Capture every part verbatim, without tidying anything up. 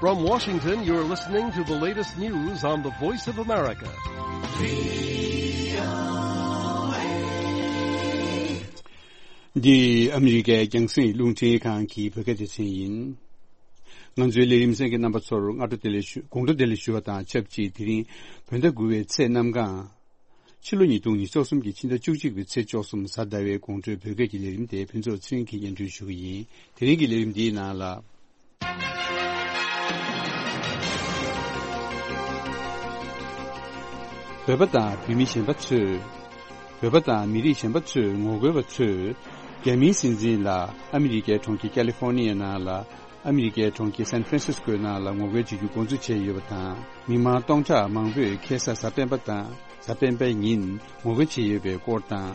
From Washington, you're listening to the latest news on the Voice of America. འདི་ཨ་མི་རི་ཀའི་རྒྱང་སྲིང་རླུང་འཕྲིན་ཁང་གི་བོད་སྐད་སྡེ་ཚན་ཡིན། ང་ཚོའི་ལས་རིམ་གསན་མཁན་རྣམ་པ་ཚོར་སྔ་དྲོ་བདེ་ལེགས་ཞུ། དགོང་དྲོ་བདེ་ལེགས་ཞུ་བ་དང་ཆབས་ཅིག་དེ་རིང་བོད་ཟླ་དགུ་པའི་ཚེས་གནམ་གང་། ཕྱི་ལོ་ཉིས་སྟོང་ཉི་ཤུ་རྩ་གསུམ་གྱི་ཕྱི་ཟླ་བཅུ་གཅིག་པའི་ཚེས་བཅུ་གསུམ་གཟའ་ཟླ་བའི་དགོང་དྲོའི་བོད་སྐད་ཀྱི་ལས་རིམ་དེ་ཕུན་ཚོགས་ཚེ་རིང་གིས་སྙན་སྒྲོན་ཞུ་གི་ཡིན། དེ་རིང་གི་ལས་རིམ་འདིའི་ནང་ལ། བོད་པ་དང་བོད་མི་གཞན་པ་ཚོས། བོད་པ་དང་མི་རིགས་གཞན་པ་ཚོས་ངོ་རྒོལ་བ་ཚོས་རྒྱ་མིའི་སྲིད་འཛིན་ལ་ཨ་མི་རི་ཀའི་གྲོང་ཁྱེར་ཀ་ལི་ཧྥོར་ནི་ཡའི་ནང་ལ། ཨ་མི་རི་ཀའི་གྲོང་ཁྱེར་སན་ཧྥ་རན་སིས་ཀོའི་ནང་ལ་ངོ་རྒོལ་བྱེད་རྒྱུ་འགོ་འཛུགས་བྱས་ཡོད་པ་དང་། མི་མང་སྟོང་ཕྲག་མང་པོས་ཁ་སང་གཟའ་སྤེན་པ་དང་གཟའ་སྤེན་པའི་ཉིན་ངོ་རྒོལ་བྱས་ཡོད་པའི་སྐོར་དང་།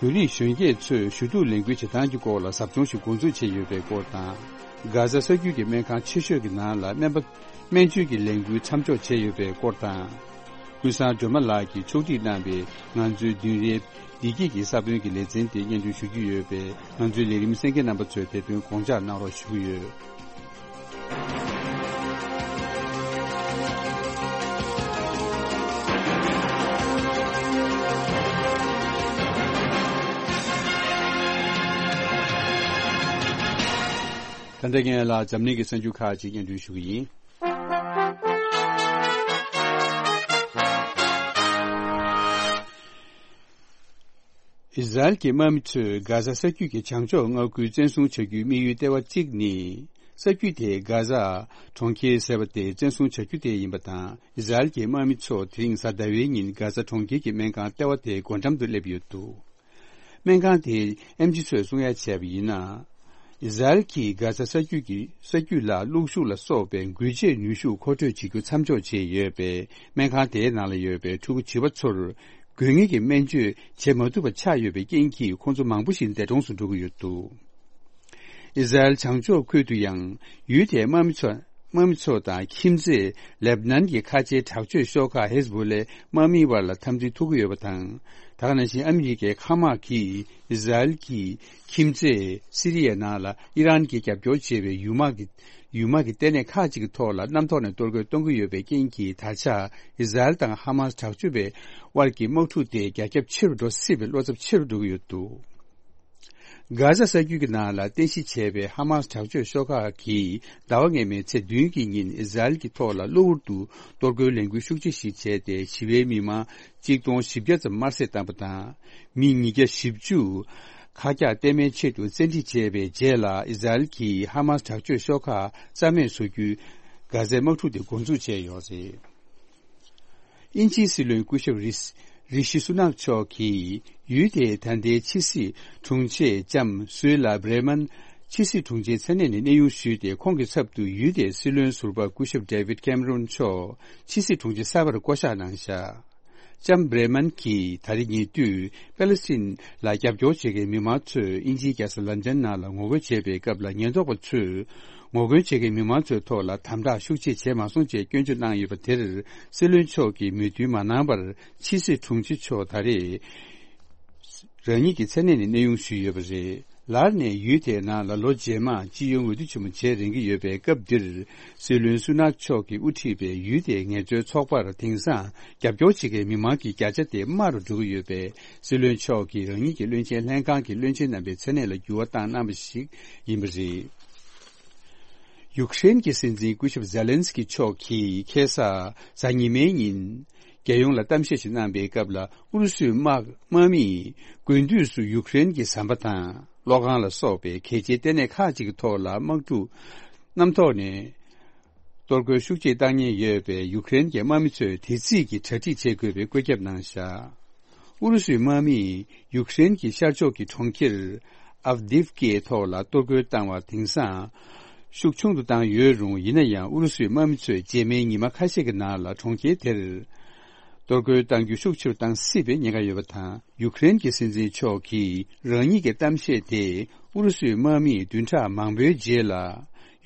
བོད་རིགས་གཞོན་སྐྱེས་ཚོས་ཞུ་གཏུག་ལས་འགུལ་བྱེད་སྟངས་ཀྱི་སྐོར་ལ་ཟབ་སྦྱོང་ཞིག་འགོ་འཛུགས་བྱས་ཡོད་པའི་སྐོར་དང་། གྷ་ཟ་ས་རྒྱུད་ཀྱི་སྨན་ཁང་ཆེ་ཤོས་ཀྱི་ནང་ལ་སྨན་པ། སྨན་བཅོས་ཀྱི་ལས་འགུལ་མཚམས་འཇོག་བྱས་ཡོད་པའི་སྐོར་དང་། ཀུན་བཟང་སྒྲོལ་མ་ལགས་ཀྱིས་ཕྱོགས་སྒྲིག་གནང་བའི་ང་ཚོའི་བདུན་རེའི་བདེ་སྐྱིད་ཀྱི་ས་བོན་གྱི་ལེ་ཚན་དེ་སྙན་སྒྲོན་ཞུ་རྒྱུ་ཡོད་པས། ང་ཚོའི་ལས་རིམ་གསན་མཁན་རྣམ་པ་ཚོས་དེ་དོན་དགོངས་འཇགས་གནང་རོགས་ཞུ་གི་ཡོད། ད་ལྟ་ངས་ལ་འཛམ་གླིང་གི་གསར་འགྱུར་ཁག་ཅིག་སྙན་སྒྲོན་ཞུ་གི་ཡིན། ཨི་ཟ་རེལ་གྱི་དམག་མི་ཚོས་གྷ་ཟ་ས་རྒྱུད་ཀྱི་བྱང་ཕྱོགས་མངའ་ཁུལ་བཙན་བཟུང་བྱ་རྒྱུའི་དམིགས་ཡུལ་ལྟེ་བ་གཅིག་ནི། ས་རྒྱུད་དེ་གྷ་ཟ་གྲོང་ཁྱེར་ཟེར་བ་དེ་བཙན་བཟུང་བྱ་རྒྱུ་དེ་ཡིན་པ་དང་། ཨི་ཟ་རེལ་གྱི་དམག་མི་ཚོ་དེ་རིང་གཟའ་ཟླ་བའི་ཉིན་གྷ་ཟ་གྲོང་ཁྱེར་གྱི་སྨན་ཁང་ལྟེ་བ་དེའི་སྒོ་འགྲམ་དུ་སླེབས་ཡོད་འདུག་སྨན་ཁང་དེའི་ཨེམ་ཆི་ཚོས་གསུང་ཡ་བྱས་པ་ཡིན་ན། ཨི་ཟ་རེལ་གྱིས་གྷ་ཟ་ས་རྒྱུད་ཀྱི་ས་རྒྱུད་ལ་གློག་ཤུགས་ལ་སོགས་པའི་འགུལ་སྐྱོད་ནུས་ཤུགས་མཁོ་སྤྲོད་བྱེད་རྒྱུ་མཚམས་འཇོག་བྱས་ཡོད་པས། སྨན་ཁང་དེའི་ནང་ལ་ཡོད་པའི་ཕྲུ་གུ་བྱིས་པ་ཚོར་དགོས་ངེས་ཀྱི་སྨན་བཅོས་བྱེད་མ་ཐུབ་པ་ཆགས་ཡོད་པའི་རྐྱེན་གྱིས། ཁོང་ཚོ་མང་པོ་ཞིག་འདས་གྲོངས་སུ་འགྲོ་གི་ཡོད་འདུག་ཨི་ཟ་རེལ་བྱང་ཕྱོགས་ཁུལ་དུ་ཡང་ཡུལ་དེའི་དམག་མི་ཚོ། དམག་མི་ཚོ་དང་ཁྱིམ་མཚེས་ལེབ་ནན་གྱི་ཁ་ཆེའི་དྲག་སྤྱོད་ཤོག་ཁག་ཧེ་ཟ་བྷོ་ལའི་དམག་མིའི་བར་ལ་འཐབ་འཛིང་ཐུག་གི་ཡོད་པ་དང་། ད་ག་ནང་བཞིན་ཨ་མི་རི་ཀའི་མཁའ་དམག་གིས་ཨི་ཟ་རེལ་གྱི་ཁྱིམ་མཚེས་སི་རི་ཡའི་ནང་ལ་ཨི་རན་གྱིས་རྒྱབ་སྐྱོར་བྱེད་པའི་ཡུལ་དམག་གི་ཡུལ་དམག་གི་ལྟེ་གནས་ཁག་ཅིག་གི་ཐོག་ལ་གནམ་ཐོག་ནས་གཏོར་རྒོལ་གཏོང་གི་ཡོད་པའི་རྐྱེན་གྱིས། ད་ཆ་ཨི་ཟ་རེལ་དང་ཧ་མ་སི་དྲག་སྤྱོད་པའི་དབར་གྱི་དམག་འཁྲུག་དེ་རྒྱ་ཁྱབ་ཆེ་རུ་འགྲོ་སྲིད་པའི་བློ་འཚབ་ཆེ་རུ་འགྲོ་གི་ཡོད་འདུག་གྷ་ཟ་ས་རྒྱུད་ཀྱི་ནང་ལ་རྟེན་གཞི་བྱས་པའི་ཧ་མ་སི་དྲག་སྤྱོད་ཤོག་ཁག་གིས་ཟླ་བ་སྔོན་མའི་ཚེས་བདུན་གྱི་ཉིན་ཨི་ཟ་རེལ་གྱི་ཐོག་ལ་གློ་བུར་དུ་གཏོར་རྒོལ་ལས་འགུལ་ཤུགས་ཆེ་ཞིག་བྱས་ཏེ། ཞི་བའི་མི་མང་གཅིག་སྟོང་བཞི་བརྒྱ་ཙམ་དམར་གསོད་བཏང་བ་དང་། མི་ཉིས་བརྒྱ་བཞི་བཅུ་ཁ་གྱག་སྟོན་མའི་ཆེད་དུ་བཙན་ཁྲིད་བྱས་པའི་རྗེས་ལ། ཨི་ཟ་རེལ་གྱིས་ཧ་མ་སི་དྲག་སྤྱོད་ཤོག་ཁག་རྩ་མེད་བཟོ་རྒྱུའི་གྷ་ཟའི་དམག་འཁྲུག་དེ་འགོ་འཛུགས་བྱས་ཡོད་རེད། དབྱིན་ཇིའི་སྲིད་བློན་སྐུ་ཞབས་རི་རི་ཤི་སུ་ནག་མཆོག་གིས་ཡུལ་དེའི་ད་ལྟའི་ཕྱི་སྲིད་དྲུང་ཆེ་ལྕམ་སུའེ་ལ་བྷི་རེ་མན་ཕྱི་སྲིད་དྲུང་ཆེའི་མཚན་གནས་ནས་གནས་དབྱུང་ཞུས་ཏེ། ཁོང་གི་ཚབ་ཏུ་ཡུལ་དེའི་སྲིད་བློན་ཟུར་པ་སྐུ་ཞབས་ཌེ་བིད་ཁེམ་རོན་མཆོག་ཕྱི་སྲིད་དྲུང་ཆེ་གསར་པར་བསྐོ་གཞག་གནང་བཞག་ལྕམ་བྷི་རེ་མན་གྱིས་ད་རེས་ཉེ་དུས་པེ་ལེ་སི་ཐན་ལ་རྒྱབ་སྐྱོར་བྱེད་མཁན་མི་མང་ཚོས་དབྱིན་ཇིའི་རྒྱལ་ས་ལན་ཌན་ནང་ལ་ངོ་རྒོལ་བྱེད་པའི་སྐབས་ལ། ཉེན་རྟོག་པ་ཚོས་ངོ་རྒོལ་བྱེད་མཁན་མི་མང་ཚོའི་ཐོག་ལ་དམ་དྲག་ཤུགས་ཆེ་བྱས་མ་སོང་ཅེས་སྐྱོན་བརྗོད་གནང་ཡོད་པ་དེར། སྲིད་བློན་མཆོག་གིས་མོས་མཐུན་མ་གནང་བར། ཕྱི་སྲིད་དྲུང་ཆེ་མཆོག་ད་རེས་རང་ཉིད་ཀྱི་མཚན་གནས་ནས་གནས་དབྱུང་ཞུས་ཡོད་པ་རེད། ལར་ནས་ཡུལ་དེའི་ནང་ལ་ལོ་རྗེས་མར་སྤྱི་ཡོངས་འོས་བསྡུ་ཆེན་མོ་བྱེད་རན་གྱི་ཡོད་པའི་སྐབས་འདིར། སྲིད་བློན་སུ་ནག་མཆོག་གིས་དབུ་ཁྲིད་པའི་ཡུལ་དེའི་ངལ་རྩོལ་ཚོགས་པར་དེང་སང་རྒྱབ་སྐྱོར་བྱེད་མཁན་མི་མང་གི་བརྒྱ་ཆ་དེ་དམའ་རུ་འགྲོ་གི་ཡོད་པས། སྲིད་བློན་མཆོག་གིས་རང་ཉིད་ཀྱི་བློན་ཆེན་ལྷན་ཁང་གི་བློན་ཆེན་རྣམ་པའི་མཚན་གནས་ལ་འགྱུར་བ་བཏང་གནང་བ་ཞིག་ཡིན་པ་རེད། ཡུཀ་རེན་གྱི་སྲིད་འཛིན་སྐུ་ཞབས་ཛེ་ལན་སི་ཀི་མཆོག་གིས་ཁ་སང་གཟའ་ཉི་མའི་ཉིན། རྒྱལ་ཡོངས་ལ་གཏམ་བཤད་ཞིག་གནང་པའི་སྐབས་ལ། ཨུ་རུ་སུའི་དམག་དམག་མིས་དགུན་དུས་སུ་ཡུཀ་རེན་གྱི་ཟམ་པ་དང་གློག་ཁང་ལ་སོགས་པའི་གལ་ཆེའི་ལྟེ་གནས་ཁག་ཅིག་གི་ཐོག་ལ་དམག་འཁྲུག་གནམ་ཐོག་ནས་གཏོར་རྒོལ་ཤུགས་ཆེ་བཏང་ཉེན་ཡོད་པས། ཡུཀ་རེན་གྱི་དམག་མི་ཚོས་དེ་རྩིས་ཀྱི་གྲ་སྒྲིག་བྱེད་དགོས་པའི་བཀོད་ཁྱབ་གནང་བཞག་ཨུ་རུ་སུའི་དམག་མིས་ཡུཀ་རེན་གྱི་ཤར་ཕྱོགས་ཀྱི་གྲོང་ཁྱེར་ཨབ་དིབ་ཀའི་ཐོག་ལ་གཏོར་རྒོལ་བཏང་བ་དེང་སང་ཤུགས་ཆུང་དུ་བཏང་ཡོད་རུང་། ཡིན་ན་ཡང་ཨུ་རུ་སུའི་དམག་མི་ཚོས་རྗེས་མའི་ཉི་མ་ཁ་ཤས་ཀྱི་ནང་ལ་གྲོང་ཁྱེར་དེར་གཏོར་རྒོལ་གཏང་རྒྱུ་ཤུགས་ཆེ་རུ་བཏང་སྲིད་པའི་ཉེན་ཁ་ཡོད་པ་དང་། ཡུཀ་རེན་གྱི་སྲིད་འཛིན་མཆོག་གིས་རང་ཉིད་ཀྱི་གཏམ་བཤད་དེ་ཨུ་རུ་སུའི་དམག་མིས་བདུན་ཕྲག་མང་པོའི་རྗེས་ལ།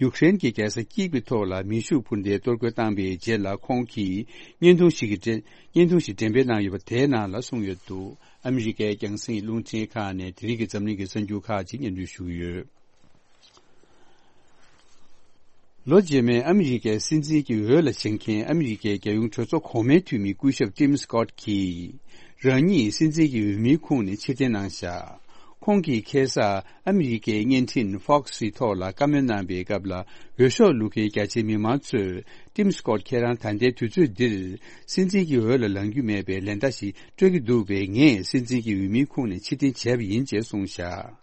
ཡུཀ་རེན་གྱི་རྒྱལ་ས་ཀིབ་ཀྱི་ཐོག་ལ་མེ་ཤུགས་འཕུར་མདེལ་གཏོར་རྒོལ་བཏང་པའི་རྗེས་ལ། ཁོང་གིས་བརྙན་ཐུང་ཞིག་གི་འགྲེམས། བརྙན་ཐུང་ཞིག་འགྲེམས་སྤེལ་གནང་ཡོད་པ་དེའི་ནང་ལ་གསུངས་ཡོད་འདུག་ཨ་མི་རི་ཀའི་རྒྱང་སྲིང་རླུང་འཕྲིན་ཁང་ནས་དེ་རིང་གི་འཛམ་གླིང་གི་གསར་འགྱུར་ཁག་ཅིག་སྙན་སྒྲོན་ཞུ་གི་ཡོད། ལོ་རྗེས་མའི་ཨ་མི་རི་ཀའི་སྲིད་འཛིན་གྱི་འོས་ལ་བཞེངས་མཁན་ཨ་མི་རི་ཀའི་རྒྱལ་ཡོངས་གྲོས་ཚོགས་གོང་མའི་འཐུས་མི་སྐུ་ཞབས་ཊིམ་སི་ཀོཊ་གྱིས། རང་ཉིད་སྲིད་འཛིན་གྱི་འོས་མིའི་ཁོངས་ནས་ཕྱིར་འཐེན་གནང་བཞག་ཁོང་གིས་ཁ་སང་ཨ་མི་རི་ཀའི་བརྙན་འཕྲིན་ཕོག་སི་ཐོག་ལ་བཀའ་མོལ་གནང་པའི་སྐབས་ལ། འོས་ཤོག་བླུག་མཁན་རྒྱ་ཆེའི་མི་མང་ཚོས། ཊིམ་སི་ཀོཊ་ཁྱེད་རང་ད་ལྟའི་དུས་ཚོད་འདིར། སྲིད་འཛིན་གྱི་འོས་ལ་ལངས་རྒྱུ་མེད་པའི་ལན་བརྡ་ཞིག་སྤྲོད་ཀྱི་འདུག་པས། ངས་སྲིད་འཛིན་གྱི་འོས་མིའི་ཁོངས་ནས་ཕྱིར་འཐེན་བྱས་པ་ཡིན་ཅེས་གསུངས་བཞག་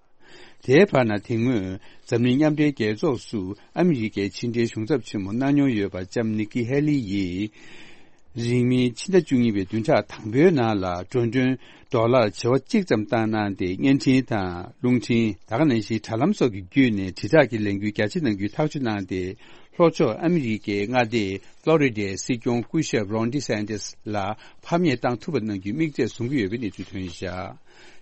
དེའི་བར་ན། དེ་སྔོན་འཛམ་གླིང་མཉམ་འབྲེལ་རྒྱལ་ཚོགས་སུ་ཨ་མི་རི་ཀའི་ཕྱི་འབྲེལ་གཞུང་ཚབ་ཆེན་མོ་གནང་མྱོང་ཡོད་པ་ལྕམ་ནིག་ཀི་ཧེ་ལི་ཡིས། རིང་མིན་ཕྱི་ཟླ་བཅུ་གཉིས་པའི་བདུན་ཕྲག་དང་པོའི་ནང་ལ་འགྲོ་གྲོན་ཌོ་ལར་བྱེ་བ་གཅིག་ཙམ་བཏང་གནང་སྟེ། བརྙན་འཕྲིན་དང་། རླུང་འཕྲིན། ད་ག་ནང་བཞིན་དྲ་ལམ་སོགས་ཀྱི་བརྒྱུད་ནས་དྲིལ་བསྒྲགས་ཀྱི་ལས་འགུལ་རྒྱ་ཆེ་གནང་རྒྱུའི་ཐག་གཅོད་གནང་སྟེ། ལྷོ་ཕྱོགས་ཨ་མི་རི་ཀའི་མངའ་སྡེ་ཕློ་རི་ཌའི་སྲིད་སྐྱོང་སྐུ་ཞབས་རོན་ཌི་སན་ཏིས་ལ་ཕམ་ཉེས་བཏང་ཐུབ་པ་གནང་རྒྱུའི་དམིགས་ཚད་བཟུང་གི་ཡོད་པའི་གནས་ཚུལ་ཐོན་བཞག་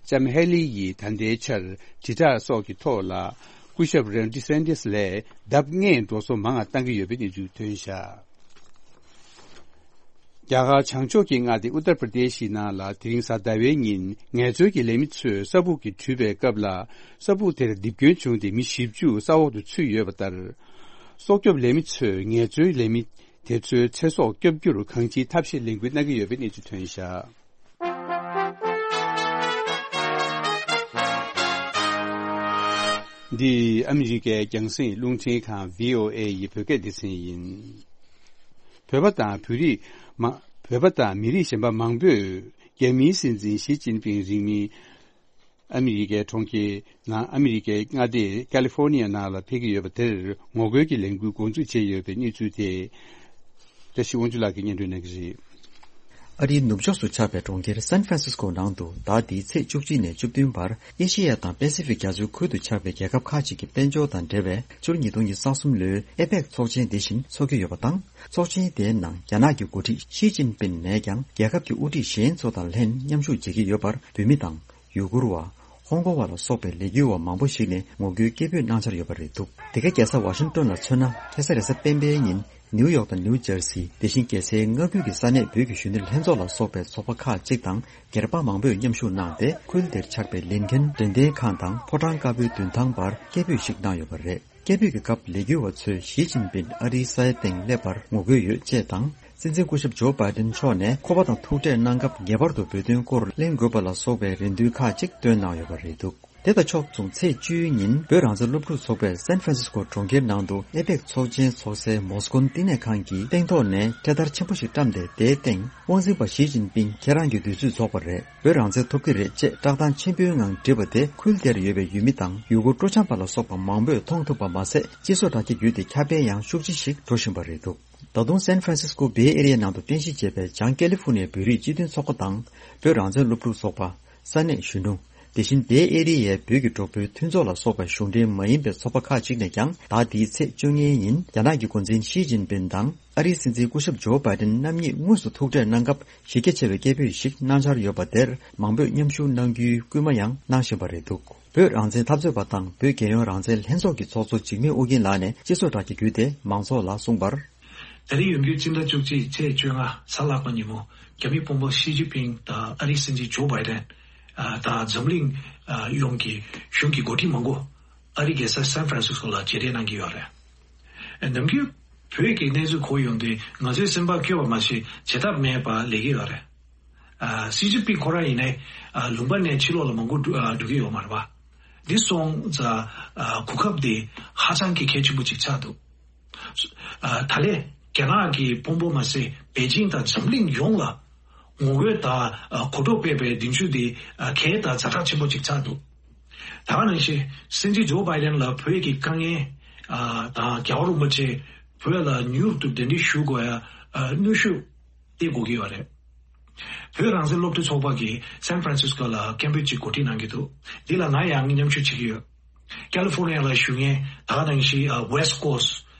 ལྕམ་ཧེ་ལི་ཡིས་ད་ལྟའི་ཆར་དྲིལ་བསྒྲགས་སོགས་ཀྱི་ཐོག་ལ། སྐུ་ཞབས་རོན་ཌི་སན་ཏིས་ལས་ལྡབ་ལྔའི་འགྲོ་སོང་མང་བ་བཏང་གི་ཡོད་པའི་གནས་ཚུལ་ཐོན་བཞག་རྒྱ་གར་བྱང་ཕྱོགས་ཀྱི་མངའ་སྡེ་ཨུ་ཏར་པྲ་དེ་ཤི་ནང་ལ། དེ་རིང་གཟའ་ཟླ་བའི་ཉིན་ངལ་རྩོལ་གྱི་ལས་མི་ཚོས་ས་སྦུག་གིས་དྲུད་པའི་སྐབས་ལ། ས་སྦུག་དེར་རྡིབ་སྐྱོན་བྱུང་སྟེ། མི་བཞི་བཅུ་ས་འོག་ཏུ་ཚུད་ཡོད་པ་ལྟར། སྲོག་སྐྱོབ་ལས་མི་ཚོས་ངལ་རྩོལ་ལས་མི་དེ་ཚོའི་ཚེ་སྲོག་སྐྱོབ་རྒྱུར་གང་ཅིའི་ཐབས་ཤེས་ལེན་སྐུལ་གནང་གི་ཡོད་པའི་གནས་ཚུལ་ཐོན་བཞག་འདི་ཨ་མི་རི་ཀའི་རྒྱང་སྲིང་རླུང་འཕྲིན་ཁང་བྷི་ཨོ་ཨེ་ཡི་བོད་སྐད་སྡེ་ཚན་ཡིན། བོད་པ་དང་བོད་རིགས་མ། བོད་པ་དང་མི་རིགས་གཞན་པ་མང་པོས་རྒྱ་མིའི་སྲིད་འཛིན་ཞི་ཅིན་ཕིང་རིང་མིན་ཨ་མི་རི་ཀའི་གྲོང་ཁྱེར་ནང་། ཨ་མི་རི་ཀའི་མངའ་སྡེ་ཀ་ལི་ཧྥོར་ནི་ཡ་ནང་ལ་ཕེབས་ཀྱི་ཡོད་པ་དེར་ངོ་རྒོལ་གྱི་ལས་འགུལ་འགོ་འཛུགས་བྱས་ཡོད་པའི་གནས་ཚུལ་དེ། བཀྲ་ཤིས་དབང་ཕྱུག་ལགས་ཀྱིས་སྙན་སྒྲོན་གནང་གི་རེད། ཨ་རིའི་ནུབ་ཕྱོགས་སུ་ཆགས་པའི་གྲོང་ཁྱེར་སན་ཧྥ་རན་སིས་ཀོ་ནང་དུ། ཟླ་འདིའི་ཚེས་བཅུ་གཅིག་ནས་བཅུ་བདུན་བར་ཨེ་ཤེ་ཡ་དང་པེ་སི་ཕིག་རྒྱ་མཚོའི་ཁུལ་དུ་ཆགས་པའི་རྒྱལ་ཁབ་ཁག་ཅིག་གི་དཔལ་འབྱོར་དང་འབྲེལ་བའི་ཕྱི་ལོ་ཉིས་སྟོང་ཉི་ཤུ་རྩ་གསུམ་ལོའི་ཨེ་པེག་ཚོགས་ཆེན་དེ་བཞིན་འཚོགས་ཀྱི་ཡོད་པ་དང་། ཚོགས་ཆེན་དེའི་ནང་རྒྱ་ནག་གི་འགོ་ཁྲིད་ཞི་ཅིན་ཕིན་ནས་ཀྱང་རྒྱལ་ཁབ་ཀྱི་དབུ་ཁྲིད་གཞན་ཚོ་དང་ལྷན་མཉམ་ཞུགས་བྱེད་ཀྱི་ཡོད་པར། བོད་མི་དང་། ཡུ་གུར་བ། ཧོང་ཀོང་བ་ལ་སོགས་པའི་ལས་འགུལ་བ་མང་པོ་ཞིག་ནས་ངོ་རྒོལ་སྐད་འབོད་གནང་འཆར་ཡོད་པ་རེད་འདུག་དེ་ག་རྒྱལ་ས་ཝ་ཤིང་ཏོན་ལ་མཚོན་ན། ཁ་སང་རེས་གཟའ་སྤེན་པའི་ཉིན་ནིའུ་ཡོག་དང་ནིའུ་ཇར་སི། དེ་བཞིན་རྒྱལ་སའི་མངའ་ཁུལ་གྱི་ས་གནས་བོད་ཀྱི་གཞོན་ནུ་ལྷན་ཚོགས་ལ་སོགས་པའི་ཚོགས་པ་ཁག་ཅིག་དང་སྒེར་པ་མང་པོས་མཉམ་ཞུགས་གནང་སྟེ། ཁུལ་དེར་ཆགས་པའི་ལིན་ཁེན་འགྲེམས་སྟོན་ཁང་དང་ཕོ་བྲང་དཀར་པོའི་མདུན་ཐང་བར་སྐད་འབོད་ཞིག་གནང་ཡོད་པ་རེད། སྐད་འབོད་ཀྱི་སྐབས་ལས་འགུལ་བ་ཚོས་ཞི་ཅིན་ཕིན་ཨ་རིའི་ས་ཡ་སྟེང་སླེབས་པར་ངོ་རྒོལ་ཡོད་ཅེས་དང་། སྲིད་འཛིན་སྐུ་ཞབས་ཇོ་བྷའི་ཏིན་མཆོག་ནས་ཁོ་པ་དང་ཐུག་འཕྲད་གནང་སྐབས་ངེས་པར་དུ་བོད་དོན་སྐོར་གླེང་དགོས་པ་ལ་སོགས་པའི་རེ་འདུན་ཁག་ཅིག་བཏོན་གནང་ཡོད་པ་རེད་འདུག་དེ་དང་ཕྱོགས་མཚུངས། ཚེས་བཅུའི་ཉིན་བོད་རང་བཙན་སློབ་ཕྲུག་ཚོགས་པས་སན་ཧྥ་རན་སིས་ཀོ་གྲོང་ཁྱེར་ནང་དུ་ཨེ་པེག་ཚོགས་ཆེན་ཚོགས་སའི་མོ་སི་ཀོན་བསྟི་གནས་ཁང་གི་སྟེང་ཐོག་ནས་འཕྲེད་དར་ཆེན་པོ་ཞིག་བཀྲམ་སྟེ། དེའི་སྟེང་དབང་འཛིན་པ་ཞི་ཅིན་ཕིང་ཁྱེད་རང་གི་དུས་ཚོད་རྫོགས་པ་རེད། བོད་རང་བཙན་ཐོབ་ཀྱི་རེད་ཅེས་བཀྲག་མདངས་ཆེན་པོའི་ངང་བྲིས་པ་དེ། ཁུལ་དེར་ཡོད་པའི་ཡུལ་མི་དང་ཡུ་གུར་སྤྲོ་འཆམ་པ་ལ་སོགས་པ་མང་པོས་མཐོང་ཐུབ་པ་མ་ཟད། སྤྱི་ཚོགས་དྲ་རྒྱ་བརྒྱུད་དེ་ཁྱབ་སྤེལ་ཡང་ཤུགས་ཆེ་ཞིག་འགྲོ་བཞིན་པ་རེད་འདུག་ད་དུང་སན་ཧྥ་རན་སིས་ཀོ་བེ་ཨེ་རི་ཡ་ནང་དུ་རྟེན་གཞི་བྱས་པའི་བྱང་ཀེ་ལི་ཧྥུ་ནི་ཡའི་བོད་རིགས་སྤྱི་མཐུན་ཚོགས་པ་དང་། བོད་རང་བཙན་སློབ་ཕྲུག་ཚོགས་པ། ས་གནས་གཞོན་ནུ། དེ་བཞིན་བེ་ཨེ་རི་ཡའི་བོད་ཀྱི་གྲོགས་པོའི་མཐུན་ཚོགས་ལ་སོགས་པའི་གཞུང་འབྲེལ་མ་ཡིན་པའི་ཚོགས་པ་ཁག་ཅིག་ནས་ཀྱང་། ཟླ་འདིའི་ཚེས་བཅོ་ལྔའི་ཉིན་རྒྱ་ནག་གི་འགོ་འཛིན་ཞི་ཅིན་ཕིན་དང་ཨ་རིའི་སྲིད་འཛིན་སྐུ་ཞབས་ཇོ་བྷའི་ཏིན་རྣམ་གཉིས་དངོས་སུ་ཐུག་འཕྲད་གནང་སྐབས་གཞི་རྒྱ་ཆེ་བའི་སྐད་འབོད་ཞིག་གནང་འཆར་ཡོད་པ་དེར་མང་པོས་མཉམ་ཞུགས་གནང་རྒྱུའི་སྐུལ་མ་ཡང་གནང་བཞིན་པ་རེད་འདུག་བོད་རང་བཙན་འཐབ་རྩོད་པ་དང་བོད་རྒྱལ་ཡོངས་རང་བཙན་ལྷན་ཚོགས་ཀྱི་ཚོགས་གཙོ་འཇིགས་མེད་ཨོ་རྒྱན་ལགས་ནས་སྤྱི་ཚོགས་དྲ་རྒྱ་བརྒྱུད་དེ་མང་ཚོགས་ལ་གསུངས་པར། ད་རེས་ཡོང་རྒྱུའི་སྤྱི་ཟླ་བཅུ་གཅིག་ཚེས་བཅོ་ལྔ་གཟའ་ལྷག་པ་ཉིན་མོ། རྒྱ་མི་དཔོན་པོ་ཞི་ཅིན་ཕིང་དང་ཨ་རིའི་སྲིད་འཛིན་ཇོ་བྷའི་ཏན། ཨ། དང་འཛམ་གླིང་། ཨ། ཡོངས་ཀྱི་གཞུང་གི་འགོ་ཁྲིད་མང་པོ་ཨ་རིའི་རྒྱལ་ས་སན་ཧྥ་རན་སིས་ཀོ་ལ་མཇལ་འཕྲད་གནང་གི་ཡོད་རེད། ནམ་རྒྱུན་བོད་ཀྱི་གནས་ཚུལ་གོ་ཡོང་དུས་ང་ཚོའི་སེམས་པ་སྐྱོ་བ་མ་ཟད་བྱེད་ཐབས་མེད་པ་ལས་ཀྱི་ཡོད་རེད། ཨ། ཞི་ཅིན་ཕིང་ཁོ་རང་ཡིན་ནའི། ཨ། ལུང་པ་ནས་ཕྱི་ལོགས་ལ་མང་པོ་འགྲོ། ཨ། འགྲོ་གི་ཡོད་མ་རེད་པ། འདི་སོང་ཙང་། ཨ། གོ་སྐབས་འདི་ཧ་ཅང་གི་གལ་ཆེན་པོ་ཅིག་ཆགས་འདུག་ཨ། ད་ལན་རྒྱ་ནག་གི་དཔོན་པོ་མ་ཟད་པེ་ཅིང་དང་འཛམ་གླིང་ཡོངས་ལ་ངོ་རྒོལ་དང་། ཨ། གོ་རྟོགས་སྤེལ་བའི་མདུན་ཚུགས་འདི། ཨ། གལ་དང་ཛ་དྲག་ཆེན་པོ་ཅིག་ཆགས་འདུག་ད་ག་ནང་བཞིན་སྲིད་འཛིན་ཇོ་བྷའི་ཏན་ལ་བོད་ཀྱི་དཀའ་ངལ། ཨ། དང་རྒྱལ་བ་རིན་པོ་ཆེ་བོད་ལ་མྱུར་དུ་གདན་འདྲེན་ཞུ་དགོས་ཡ། ཨ། གནོན་ཤུགས་སྟེར་དགོས་ཀྱི་ཡོད་རེད། བོད་རང་བཙན་སློབ་ཕྲུག་ཚོགས་པ་གིས་སན་ཧྥ་རན་སིས་ཀོ་ལ་སྐད་འབོད་ཅིག་གོ་སྒྲིག་གནང་གི་འདུག་འདི་ལ་ང་ཡང་མཉམ་ཞུགས་བྱེད་ཀྱི་ཡོད། ཀ་ལི་ཧྥོར་ནི་ཡ་ལ་བཞུགས་མཁན་ད་ག་ནང་བཞིན། ཨ། ཝེ་སི་ཊི་ཀོ་སི་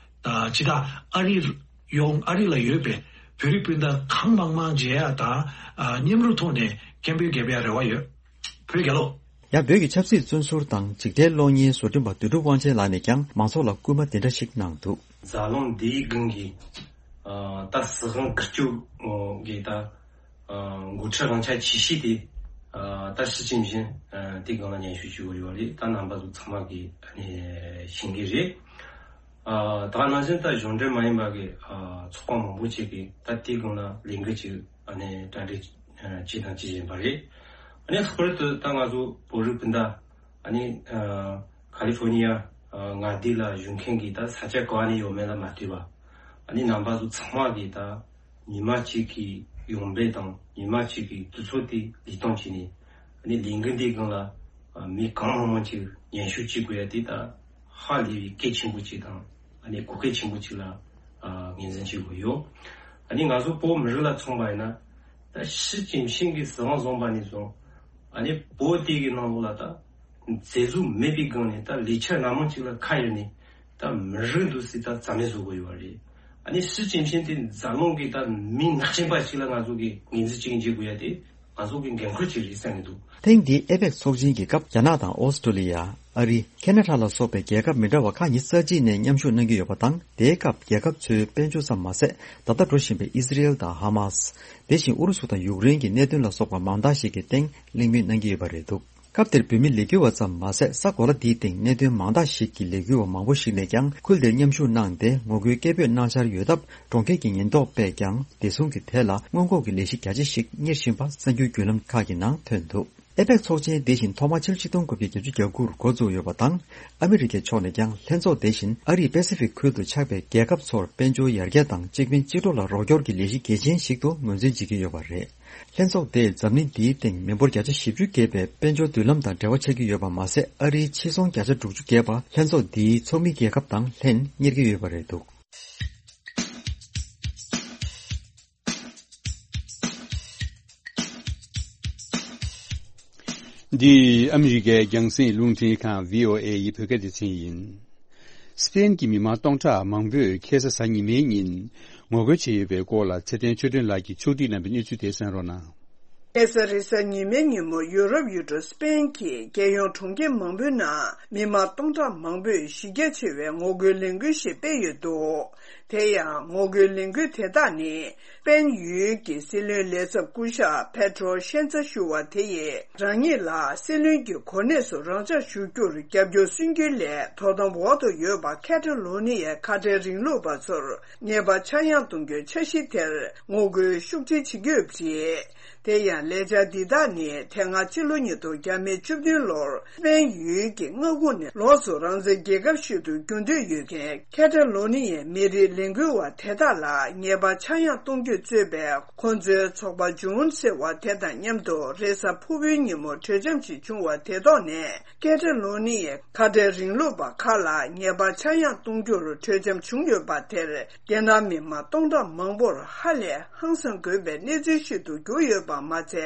ཊི་དང་སྤྱི་བཏང་ཨ་རི་ཡོངས། ཨ་རི་ལ་ཡོད་པའི་བོད་རིགས་སྤུན་ཟླ་གང་མང་མང་མཇལ་ཡ་དང་། ཨ། མཉམ་རུབ་ཐོག་ནས་སྐད་འབོད་རྒྱབ་ཡ་རེ་བ་ཡོད། བོད་རྒྱལ་ལོ། ཡང་བོད་ཀྱི་ཆབ་སྲིད་བཙོན་ཟུར་དང་འཇིགས་བྲལ་གློག་བརྙན་བཟོ་སྐྲུན་པ་དོན་གྲུབ་དབང་ཆེན་ལགས་ནས་ཀྱང་མང་ཚོགས་ལ་སྐུལ་མ་དེ་འདྲ་ཞིག་གནང་འདུག་འཛམ་གླིང་འདིའི་སྒང་གི། ཨ། ད་སྲིད་དབང་བཀའ་བརྒྱུད་ཀྱི་ད། ཨ། འགོ་ཁྲིད་དབང་ཆ་ཆེ་ཤོས་དེ། ཨ། ད་ཞི་ཅིན་ཕིང་། ཨ། དེ་སྒང་ལ་སྙན་ཞུ་ཞུ་གི་ཡོད་རེད། ད་རྣམ་པ་ཚོ་ཚང་མ་གིས་ཨ་ནི་ཤེས་ཀྱི་རེད། ཨ་ད་ནང་བཞིན་ད་གཞུང་འབྲེལ་མ་ཡིན་པ་གི་ཨ་ཚོགས་པ་མང་པོ་ཅིག་གིས་ད་དེའི་སྒང་ལ་ལས་འགུལ་ཅིག་ཨ་ནི་གྲ་སྒྲིག་ཨ་བྱས་དང་བྱེད་བཞིན་པ་རེད། ཨ་ནི་ལྷག་པར་དུ་ད་ང་ཚོ་བོད་རིགས་སྤུན་ཟླ་ཨ་ནི་ཨ་ཁ་ལི་ཧྥོ་ནི་ཡ་ཨ་མངའ་སྡེ་ལ་བཞུགས་མཁན་གྱི་ད་ས་ཆ་ག་བ་ནས་ཡོད་མེད་ལ་མ་ལྟོས་པ། ཨ་ནི་རྣམ་པ་ཚོ་ཚང་མ་གིས་ད་ཉི་མ་གཅིག་གི་ཡོང་འབབ་དང་ཉི་མ་གཅིག་གི་དུས་ཚོད་དེ་ལུས་སྟངས་བྱས་ནས། ཨ་ནི་ལས་འགུལ་འདིའི་སྒང་ལ་ཨ་མི་གང་མང་མང་ཅིག་མཉམ་ཞུགས་བྱེད་དགོས་ཡ་དེ་ད་ཧ་ལས་པའི་གལ་ཆེན་པོ་ཅིག་དང་ཨ་ནི་གོ་སྐབས་ཆེན་པོ་ཅིག་ལ་ཨ་ངོས་འཛིན་བྱེད་དགོས་ཡོད། ཨ་ནི་ང་ཚོ་བོད་མི་རིགས་ལ་མཚོན་པ་ཡིན་ན། ད་ཞི་ཅིན་ཕིང་གིས་སྲིད་དབང་བཟུང་པ་ནས་བཟུང་ཨ་ནི་བོད་དེ་གི་ནང་ལོགས་ལ་ད་མཛེས་བཟོ་མེད་པའི་སྒང་ནས་ད་ལས་འཆར་སྣ་མང་ཅིག་ལ་ཁ་གཡར་ནས། ད་མི་རིགས་འདུག་སྲིད་ད་རྩ་མེད་བཟོ་དགོས་ཡོད་པ་རེད། ཨ་ནི་ཞི་ཅིན་ཕིང་དེ་འཛམ་གླིང་གི་ད་མི་ནག་ཅན་པ་ཞིག་ལ་ང་ཚོ་གི་ངོས་འཛིན་བྱེད་ཀྱི་འཇུག་དགོས་ཡ་དེ་ང་ཚོ་གི་འགན་ཁུར་ཅིག་རེད་བསམ་གྱི་འདུག། ཐེངས་འདིའི་ཨེ་པེག་ཚོགས་ཆེན་གྱི་སྐབས་རྒྱ་ནག་དང་ཨོ་སི་ཀྲོ་ལི་ཡ། ཨ་རི། ཁེ་ན་ཌ་ལ་སོགས་པའི་རྒྱལ་ཁབ་མི་འདྲ་བ་ཁག་ཉི་ཤུ་རྩ་གཅིག་ནས་མཉམ་ཞུགས་གནང་གི་ཡོད་པ་དང་། དེའི་སྐབས་རྒྱལ་ཁབ་ཚོའི་དཔལ་འབྱོར་ཙམ་མ་ཟད། ད་ལྟ་འགྲོ་བཞིན་པའི་ཨི་སི་རེལ་དང་ཧ་མ་སི། དེ་བཞིན་ཨུ་རུ་སུ་དང་ཡུཀ་རེན་གྱི་གནད་དོན་ལ་སོགས་པ་མང་དག་ཞིག་གི་སྟེང་གླེང་མོལ་གནང་གི་ཡོད་པ་རེད་འདུག། སྐབས་དེར་བོད་མི་ལས་འགུལ་བ་ཙམ་མ་ཟད། ས་གོ་ལ་འདིའི་སྟེང་གནད་དོན་མང་དག་ཞིག་གི་ལས་འགུལ་བ་མང་པོ་ཞིག་ནས་ཀྱང་ཁུལ་དེར་མཉམ་ཞུགས་གནང་སྟེ། ངོ་རྒོལ་སྐད་འབོད་གནང་འཆར་ཡོད་སྟབས། གྲོང་ཁྱེར་གྱི་ཉེན་རྟོག་པས་ཀྱང་བདེ་སྲུང་གི་ཐད་ལ་སྔོན་འགོག་གི་ལས་གཞི་རྒྱ་ཆེ་ཞིག་གཉེར་བཞིན་པ་གསར་འགྱུར་བརྒྱུད་ལམ་ཁག་གི་ནང་ཐོན་འདུག། ཨེ་པེག་ཚོགས་ཆེན་དེ་བཞིན་ཐོག་མ་ཕྱི་ལོ་ཆིག་སྟོང་དགུ་བརྒྱ་བརྒྱད་ཅུ་གྱ་དགུ་རུ་འགོ་བཙུགས་ཡོད་པ་དང་། ཨ་མི་རི་ཀའི་ཕྱོགས་ནས་ཀྱང་ལྷན་ཚོགས་དེ་བཞིན་ཨ་རིས་པེ་སི་ཕིག་ཁུལ་དུ་ཆགས་པའི་རྒྱལ་ཁབ་ཚོར་དཔལ་འབྱོར་ཡར་རྒྱས་དང་། གཅིག་ཕན་གཅིག་གྲོགས་ལ་རོགས་སྐྱོར་གྱི་ལས་གཞི་གལ་ཆེན་ཞིག་ཏུ་ངོས་འཛིན་བྱེད་ཀྱི་ཡོད་པ་རེད། ལྷན་ཚོགས་དེས་འཛམ་གླིང་འདིའི་སྟེང་མི་འབོར་བརྒྱ་ཆ་བཞི་བཅུ་བརྒལ་བའི་དཔལ་འབྱོར་མདུན་ལམ་དང་འབྲེལ་བ་ཆགས་ཀྱི་ཡོད་པ་མ་ཟད། ཨ་རིའི་ཕྱིར་ཚོང་བརྒྱ་ཆ་དྲུག་ཅུ་བརྒལ་བ་ལྷན་ཚོགས་འདིའི་ཚོགས་མི་རྒྱལ་ཁབ་དང་ལྷན་གཉེར་གྱི་ཡོད་པ་རེད་འདུག། འདི་ཨ་མི་རི་ཀའི་རྒྱང་སྲིང་རླུང་འཕྲིན་ཁང་བྷི་ཨོ་ཨེ་ཡི་བོད་སྐད་སྡེ་ཚན་ཡིན། སི་པེན་གྱི་མི་མང་སྟོང་ཕྲག་མང་པོས་ཁ་སང་གཟའ་ཉི་མའི་ཉིན་ངོ་རྒོལ་བྱས་ཡོད་པའི་སྐོར་ལ་ཚེ་བརྟན་ཆོས་སྒྲོན་ལགས་ཀྱིས་ཕྱོགས་སྒྲིག་གནང་བའི་གནས་ཚུལ་དེ་གསན་རོགས་གནང་། ཁ་སང་རེས་གཟའ་ཉི་མའི་ཉིན་མོ་ཡུ་རོབ་ཡུལ་གྲུ་སི་པེན་གྱི་རྒྱལ་ཡོངས་གྲོང་ཁྱེར་མང་པོའི་ནང་མི་མང་སྟོང་ཕྲག་མང་པོས་གཞི་རྒྱ་ཆེ་བའི་ངོ་རྒོལ་ལས་འགུལ་ཞིག་སྤེལ་ཡོད་འདུག། དེ་ཡང་ངོ་རྒོལ་ལས་འགུལ་དེ་དག་ནི་སི་པེན་ཡུལ་གྱི་སྲིད་བློན་ལས་ཚབ་སྐུ་ཞབས་པེ་ཏྲོ་ཤན་ཛ་ཞུ་བ་དེ་ཡིས་རང་ཉིད་ལ་སྲིད་བློན་གྱི་གོ་གནས་སུ་རང་འཇགས་ཞུ་རྒྱུར་རྒྱབ་སྐྱོར་སུན་འབྱིན་སླད་དོ་དམ་འོག་ཏུ་ཡོད་པ་ཁ་ཏ་ལོ་ནི་ཡའི་ཁ་བྲལ་རིང་ལུགས་པ་ཚོར་ཉེས་པ་ཆག་ཡང་གཏོང་རྒྱུའི་འཆར་གཞི་དེར་ངོ་རྒོལ་ཤུགས་ཆེ་བྱེད་ཀྱི་ཡོད་པ་རེད། དེ་ཡང་ལས་འཆར་འདི་དག་ནི་དེ་སྔ་ཕྱི་ལོ་ཉིས་སྟོང་བརྒྱ་མེད་བཅུ་བདུན་ལོར་སི་པེན་ཡུལ་གྱི་མངའ་ཁོངས་ནས་ལོགས་སུ་རང་བཙན་རྒྱལ་ཁབ་ཞིག་ཏུ་འགྱུར་འདོད་ཡོད་མཁན་ཁ་ཏ་ལོ་ནི་ཡའི་མི་རིགས་ལས་འགུལ་བ་དེ་དག་ལ་ཉེས་པ་ཆག་ཡང་གཏོང་རྒྱུ་གཙོས་པའི་ཁོ་ཚོའི་ཚོགས་པ་ཇུན་ཟེར་བ་དེ་དང་མཉམ་དུ་རེས་གཟའ་ཕུར་བུའི་ཉིན་མོ་གྲོས་འཆམ་ཞིག་བྱུང་བ་དེ་ཐོག་ནས། ཁ་ཏ་ལོ་ནི་ཡའི་ཁ་བྲལ་རིང་ལུགས་པ་ཁག་ལ་ཉེས་པ་ཆག་ཡང་གཏོང་རྒྱུར་གྲོས་འཆམ་བྱུང་ཡོད་པ་དེར་རྒྱལ་ནང་མི་མང་སྟོང་ཕྲག་མང་པོར་ཧ་ལས་ཧང་སང་དགོས་པའི་གནས་ཚུལ་ཞིག་ཏུ་གྱུར་ཡོད་པ་མ་ཚད།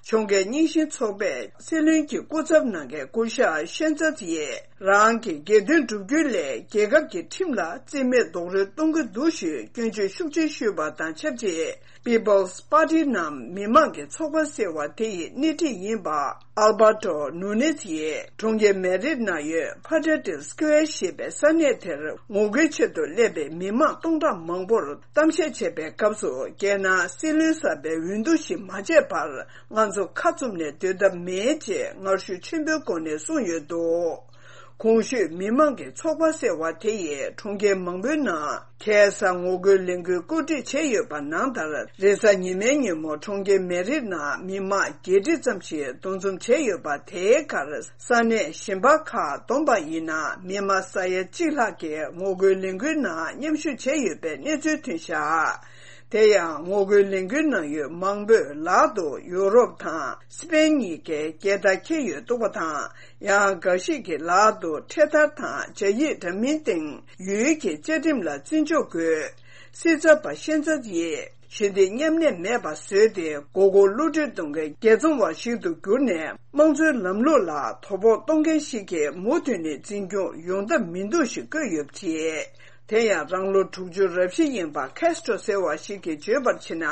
ཕྱོགས་འགལ་རྙིང་ཞེན་ཚོགས་པས་སྲིད་བློན་གྱི་སྐུ་ཚབ་གནང་མཁན་སྐུ་ཞབས་ཤན་ཙ་ཡིས་རང་གི་སྒེར་དོན་བསྒྲུབ་རྒྱུའི་སླད་རྒྱལ་ཁབ་ཀྱི་ཁྲིམས་ལ་རྩིས་མེད་རྡོག་རོལ་གཏོང་གི་འདུག་ཞེས་སྐྱོན་བརྗོད་ཤུགས་ཆེ་ཞུས་པ་དང་ཆབས་ཅིག People's Party ནམ་མི་མང་གི་ཚོགས་པ་ཟེར་བ་དེ་ཡི་སྣེ་ཁྲིད་ཡིན་པ། ཨལ་བྷར་ཏོ་ནུ་ནེ་ཛི་ཡིས་གྲོང་ཁྱེར་མེ་རིད་ནང་ཡོད་ཕ་ཏྲ་ཏི་སི་ཀུ་ཝེར་ཞེས་པའི་ས་གནས་དེར་ངོ་རྒོལ་ཆེད་དུ་སླེབས་པའི་མི་མང་སྟོང་ཕྲག་མང་པོར་གཏམ་བཤད་བྱས་པའི་སྐབས་སུ། རྒྱལ་ནང་སྲིད་བློན་གསར་པའི་འོས་བསྡུ་ཞིག་མ་བྱས་བར་ང་ཚོ་ཁ་བཙུམ་ནས་སྡོད་ཐབས་མེད་ཅེས་ངར་ཤུགས་ཆེན་པོའི་སྒོ་ནས་གསུངས་ཡོད་འདུག། གོང་ཞུས་མི་མང་གི་ཚོགས་པ་ཟེར་བ་དེ་ཡིས་གྲོང་ཁྱེར་མང་པོའི་ནང་ཁ་སང་ངོ་རྒོལ་ལས་འགུལ་བཀོད་སྒྲིག་བྱས་ཡོད་པ་ནང་ལྟར། རེས་གཟའ་ཉི་མའི་ཉིན་མོ་གྲོང་ཁྱེར་མེ་རིད་ནང་མི་མང་བརྒྱད་ཁྲི་ཙམ་ཞིག་འདུ་འཛོམས་བྱས་ཡོད་པ་དེའི་ཁར། ས་གནས་གཞན་པ་ཁག་བསྡོམས་པ་ཡིན་ན་མི་མང་ས་ཡ་གཅིག་ལྷག་གིས་ངོ་རྒོལ་ལས་འགུལ་ནང་མཉམ་ཞུགས་བྱས་ཡོད་པའི་གནས་ཚུལ་ཐོན་བཞག། དེ་ཡང་ངོ་རྒོལ་ལས་འགུལ་གནང་ཡུལ་མང་པོས་ལག་ཏུ་ཡུ་རོབ་དང་སི་པེན་གཉིས་ཀའི་རྒྱལ་དར་འཁྱེར་ཡོད་འདུག་པ་དང་། ཡང་འགའ་ཞིག་གི་ལག་ཏུ་འཕྲེད་དར་དང་སྦྱར་ཡིག་འདྲ་མིན་སྟེང་ཡུལ་གྱི་བཅའ་ཁྲིམས་ལ་བརྩི་འཇོག་དགོས། སྲིད་ཚབ་པ་ཤན་ཙ་ཡིས་ཞི་བདེ་མཉམ་གནས་མེད་པ་བཟོས་ཏེ། མགོ་སྐོར་བསླུ་བྲིད་གཏོང་མཁན་རྒྱལ་བཙོང་བ་ཞིག་ཏུ་གྱུར་ནས། དམངས་གཙོའི་ལམ་ལུགས་ལ་དོ་ཕོག་གཏོང་མཁན་ཞིག་གིས་མུ་མཐུད་ནས་འཛིན་སྐྱོང་ཡོང་ཐབས་མི་འདུག་ཞེས་བཀོད་ཡོད་པ་རེད། དེ་ཡང་རང་ལོ་དྲུག་ཅུ་རབ་བཞི་ཡིན་པ་ཁེ་སི་ཏྲོ་ཟེར་བ་ཞིག་གིས་བརྗོད་པར་བྱས་ན།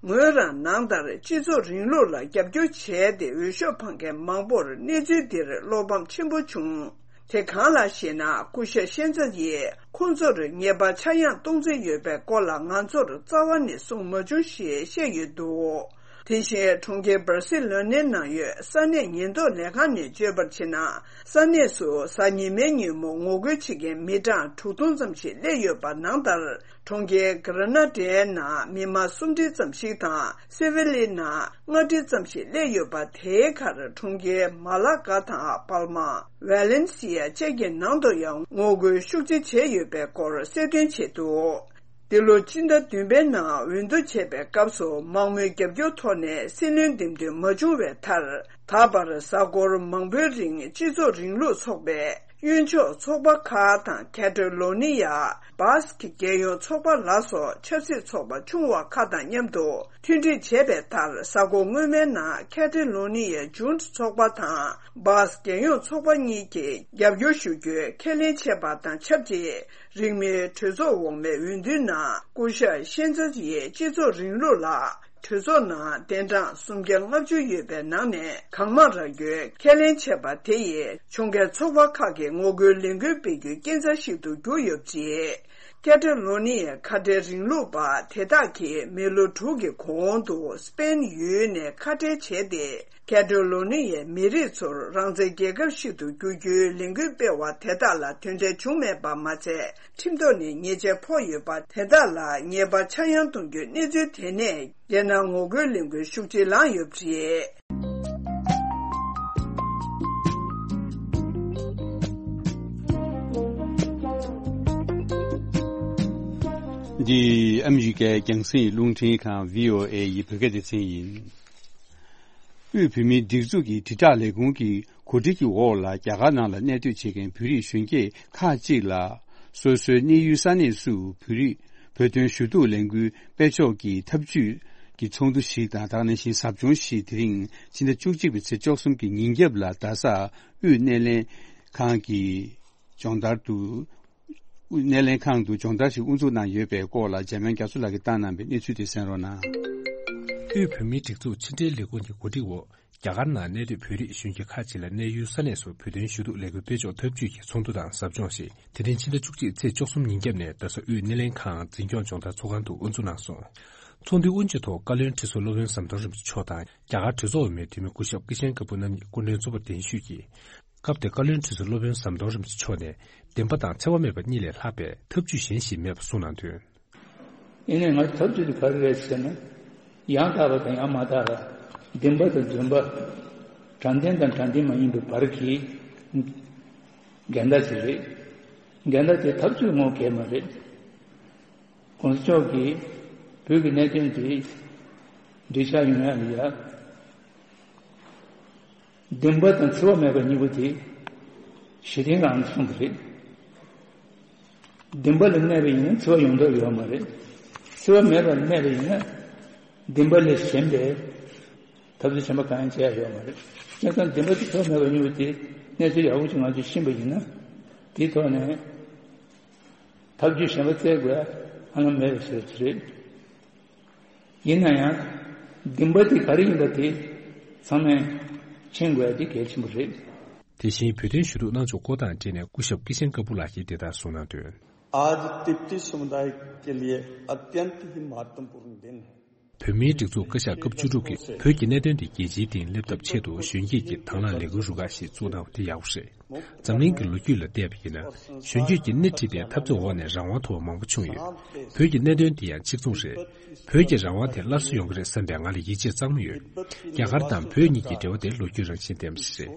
ངོས་རང་ནང་ལྟར་སྤྱི་ཚོགས་རིང་ལུགས་ལ་རྒྱབ་སྐྱོར་བྱས་ཏེ་འོས་ཤོག་འཕང་མཁན་མང་པོར་གནས་ཚུལ་འདིར་བློ་ཕམ་ཆེན་པོ་བྱུང་། དེ་གང་ལགས་ཤེ་ན། སྐུ་ཞབས་ཤན་ཙ་ཡིས་ཁོང་ཚོར་ཉེས་པ་ཆག་ཡང་གཏོང་རྩིས་ཡོད་པའི་སྐོར་ལ་ང་ཚོར་རྩ་བ་ནས་གསུངས་མ་བྱུང་ཞེས་བཤད་ཡོད་འདུག། དེ་བཞིན་གྲོང་ཁྱེར་སྦར་སི་ལོ་ནའི་ནང་ཡོད་ས་གནས་ཉེན་རྟོག་ལས་ཁང་ནས་བརྗོད་པར་བྱས་ན། ས་གནས་སུ་གཟའ་ཉི་མའི་ཉིན་མོ་ངོ་རྒོལ་བྱེད་མཁན་མི་གྲངས་དྲུག་སྟོང་ཙམ་ཞིག་སླེབས་ཡོད་པ་ནང་ལྟར། གྲོང་ཁྱེར་གྷ་ར་ན་ཌའི་ནང་མི་མང་སུམ་ཁྲི་ཙམ་ཞིག་དང་སེ་ཝི་ལི་ནང་ལྔ་ཁྲི་ཙམ་ཞིག་སླེབས་ཡོད་པ། དེའི་ཁར་གྲོང་ཁྱེར་མ་ལ་གྷ་དང་པལ་མ། ཝེ་ལེན་སི་ཡ་བཅས་ཀྱི་ནང་དུ་ཡང་ངོ་རྒོལ་ཤུགས་ཆེ་བྱས་ཡོད་པའི་སྐོར་གསལ་སྟོན་བྱས་འདུག། འདི་ལོ་སྤྱི་ཟླ་བདུན་པའི་ནང་འོས་བསྡུ་བྱས་པའི་སྐབས་སུ་མང་མོས་རྒྱབ་སྐྱོར་ཐོག་ནས་སྲིད་བློན་འདེམས་ཐོན་མ་བྱུང་བའི་མཐར། ད་བར་གཟའ་འཁོར་མང་པོའི་རིང་སྤྱི་ཚོགས་རིང་ལུགས་ཚོགས་པའི་གཡོན་ཕྱོགས་ཚོགས་པ་ཁག་དང་ཁེ་ཏ་ལོ་ནི་ཡ་སྦ་སི་ཀི་རྒྱལ་ཡོངས་ཚོགས་པ་ལ་སོགས་ཆབ་སྲིད་ཚོགས་པ་ཆུང་བ་ཁག་དང་མཉམ་དུ་མཐུན་སྒྲིལ་བྱས་པའི་མཐར། གཟའ་འཁོར་སྔོན་མའི་ནང་ཁེ་ཏ་ལོ་ནི་ཡའི་ཇུན་ཊ་ཚོགས་པ་དང་སྦ་སི་རྒྱལ་ཡོངས་ཚོགས་པ་གཉིས་ཀྱིས་རྒྱབ་སྐྱོར་ཞུ་རྒྱུའི་ཁས་ལེན་བྱས་པ་དང་ཆབས་ཅིག། རིང་མིན་གྲོས་ཚོགས་འོག་མའི་འོས་བསྡུའི་ནང་སྐུ་ཞབས་ཤན་ཙེ་ཡིས་སྤྱི་ཚོགས་རིང་ལུགས་ལ་གྲོས་ཚོགས་ནང་གདན་གྲངས་སུམ་བརྒྱ་ལྔ་བཅུ་ཡོད་པའི་ནང་ནས་གང་མང་རག་རྒྱུའི་ཁས་ལེན་བྱས་པ་དེ་ཡིས་ཕྱོགས་འགལ་ཚོགས་པ་ཁག་གི་ངོ་རྒོལ་ལས་འགུལ་སྤེལ་རྒྱུའི་རྐྱེན་རྩ་ཞིག་ཏུ་གྱུར་ཡོད་པ་རེད། ཀེ་ཏ་ལོ་ནི་ཡའི་ཁ་བྲལ་རིང་ལུགས་པ་དེ་དག་གིས་མི་ལོ་དྲུག་གི་གོང་དུ་སྤེན་ཡུལ་ནས་ཁ་བྲལ་བྱས་ཏེ། ཀེ་ཏ་ལོ་ནི་ཡའི་མི་རིགས་ཚོར་རང་བཙན་རྒྱལ་ཁབ་ཞིག་ཏུ་བསྒྱུར་རྒྱུའི་ལས་འགུལ་སྤེལ་བ་དེ་དག་ལ་དོན་འབྲས་བྱུང་མེད་པ་མ་ཚད། ཁྲིམས་ཐོག་ནས་ཉེས་ཆད་ཕོག་ཡོད་པ་དེ་དག་ལ་ཉེས་པ་ཆག་ཡང་གཏོང་རྒྱུའི་གནས་ཚུལ་དེ་ནས་རྒྱལ་ནང་ངོ་རྒོལ་ལས་འགུལ་ཤུགས་ཆེ་ལངས་ཡོད་པ་རེད། འདི་ཨ་མི་རི་ཀའི་རྒྱང་སྲིང་རླུང་འཕྲིན་ཁང་བྷི་ཨོ་ཨེ་ཡི་བོད་སྐད་སྡེ་ཚན་ཡིན། དབུས་བོད་མིའི་སྒྲིག་འཛུགས་ཀྱི་དྲིལ་བསྒྲགས་ལས་ཁུངས་ཀྱི་གོ་སྒྲིག་གི་འོག་ལ་རྒྱ་གར་ནང་ལ་གནས་སྡོད་བྱེད་མཁན་བོད་རིགས་གཞོན་སྐྱེས་ཁག་ཅིག་ལ། སོ་སོའི་གནས་ཡུལ་ས་གནས་སུ་བོད་རིགས་བོད་དོན་ཞུ་གཏུག་ལས་འགུལ་སྤེལ་ཕྱོགས་ཀྱི་ཐབས་ཇུས་ཀྱི་ཚོགས་འདུ་ཞིག་དང་། དེ་ནང་བཞིན་ཟབ་སྦྱོང་ཞིག་དེ་རིང་ཕྱི་ཟླ་བཅུ་གཅིག་པའི་ཚེས་བཅུ་གསུམ་གྱི་ཉིན་རྒྱབ་ལ་རྡ་སར་དབུས་སྣེ་ལེན་ཁང་གི་སྦྱོང་བརྡར་དུ། དབུས་སྣེ་ལེན་ཁང་དུ་སྦྱོང་བརྡར་ཞིག་དབུ་འཛུགས་གནང་ཡོད་པའི་སྐོར་ལ་འཇམ་དབྱངས་རྒྱ་མཚོ་ལགས་ཀྱིས་བཏང་གནང་བའི་གནས་ཚུལ་དེ་གསན་རོགས་གནང་། དབུས་བོད་མིའི་སྒྲིག་འཛུགས་ཕྱི་དྲིལ་ལས་ཁུངས་ཀྱི་གོ་སྒྲིག་འོག་རྒྱ་གར་ནང་གནས་སྡོད་བོད་རིགས་གཞོན་སྐྱེས་ཁག་ཅིག་ལ་གནས་ཡུལ་ས་གནས་སུ་བོད་དོན་ཞུ་གཏུག་ལས་འགུལ་སྤེལ་ཕྱོགས་ཐབས་ཇུས་ཀྱི་ཚོགས་འདུ་དང་ཟབ་སྦྱོང་ཞིག་དེ་རིང་ཕྱི་ཟླ་བཅུ་གཅིག་ཚེས་བཅུ་གསུམ་ཉིན་རྒྱབ་ནས་རྡ་ས་དབུས་སྣེ་ལེན་ཁང་འཛིན་སྐྱོང་སྦྱོང་བརྡར་ཚོགས་ཁང་དུ་དབུ་འཛུགས་གནང་སོང་། ཚོགས་འདུའི་དབུ་འབྱེད་ཐོག་བཀའ་བློན་ཁྲི་ཟུར་སློབ་དཔོན་ཟམ་གདོང་རིན་པོ་ཆེ་མཆོག་དང་། རྒྱ་གར་གྲོས་ཚོགས་འོག་མའི་འཐུས་མི་སྐུ་ཞབས་ཀི་ཤན་ཀ་པུ་རྣམ་གཉིས་སྐུ་མགྲོན་གཙོ་བོར་གདན་ཞུས་ཀྱིས། སྐབས་དེར་བཀའ་བློན་ཁྲི་ཟུར་སློབ་དཔོན་ཟམ་གདོང་རིན་པོ་ཆེ་མཆོག་ནས། བདེན་པ་དང་འཚེ་བ་མེད་པ་གཉིས་ལས་ལྷག་པའི་ཐབས་ཇུས་གཞན་ཞིག་མེད་པ་གསུངས་གནང་དོན། ཡིན་ནའི་ང་ཚོའི་ཐབས་ཇུས་དེ་ག་རེ་རེད་ཟེར་ན། ཡང་དག་པ་དང་ཡང་མ་དག་པ། བདེན་པ་དང་རྫུན་པ། དྲང་བདེན་དང་དྲང་བདེན་མ་ཡིན་པའི་བར་གྱི་འགལ་ཟླ་ཞིག་རེད། འགལ་ཟླ་དེ་ཐབས་ཇུས་ངོ་གས་མ་རེད། གོང་ས་མཆོག་གིས་བོད་ཀྱི་གནད་དོན་དེ་འགྲིག་ཆགས་ཡོང་ཡ་ལ་ཡ། བདེན་པ་དང་འཚེ་བ་མེད་པ་གཉིས་པོ་དེ་གཞི་རྟེན་རང་ལ་གསུངས་པ་རེད། བདེན་པ་ལ་གནས་པ་ཡིན་ན་འཚེ་བ་ཡོང་འདོད་ཡོད་མ་རེད། འཚེ་བ་མེད་པ་ལ་གནས་པ་ཡིན་ན་བདེན་པ་ལས་གཞན་པའི་ཐབས་ཚུལ་གཞན་པ་གང་ཡང་བྱེད་ཡ་ཡོད་མ་རེད། བྱས་ཙང་བདེན་པ་དང་འཚེ་བ་མེད་པ་གཉིས་པོ་དེ་གནས་ཚུལ་ཡག་པོ་ཅིག་ང་ཚོས་ཤེས་པ་ཡིན་ན། དེའི་ཐོག་ནས་ཐབས་ཇུས་གཞན་པ་བཙལ་དགོས་ཡ་ཧ་ལམ་མེད་པའི་ཕྱིར་དེ་རེད། ཡིན་ན་ཡང་བདེན་པ་དེ་ག་རེ་ཡིན་པ་དེ་ཚང་མས་མཁྱེན་དགོས་ཡ་དེ་གལ་ཆེན་པོ་རེད། དེ་བཞིན་བོད་དོན་ཞུ་གཏུག་གནང་ཕྱོགས་སྐོར་དང་འབྲེལ་ནས་སྐུ་ཞབས་ཀི་ཤན་ཀ་པུ་ལགས་ཀྱིས་དེ་ལྟར་གསུངས་གནང་དོན། आज तिब्बती समुदाय के लिए अत्यंत ही महत्वपूर्ण दिन है। བོད་མིའི་སྒྲིག་འཛུགས་བཀའ་ཤག་སྐབས་བཅུ་དྲུག་གིས་བོད་ཀྱི་གནད་དོན་དེ་རྒྱལ་སྤྱིའི་སྟེང་སླེབས་ཐབས་ཆེད་དུ་གཞོན་སྐྱེས་ཀྱི་དང་བླངས་ལས་འགུལ་རུ་ཁག་ཞིག་བཙུགས་གནང་བ་དེ་ཡག་པོ་རེད། འཛམ་གླིང་གི་ལོ་རྒྱུས་ལ་བལྟས་པ་ཡིན་ན། གཞོན་སྐྱེས་ཀྱིས་སྣེ་ཁྲིད་པའི་འཐབ་རྩོད་འོག་ནས་རང་དབང་ཐོབ་པ་མང་པོ་བྱུང་ཡོད། བོད་ཀྱི་གནད་དོན་དེ་ཡང་གཅིག་མཚུངས་རེད། བོད་ཀྱི་རང་དབང་དེ་སླར་གསོ་ཡོང་གི་རེད་བསམ་པའི་ང་ལ་ཡིད་ཆེས་གཙང་མ་ཡོད། རྒྱ་གར་དང་བོད་གཉིས་ཀྱི་འབྲེལ་བ་དེ་ལོ་རྒྱུས་རང་བཞིན་ལྡན་པ་ཞིག་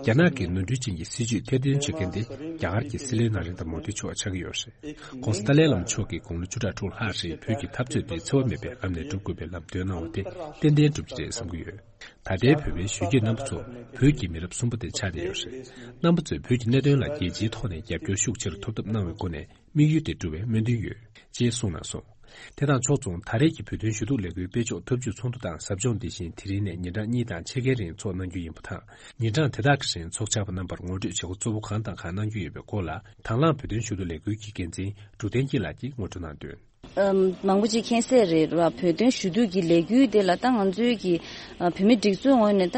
རེད། རྒྱ་ནག་གི་ནོར་འཁྲུལ་ཅན་གྱི་སྲིད་བྱུས་ཐེར་འདོན་བྱེད་མཁན་དེ་རྒྱ་གར་གྱི་སྲིད་བློན་ན་རེན་དྲ་མོ་དི་མཆོག་ཆགས་ཀྱི་ཡོད་རེད། ྋགོང་ས་ཏཱ་ལའི་བླ་མ་མཆོག་གིས་དགུང་ལོ་བཅུ་ཕྲག་དྲུག་ལྷག་རིང་བོད་ཀྱི་འཐབ་རྩོད་དེ་འཚེ་བ་མེད་པའི་ལམ་ནས་སྒྲུབ་དགོས་པའི་ལམ་སྟོན་གནང་བ་དེ་ཏན་ཏན་འགྲུབ་ཀྱི་རེད་བསམ་གྱི་ཡོད། ད་ལྟའི་བོད་པའི་གཞོན་སྐྱེས་རྣམ་པ་ཚོ་བོད་ཀྱི་མི་རབས་གསུམ་པ་དེ་ཆགས་བསྡད་ཡོད་རེད། རྣམ་པ་ཚོས་བོད་ཀྱི་གནད་དོན་ལ་རྒྱལ་སྤྱིའི་ཐོག་ནས་རྒྱབ་སྐྱོར་ཤུགས་ཆེ་རུ་ཐོབ་ཐབས་གནང་བའི་སྒོ་ནས་དམིགས་ཡུལ་དེ་འགྲུབ་པའི་སྨོན་འདུན་ཡོད། ཅེས་གསུངས་གནང་སོང་། དེ་དང་ཕྱོགས་མཚུངས་ད་རེས་ཀྱི་བོད་དོན་ཞུ་གཏུག་ལས་འགུལ་སྤེལ་ཕྱོགས་ཐབས་ཇུས་ཚོགས་འདུ་དང་ཟབ་སྦྱོང་འདི་བཞིན་དེ་རིང་ནས་ཉིན་གྲངས་གཉིས་དང་ཕྱེད་ཀའི་རིང་ཚོགས་གནང་རྒྱུ་ཡིན་པ་དང་། ཉིན་གྲངས་དེ་དག་གི་རིང་ཚོགས་བཅར་བ་རྣམ་པར་ངོ་སྤྲོད་བྱེད་སྒོ་གཙོ་བོ་གང་དང་གང་གནང་རྒྱུ་ཡོད་པའི་སྐོར་ལ་དང་བླངས་བོད་དོན་ཞུ་གཏུག་ལས་འགུལ་གྱི་འགན་འཛིན་འབྲུག་བསྟན་སྐྱིད་ལགས་ཀྱིས་ངོ་སྤྲོད་གནང་དོན། ཨམ། མང་པོ་ཅིག་མཁྱེན་གསལ་རེད་བ། བོད་དོན་ཞུ་གཏུག་གི་ལས་འགུལ་དེ་ལ་ད་ང་ཚོའི་གི་ཨ། བོད་མི་སྒྲིག་འཛུགས་ངོས་ནས་ད་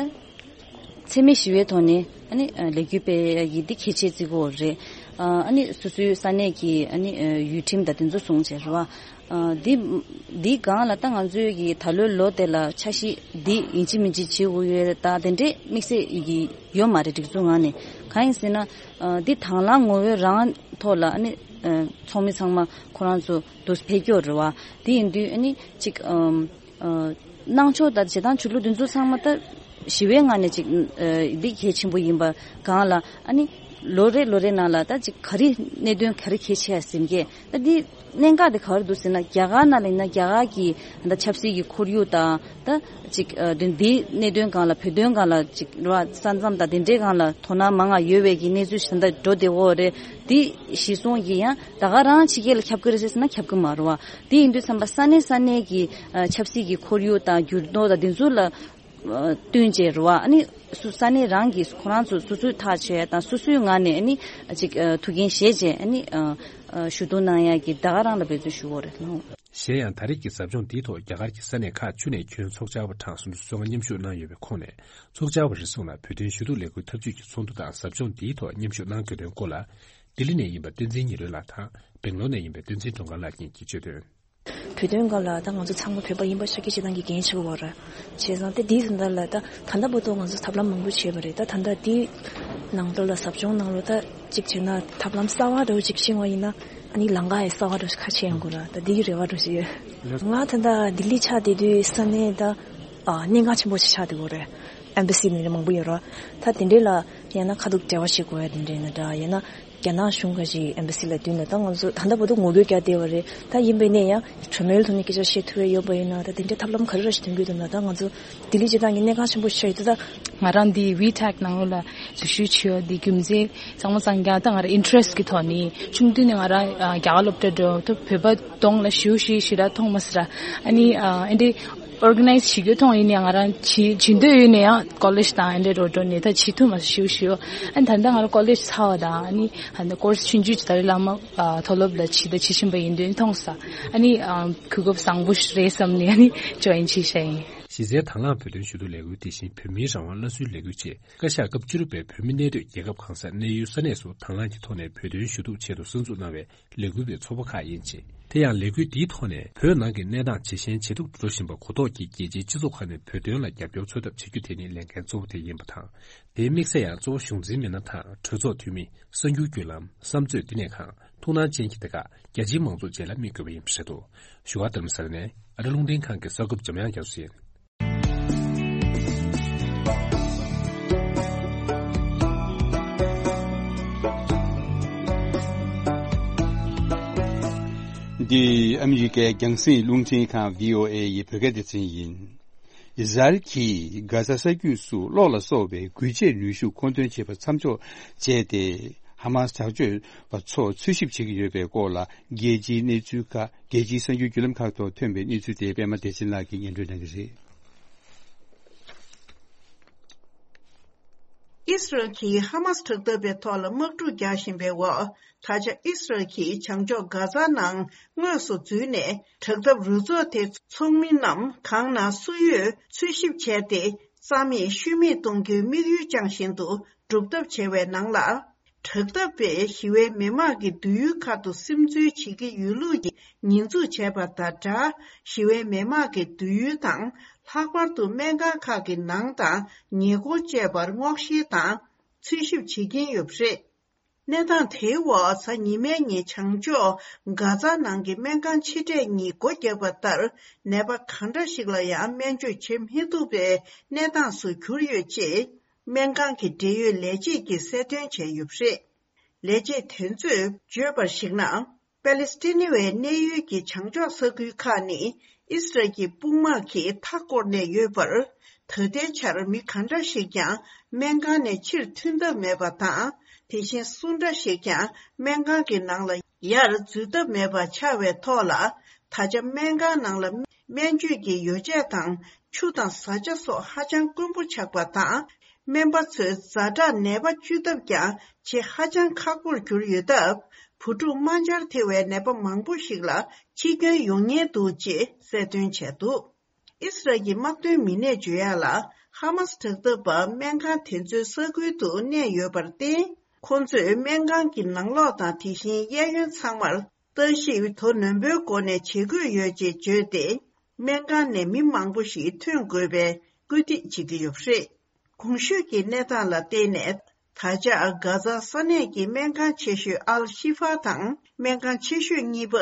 འཚེ་མེད་ཞི་བའི་ཐོག་ནས་ཨ་ནི་ཨ། ལས་འགུལ་སྤེལ་ཡ་གི་འདི་གལ་ཆེ་བརྩི་གི་ཡོད་རེད། ཨ་ནི་སོ་སོའི་ས་གནས་ཀྱི་ཨ་ནི་ཡུལ་ཁྲིམས་དང་དེ་ཚོ་སྲུང་བྱས་རེད་བ། འདི་འདིའི་སྒང་ལ་ད་ང་ཚོའི་གི་ད་ལོའི་ལོ་དེ་ལ་འཆར་གཞི་འདི་ཡིན་གཅིག་མིན་གཅིག་བྱེད་དགོས་ཡོད་རེད། ད་དེ་འདྲའི་དམིགས་བསལ་གི་ཡོད་མ་རེད། སྒྲིག་འཛུགས་ངང་ནས། གང་ཡིན་ཟེར་ན། འདི་དང་བླངས་ངོ་བོའི་རང་ཐོག་ལ་ཨ་ནི་ཚོགས་མི་ཚང་མ་ཁོ་རང་ཚོ་འདུག་ཕེབས་ཀྱི་ཡོད་རེད་བ། དེ་ཡིན་དུས་ཨ་ནི་ཅིག་གནང་ཕྱོགས་དང་བྱེད་སྟངས་ཆོས་ལུགས་འདི་ཚོ་ཚང་མ་ད་ཞི་བའི་ངང་ནས་ཅིག་འདི་གལ་ཆེན་པོ་ཡིན་པ་སྒང་ལ། ཨ་ནི་ལོ་རེ་ལོ་རེ་ནང་ལ་ད་ཅིག་ག་རེ་གནད་དོན་ག་རེ་གལ་ཆེ་ཡ་ཟིན་གྱི་ད་འདི་གནད་འགག་དེ་ག་རེ་འདུག་ཟེར་ན། རྒྱ་གར་ནང་ལ་ཡིན་ན་རྒྱ་གར་གྱི་ད་ཆབ་སྲིད་ཀྱི་ཁོར་ཡུག་དང་ད་ཅིག་འདི་འདིའི་གནད་དོན་སྒང་ལ་བོད་དོན་སྒང་ལ་ཅིག་རེད་བ། ས་མཚམས་དང་དེ་འདྲའི་སྒང་ལ་དོ་སྣང་མང་ང་ཡོད་པའི་གི་གནས་ཚུལ་ཞིག་ད་འགྲོ་བསྡད་ཡོད་རེད། འདི་གཞི་བཟུང་གི་ཡང་ད་ག་རང་ཕྱི་རྒྱལ་ལ་ཁྱབ་ཀྱི་རེད་ཟེར་ན་ཁྱབ་ཀྱི་མ་རེད་བ། དེ་ཡིན་དུས་ཙམ་པ་ས་གནས་ས་གནས་ཀྱི་ཆབ་སྲིད་ཀྱི་ཁོར་ཡུག་དང་འགྱུར་ལྡོག་དང་དེ་ཚོ་ལ་བསྟུན་བྱས་རེད་བ། ཨ་ནི་སུ་ས་གནས་རང་གིས་ཁོ་རང་ཚོ་སོ་སོས་ཐག་བཅད་དང་སོ་སོའི་ངང་ནས་ཨ་ནི་ཅིག་ཐུགས་འགན་བཞེས་བྱས་ཨ་ནི་ཞུ་གཏུག་གནང་ཡག་གི་ད་ག་རང་ལ་འབད་བརྩོན་ཞུ་དགོས་རེད་ལགས། གཞན་ཡང་ད་རེས་ཀྱི་ཟབ་སྦྱོང་འདིའི་ཐོག་རྒྱ་གར་གྱི་ས་གནས་ཁག་བཅུ་ནས་ཁྱོན་ཚོགས་བཅར་བ་གྲངས་སུམ་ཅུ་སོ་ལྔ་མཉམ་ཞུགས་གནང་ཡོད་པའི་ཁོངས་ནས། ཚོགས་བཅར་བ་རེ་ཟུང་ལ་བོད་དོན་ཞུ་གཏུག་ལས་འགུལ་འཐབ་ཇུས་ཀྱི་ཚོགས་འདུ་དང་ཟབ་སྦྱོང་འདིའི་ཐོག་མཉམ་ཞུགས་གནང་དགོས་དོན་སྐོར་ལ། ལྡི་ལི་ནས་ཡིན་པ་བསྟན་འཛིན་ཉི་སྒྲོན་ལགས་དང་སྦེང་ལོར་ནས་ཡིན་པ་བསྟན་འཛིན་སྒྲོལ་དཀར་ལགས་གཉིས་ཀྱིས་བརྗོད་དོན། བོད་དོན་སྒང་ལ་ད་ང་ཚོ་ཚང་མ་བོད་པ་ཡིན་པ་ཤར་གྱི་བྱེད་སྟངས་ཀྱི་འགན་ཆེ་བོ་རེད། བྱས་ཙང་དེ་དེའི་ཟིན་ཐ་ལ་ད་ད་ལྟ་བར་དུ་ང་ཚོ་ཐབས་ལམ་མང་པོ་བྱས་པ་རེད། ད་ད་ལྟ་དེའི་ནང་དོན་ལ་ཟབ་སྦྱོང་ནང་ལོ་ད་གཅིག་བྱས་ན་ཐབས་ལམ་གསར་བ་འདྲ་བོ་ཅིག་ཤེས་པ་ཡིན་ན་ཨ་ནི་ལམ་ཁ་ཡང་གསར་བ་འདྲ་བོ་ཞིག་ཁ་ཕྱེ་ཡོང་གི་རེད། ད་དེའི་རེ་བ་འདྲ་བོ་ཞིག་ཡོད། ང་ད་ལྟ་ལྡི་ལི་ཆགས་བསྡད་དུས་ས་གནས་ད་གནད་འགག་ཆེན་པོ་ཞིག་ཆགས་བསྡད་ཡོད་རེད། ཨེམ་བྷ་སི་ནས་མང་པོ་ཡོད་རེད། ད་དེ་འདྲས་ལ་ཡང་ན་ཁ་ཐུག་འབྲེལ་བ་བྱེད་དགོས་ཡ་དེ་འདྲས་ཡིན་ན་འདྲ། ཡང་ན་རྒྱ་ནག་གཞུང་ཁ་ཅིག་ཨེམ་བྷ་སི་ལ་བསྡུས་ན་ད་ང་ཚོ་ད་ལྟ་བར་དུ་ངོ་རྒོལ་རྒྱག་བསྡད་པ་རེད། ད་ཡིན་པས་ནས་ཡང་གྲོས་མོལ་ཐོག་ནས་སྐད་ཆ་བཤད་ཐུབ་ཡ་ཡོད་པ་ཡིན་ན་ད་དེ་འདྲའི་ཐབས་ལམ་ག་རེ་ར་ཞིག་འདོན་གྱི་འདུག་ན། ད་ང་ཚོ་ལྡི་ལི་སྤྱི་བཏང་གི་གནད་འགག་ཆེན་པོ་ཞིག་ཆགས་ཡོད་དུས་ད། ང་རང་འདི་ཝི་ཊེག་ནང་ལོགས་ལ་འཛུལ་ཞུགས་བྱས་ཡོད། འདི་རྒྱུ་མཚན་ཚང་མ་ཚང་རྒྱ་ད་ང་རང་ཨིན་ཊི་རེ་སི་ཊི་གི་ཐོག་ནས་ཆུང་དུས་ནས་ང་རང་རྒྱ་གར་སློབ་གྲྭ་འགྲོ་ད་བོད་པ་གདོང་ལ་ཞེ་པོ་ཞེ་དྲག་མཐོང་མ་སོང་ར། ཨ་ནི་ཨ་འདི་ཨོར་ག་ནའི་ཛི་བྱེད་རྒྱུ་མཐོང་ཡིན་ཡང་ང་རང་བྱེད་བྱེད་འདོད་ཡོད་ནས་ཡང་ཀོ་ལེཇ་དང་ཨ་འདྲ་འགྲོ་འགྲོ་ནས་ད་བྱེད་ཐུབ་མ་སོང་ཞེ་པོ་ཞེ་པོ། ཨ་ནི་ད་ལྟ་ང་རང་ཀོ་ལེཇ་ཚར་བ་དང་ཨ་ནི་ཨ་ནི་ཀོར་སི་ཆུང་ཆུང་ཅིག་ད་རེས་བླ་མ་ཨ་མཐོ་སློབ་ལ་བྱེད་ད་བྱེད་བཞིན་པ་ཡིན་དུས་མཐོང་སོང་། ཨ་ནི་ཨ་གོ་སྐབས་བཟང་པོ་ཞིག་རེད་བསམ་ནས་ཨ་ནི་ཇོ་ཡིན་བྱས་བཞག་ཡིན། གཞི་རྩའི་དང་བླངས་བོད་དོན་ཞུ་གཏུག་ལས་འགུལ་དེ་བཞིན་བོད་མིའི་རང་དབང་སླར་གསོའི་ལས་འགུལ་བཅས་བཀའ་ཤག་སྐབས་བཅུ་དྲུག་པའི་བོད་མི་གནས་སྡོད་རྒྱལ་ཁབ་གང་སར་གནས་ཡུལ་ས་གནས་སུ་དང་བླངས་ཀྱི་ཐོག་ནས་བོད་དོན་ཞུ་གཏུག་ཆེད་དུ་གསར་འཛུགས་གནང་བའི་ལས་འགུལ་བའི་ཚོགས་པ་ཁག་ཡིན་ཅིང་། དེ་ཡང་ལས་འགུལ་འདིའི་ཐོག་ནས་བོད་ནང་གི་གནས་སྟངས་ཇེ་ཞན་ཇེ་སྡུག་ཏུ་འགྲོ་བཞིན་པ་གོ་རྟོགས་ཀྱིས་རྒྱལ་སྤྱིའི་སྤྱི་ཚོགས་ཁག་ནས་བོད་དོན་ལ་རྒྱབ་སྐྱོར་འཚོལ་ཐབས་བྱེད་རྒྱུ་དེ་ནི་ལས་འགན་གཙོ་བོ་དེ་ཡིན་པ་དང་། དེའི་དམིགས་ས་ཡང་གཙོ་བོ་གཞུང་འཛིན་མི་སྣ་དང་གྲོས་ཚོགས་འཐུས་མི། གསར་འགྱུར་བརྒྱུད་ལམ། བསམ་མཛོད་བསྟི་གནས་ཁང་། ཐུགས་སྣང་ཅན་གྱི་སྡེ་ཁག་རྒྱ་ཆེའི་མང་ཚོགས་བཅས་ལ་དམིགས་དགོས་པ་ཡིན་པ་རེད་འདུག་བཞུགས་སྒར་རྡ་རམ་ས་ལ་ནས་ཨ་རི་རླུང་འཕྲིན་ཁང་གི་གསར་འགོད་པ་འཇམ་དབྱངས་རྒྱ་མཚོ་ཡིན། འདི་ཨ་མི་རི་ཀའི་རྒྱང་སྲིང་རླུང་འཕྲིན་ཁང་བྷི་ཨོ་ཨེ་ཡི་བོད་སྐད་སྡེ་ཚན་ཡིན། ཨི་ཟ་རེལ་གྱིས་གྷ་ཛ་ས་རྒྱུད་སུ་གློག་ལ་སོགས་པའི་འགུལ་ཆས་ནུས་ཤུགས་མཁོ་འདོན་བྱེད་པ་མཚམས་འཇོག་བྱས་ཏེ། ཧ་མ་སི་དྲག་སྤྱོད་པ་ཚོ་འཚོལ་ཞིབ་བྱེད་ཀྱི་ཡོད་པའི་སྐོར་ལ། རྒྱལ་སྤྱིའི་གནས་ཚུལ་ཁག་རྒྱལ་སྤྱིའི་གསར་འགྱུར་བརྒྱུད་ལམ་ཁག་ཐོག་ཐོན་པའི་གནས་ཚུལ་དེ་པད་མ་བདེ་ཆེན་ལགས་ཀྱིས་སྙན་སྒྲོན་གནང་གི་རེད། ཨི་སི་རལ་གྱིས་ཧ་མ་སི་དྲག་འཐབ་པའི་ཐོག་ལ་དམག་འཁྲུག་རྒྱག་བཞིན་པའི་འོག་ད་ཆ་ཨི་སི་རལ་གྱིས་བྱང་ཕྱོགས་གྷ་ཛ་ནང་དངོས་སུ་འཛུལ་ནས། དྲག་འཐབ་རུ་ཚོགས་དེའི་ཚོགས་མི་རྣམས་གང་ན་སུ་ཡོད་འཚོལ་ཞིབ་བྱས་ཏེ། རྩ་མེད་ཤུལ་མེད་གཏོང་རྒྱུའི་དམིགས་ཡུལ་བཅངས་བཞིན་དུ་སྒྲུབ་ཐབས་བྱས་པའི་ནང་ལ། དྲག་འཐབ་པས་ཞི་བའི་མི་དམངས་ཀྱི་སྡོད་ཡུལ་ཁག་ཏུ་སིམ་འཛུལ་བྱེད་ཀྱི་ཡོད་ལུགས་ཀྱི་ཉེས་འཛུགས་བྱས་པ་དང་སྦྲགས། ཞི་བའི་མི་དམངས་ཀྱི་སྡོད་ཡུལ་དང་། ལྷག་པར་དུ་སྨན་ཁང་ཁག་གི་ནང་དང་ཉེ་འཁོར་བཅས་པར་སྔོག་བཤེར་དང་འཚོལ་ཞིབ་བྱེད་ཀྱིན་ཡོད་པ་རེད། གནས་སྟངས་དེའི་འོག་གཟའ་ཉི་མའི་ཉིན་བྱང་ཕྱོགས་གྷ་ཛ་ནང་གི་སྨན་ཁང་ཆེ་གྲས་གཉིས་སྒོ་བརྒྱབ་པ་ལྟར། ནད་པ་གང་འདྲ་ཞིག་ལ་ཡང་སྨན་བཅོས་བྱེད་མི་ཐུབ་པའི་གནས་སྟངས་སུ་གྱུར་ཡོད་ཅེས། སྨན་ཁང་གི་འབྲེལ་ཡོད་ལས་བྱེད་ཀྱིས་གསལ་སྟོན་བྱས་ཡོད་པ་རེད། ལས་བྱེད་དེ་ཚོས་བརྗོད་པར་གཞིགས་ན། པ་ལི་སི་ཐན་བའི་གནས་ཡུལ་གྱི་བྱང་ཕྱོགས་ས་ཁུལ་ཁག་ནི་ཨི་སི་རལ་གྱི་དཔུང་དམག་གིས་མཐའ་བསྐོར་ནས་ཡོད་པར། ད་ལྟའི་ཆར་མི་གང་འདྲ་ཞིག་ཀྱང་སྨན་ཁང་ནས་ཕྱིར་ཐོན་ཐབས་མེད་པ་དང་། དེ་བཞིན་སུ་འདྲ་ཞིག་ཀྱང་སྨན་ཁང་གི་ནང་ལ་ཡར་འཛུལ་ཐབས་མེད་པ་ཆགས་པའི་ཐོག་ལ། ད་ཆ་སྨན་ཁང་ནང་ལ་སྨན་བཅོས་ཀྱི་ཡོ་བྱད་དང་ཆུ་དང་བཟའ་བཅའ་སོགས་ཧ་ཅང་དཀོན་པོ་ཆགས་པ་དང་། སྨན་པ་ཚོས་ཛ་དྲག་ནད་པ་བཅོས་ཐབས་ཀྱང་བྱེད་ཧ་ཅང་ཁག་པོར་གྱུར་ཡོད་སྟབས། བུ་ཕྲུག་དམར་འབྱར་ཐེ་བའི་ནད་པ་མང་པོ་ཞིག་ལ་འཆི་སྐྱོན་ཡོང་ཉེན་འདུག་ཅེས་གསལ་སྟོན་བྱས་འདུག་ཨི་སི་རལ་གྱི་དམག་དོན་མི་སྣས་བརྗོད་ཡག་ལ། ཧ་མ་སི་དྲག་འཐབ་པ་སྨན་ཁང་དེ་ཚོའི་ས་ཁུལ་དུ་གནས་ཡོད་པར་བརྟེན། ཁོང་ཚོས་སྨན་ཁང་གི་ནང་ལོགས་དང་དེ་བཞིན་གཡས་གཡོན་ཚང་མར་ལྟ་ཞིབ་དོ་ནན་པོའི་སྒོ་ནས་བྱེད་དགོས་ཡོད་ཅེས་བརྗོད་དེ། སྨན་ཁང་ནས་མི་མང་པོ་ཞིག་ཐོན་དགོས་པའི་སྐུལ་འདེད་བྱེད་ཀྱི་ཡོད་པ་རེད། གོང་ཞུས་ཀྱི་གནས་སྟངས་ལ་བརྟེན་ནས། ད་ཆ་གྷ་ཛ་ས་གནས་ཀྱི་སྨན་ཁང་ཆེ་ཤོས་ཨལ་ཤི་ཧྥ་དང་སྨན་ཁང་ཆེ་ཤོས་གཉིས་པ་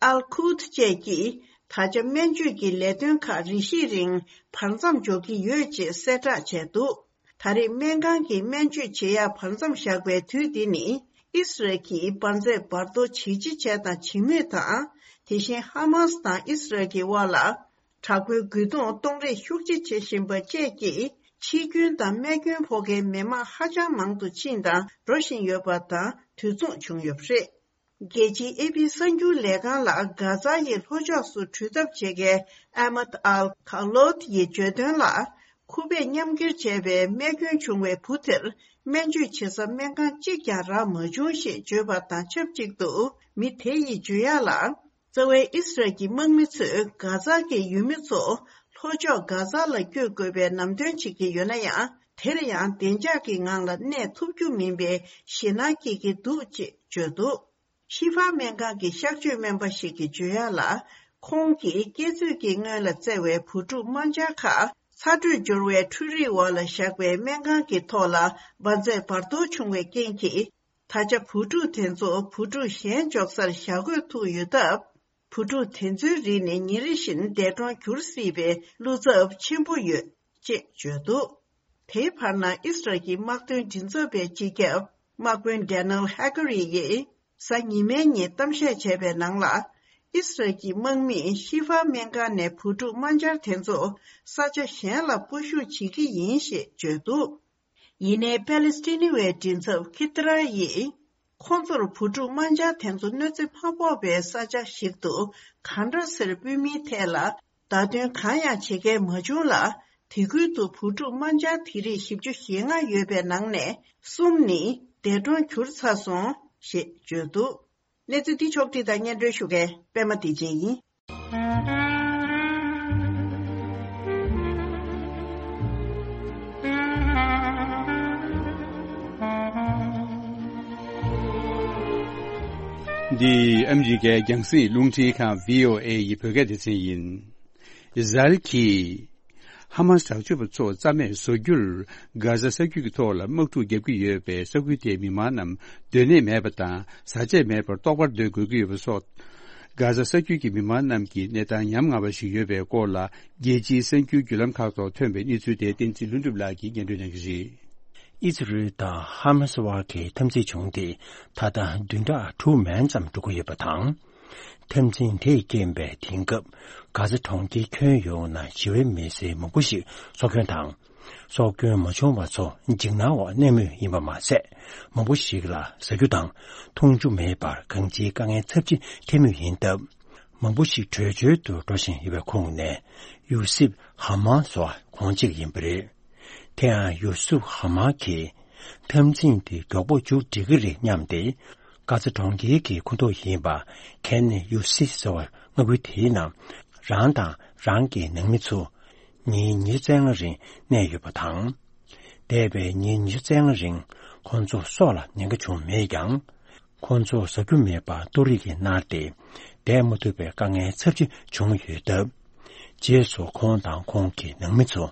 ཨལ་ཁུད་བཅས་ཀྱིས། ད་ཆ་སྨན་བཅོས་ཀྱི་ལས་དོན་ཁག་རེ་ཞིག་རིང་བར་མཚམས་འཇོག་གི་ཡོད་ཅེས་གསལ་བསྒྲགས་བྱས་འདུག་ད་རེས་སྨན་ཁང་གི་སྨན་བཅོས་བྱེད་ཡག་བར་མཚམས་བཞག་པའི་དུས་འདི་ནི། ཨིས་རལ་གྱིས་འབར་རྫས་འབར་གཏོར་བྱེད་ཅི་བྱས་དང་བྱེད་མུས་དང་། དེ་བཞིན་ཧ་མཱ་སི་དང་ཨིས་རལ་གྱི་དབར་ལ། དྲག་པོའི་རྒོལ་རྡུང་གཏོང་རེས་ཤུགས་ཆེ་བྱེད་བཞིན་པ་བཅས་ཀྱིས། འཆི་སྐྱོན་དང་རྨས་སྐྱོན་ཕོག་མཁན་མི་མང་ཧ་ཅང་མང་དུ་ཕྱིན་དང་འགྲོ་བཞིན་ཡོད་པ་དང་དུས་མཚུངས་བྱུང་ཡོད་པ་རེད། རྒྱལ་སྤྱིའི་ཨེ་ཕི་གསར་འགྱུར་ལས་ཁང་ལ་གྷ་ཛ་ཡི་ལྷོ་ཕྱོགས་སུ་འགྲུལ་ཐབས་བྱེད་མཁན་ཨ་མད་ཨལ་ཁ་ལོད་ཡིས་བརྗོད་དོན་ལ། ཁུ་བས་མཉམ་འཁྱེར་བྱས་པའི་རྨས་སྐྱོན་བྱུང་བའི་བུ་དེར་སྨན་བཅོས་བྱེད་ས་སྨན་ཁང་གཅིག་ཀྱང་རག་མ་བྱུང་ཞེས་བརྗོད་པ་དང་ཆབས་ཅིག་ཏུ། མི་དེ་ཡིས་བརྗོད་ཡག་ལ། རྩ་བའི་ཨིས་རལ་གྱི་དམག་མི་ཚོས་གྷ་ཛ་གི་ཡུལ་མི་ཚོ་ལྷོ་ཕྱོགས་གྷ་ཛ་ལ་བསྐྱོད་དགོས་པའི་ལམ་སྟོན་བྱེད་ཀྱི་ཡོད་ན་ཡང་། དེར་ཡང་བདེ་འཇགས་ཀྱི་ངང་ལ་གནས་ཐུབ་རྒྱུ་མིན་པའི་ཞེད་སྣང་སྐྱེ་གི་འདུག་ཅེས་བརྗོད་འདུག་ཤི་ཧྥ་སྨན་ཁང་གི་གཤག་བཅོས་སྨན་པ་ཞིག་གིས་བརྗོད་ཡག་ལ། ཁོང་གིས་སྐྱེ་ཚུལ་གྱི་སྔོན་ལ་བཙལ་བའི་བུ་ཕྲུག་དམར་འབྱར་ཁག་ཚ་དྲོད་འབྱོར་བའི་འཕྲུལ་རིག་འོག་ལ་བཞག་པའི་སྨན་ཁང་གི་ཐོག་ལ་འབར་རྫས་འབར་གཏོར་བྱུང་བའི་རྐྱེན་གྱིས། ད་ཆ་བུ་ཕྲུག་དེ་ཚོ་བུ་ཕྲུག་གཞན་འཇོག་སར་བཞག་དགོས་ཐུག་ཡོད་སྟབས། བུ་ཕྲུག་དེ་ཚོའི་རིགས་ནི་ཉིན་རེ་བཞིན་འདས་གྲོངས་འགྱུར་སྲིད་པའི་བློ་འཚབ་ཆེན་པོ་ཡོད་ཅེས་བརྗོད་འདུག་དེའི་བར་ན་ཨིས་རལ་གྱི་དམག་དོན་མགྲིན་ཚབ་པའི་སྤྱི་ཁྱབ་དམག་དཔོན་ཌེ་ནེལ་ཧེ་ཀ་རི་ཡིས་གཟའ་ཉི་མའི་ཉིན་གཏམ་བཤད་བྱས་པའི་ནང་ལ། ཨིས་རལ་གྱི་དམག་མིས་ཤི་ཧྥ་སྨན་ཁང་ནས་བུ་ཕྲུག་དམར་འབྱར་དེ་ཚོ་ས་ཆ་གཞན་ལ་སྤོ་བཞུད་བྱེད་ཀྱི་ཡིན་ཞེས་བརྗོད་འདུག་ཡིན་ནའི་པེ་ལེ་སི་ཐི་ནི་བའི་མགྲིན་ཚབ་ཁི་ཏི་ར་ཡིས། ཁོང་ཚོར་བུ་ཕྲུག་དམར་འབྱར་དེ་ཚོ་གནོད་འཚེ་མ་ཕོག་པའི་ས་ཆ་ཞིག་ཏུ་གང་འདྲ་སེར་སྤོས་མིན་ཐད་ལ་བརྡ་སྟོན་གང་ཡང་བྱེད་མཁན་མ་བྱུང་ལ། དེ་ཁུལ་དུ་བུ་ཕྲུག་དམར་འབྱར་དེ་རིགས་བཞི་བཅུ་ཞེ་ལྔ་ཡོད་པའི་ནང་ནས་གསུམ་ནི་འདས་གྲོངས་གྱུར་ཚར་སོང་ཞེས་བརྗོད་འདུག་གནས་ཚུལ་འདི་ཕྱོགས་བསྒྲིགས་དང་སྙན་སྒྲོན་ཞུ་མཁན་པད་མ་བདེ་ཆེན་ཡིན། འདི་ཨ་མི་རི་ཀའི་རྒྱང་སྲིང་རླུང་འཕྲིན་ཁང་བྷི་ཨོ་ཨེ་ཡི་བོད་སྐད་སྡེ་ཚན་ཡིན། ཨི་ཟ་རེལ་གྱིས་ཧ་མ་སི་དྲག་སྤྱོད་པ་ཚོ་རྩ་མེད་བཟོ་རྒྱུར་གྷ་ཟ་ས་རྒྱུད་ཀྱི་ཐོག་ལ་དམག་འཁྲུག་བརྒྱབ་ཀྱི་ཡོད་པས། ས་ཁུལ་དེའི་མི་མང་རྣམས་སྡོད་གནས་མེད་པ་དང་བཟའ་ཆས་མེད་པར་ལྟོགས་པར་སྡོད་དགོས་ཀྱི་ཡོད་པ་སོགས། གྷ་ཟ་ས་རྒྱུད་ཀྱི་མི་མང་རྣམས་ཀྱི་གནས་སྟངས་ཉམ་ང་བ་ཞིག་ཡོད་པའི་སྐོར་ལ། རྒྱལ་སྤྱིའི་གསར་འགྱུར་བརྒྱུད་ལམ་ཁག་ཐོག་ཐོན་པའི་གནས་ཚུལ་དེ་བསྟན་འཛིན་ལྷུན་གྲུབ་ལགས་ཀྱིས་སྙན་སྒྲོན་གནང་གི་རེད། ཨི་ཛི་རལ་དང་ཧ་མ་སི་དབར་གྱི་འཐབ་འཛིང་བྱུང་སྟེ། ད་ལྟ་བདུན་ཕྲག་དྲུག་མན་ཙམ་འགྲོ་གི་ཡོད་པ་དང་། འཐབ་འཛིང་དེས་རྐྱེན་པས་དེང་སྐབས་གྷ་ཟ་གྲོང་ཁྱེར་ཁྱོན་ཡོངས་ན་ཞི་བའི་མི་སེར་མང་པོ་ཞིག་སྲོག་སྐྱོན་དང་། སྲོག་སྐྱོན་མ་བྱུང་བ་ཚོ་འཇིགས་སྣང་འོག་གནས་མུས་ཡིན་པ་མ་ཟད། མང་པོ་ཞིག་ལ་ཟ་རྒྱུ་དང་འཐུང་རྒྱུ་མེད་པར་གང་ཅིའི་དཀའ་ངལ་ཚབས་ཆེ་འཕྲད་མུས་ཡིན་སྟབས། མང་པོ་ཞིག་བྲོས་བྱོལ་དུ་འགྲོ་བཞིན་ཡོད་པའི་ཁོངས་ནས་ཡུ་སིབ་ཧ་མ་སོགས་ཁོང་གཅིག་ཡིན་པ་རེད། དེ་ཡང་ཡུ་སིབ་ཧ་མ་གིས་འཐབ་འཛིང་དེ་མགྱོགས་པོ་མཇུག་སྒྲིལ་གྱི་རེད་སྙམ་སྟེ། གྷ་ཛ་གྲོང་ཁྱེར་གྱི་ཁོངས་གཏོགས་ཡིན་པ་ཁེན་ནི་ཡུ་སི་ཟེར་བ་མངའ་ཁུལ་དེའི་ནང་རང་དང་རང་གི་ནང་མི་ཚོ་ཉིན་ཉི་ཤུ་རྩ་ལྔ་རིང་གནས་ཡོད་པ་དང་། འདས་པའི་ཉིན་ཉི་ཤུ་རྩ་ལྔ་རིང་ཁོང་ཚོ་སྲོག་ལ་ཉེན་ཁ་བྱུང་མེད་ཀྱང་། ཁོང་ཚོ་ཟ་རྒྱུ་མེད་པར་ལྟོ་རིགས་ཀྱིས་མནར་ཏེ་བསྡད་མ་ཐུབ་པའི་དཀའ་ངལ་ཚབས་ཆེ་བྱུང་ཡོད་སྟབས། རྗེས་སུ་ཁོང་དང་ཁོང་གི་ནང་མི་ཚོ་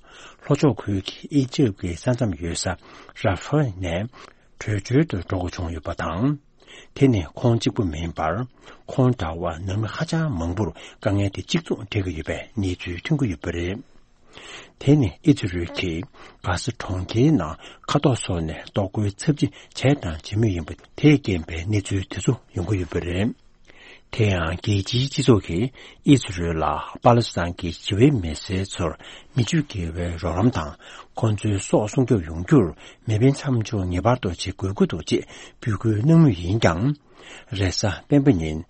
ལྷོ་ཕྱོགས་ཁུལ་གྱི་ཨི་ཇིབ་ཀྱི་ས་མཚམས་ཡོད་ས་ར་ཧྥ་ནས་བྲོས་བྱོལ་དུ་འགྲོ་དགོས་བྱུང་ཡོད་པ་དང་། དེ་ནི་ཁོང་གཅིག་པུ་མིན་པར། ཁོང་འདྲ་བ་ནང་མི་ཧ་ཅང་མང་པོར་དཀའ་ངལ་དེ་གཅིག་མཚུངས་འཕྲད་ཀྱི་ཡོད་པའི་གནས་ཚུལ་ཐོན་གྱི་ཡོད་པ་རེད། དེ་ནི་ཨི་ཛི་རལ་གྱིས་གྷ་ཟ་གྲོང་ཁྱེར་ནང་མཁའ་ཐོག་སོགས་ནས་གཏོར་རྒོལ་ཚབས་ཆེ་བྱས་དང་བྱེད་མུས་ཡིན་པ་དེས་རྐྱེན་པས་གནས་ཚུལ་དེ་ཚོ་ཡོང་གི་ཡོད་པ་རེད། དེ་ཡང་རྒྱལ་སྤྱིའི་སྤྱི་ཚོགས་ཀྱིས་ཨི་ཛི་རལ་ལ་པ་ལེ་སི་ཐན་གྱི་ཞི་བའི་མི་སེར་ཚོར་མི་རྒྱུ་དགེ་བའི་རོགས་རམ་དང་། ཁོང་ཚོའི་སྲོག་སྲུང་སྐྱོབ་ཡོང་རྒྱུར་མེ་འཕེན་མཚམས་འཇོག་ངེས་པར་དུ་བྱེད་དགོས་ཀྱི་འདུག་ཅེས་འབོད་སྐུལ་གནང་མུས་ཡིན་ཀྱང་། རེས་གཟའ་སྤེན་པ་ཉིན།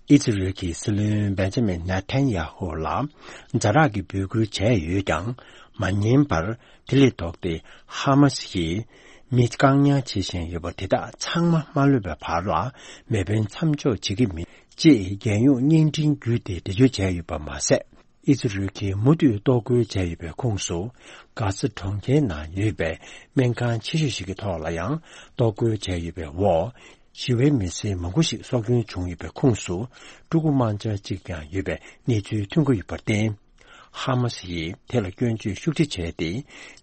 ཨི་ཛི་རལ་གྱི་སྲིད་བློན་བེན་ཇ་མིན་ནེ་ཐན་ཡ་ཧུ་ལ་ཛ་དྲག་གི་འབོད་སྐུལ་བྱས་ཡོད་ཀྱང་། མ་ཉན་པར། དེ་ལས་ལྡོག་སྟེ་ཧ་མ་སི་ཡིས་མི་བཀག་ཉར་བྱེད་བཞིན་ཡོད་པ་དེ་དག་ཚང་མ་མ་ལུས་པའི་བར་ལ་མེ་འཕེན་མཚམས་འཇོག་བྱེད་ཀྱི་མིན་ཅེས་རྒྱལ་ཡོངས་བརྙན་འཕྲིན་བརྒྱུད་དེ་འགྲེལ་བརྗོད་བྱས་ཡོད་པ་མ་ཟད། ཨི་ཛི་རལ་གྱིས་མུ་མཐུད་གཏོར་རྒོལ་བྱས་ཡོད་པའི་ཁོངས་སུ། གྷ་ཟ་གྲོང་ཁྱེར་ནང་ཡོད་པའི་སྨན་ཁང་ཆེ་ཤོས་ཤིག་གི་ཐོག་ལ་ཡང་གཏོར་རྒོལ་བྱས་ཡོད་པའི་འོག་ཞི་བའི་མི་སེར་མང་པོ་ཞིག་སྲོག་སྐྱོན་བྱུང་ཡོད་པའི་ཁོངས་སུ། ཕྲུ་གུ་དམར་འབྱར་གཅིག་ཀྱང་ཡོད་པའི་གནས་ཚུལ་ཐོན་གྱི་ཡོད་པར་བརྟེན། ཧ་མ་སི་ཡིས་དེ་ལ་སྐྱོན་བརྗོད་ཤུགས་ཆེ་བྱས་ཏེ།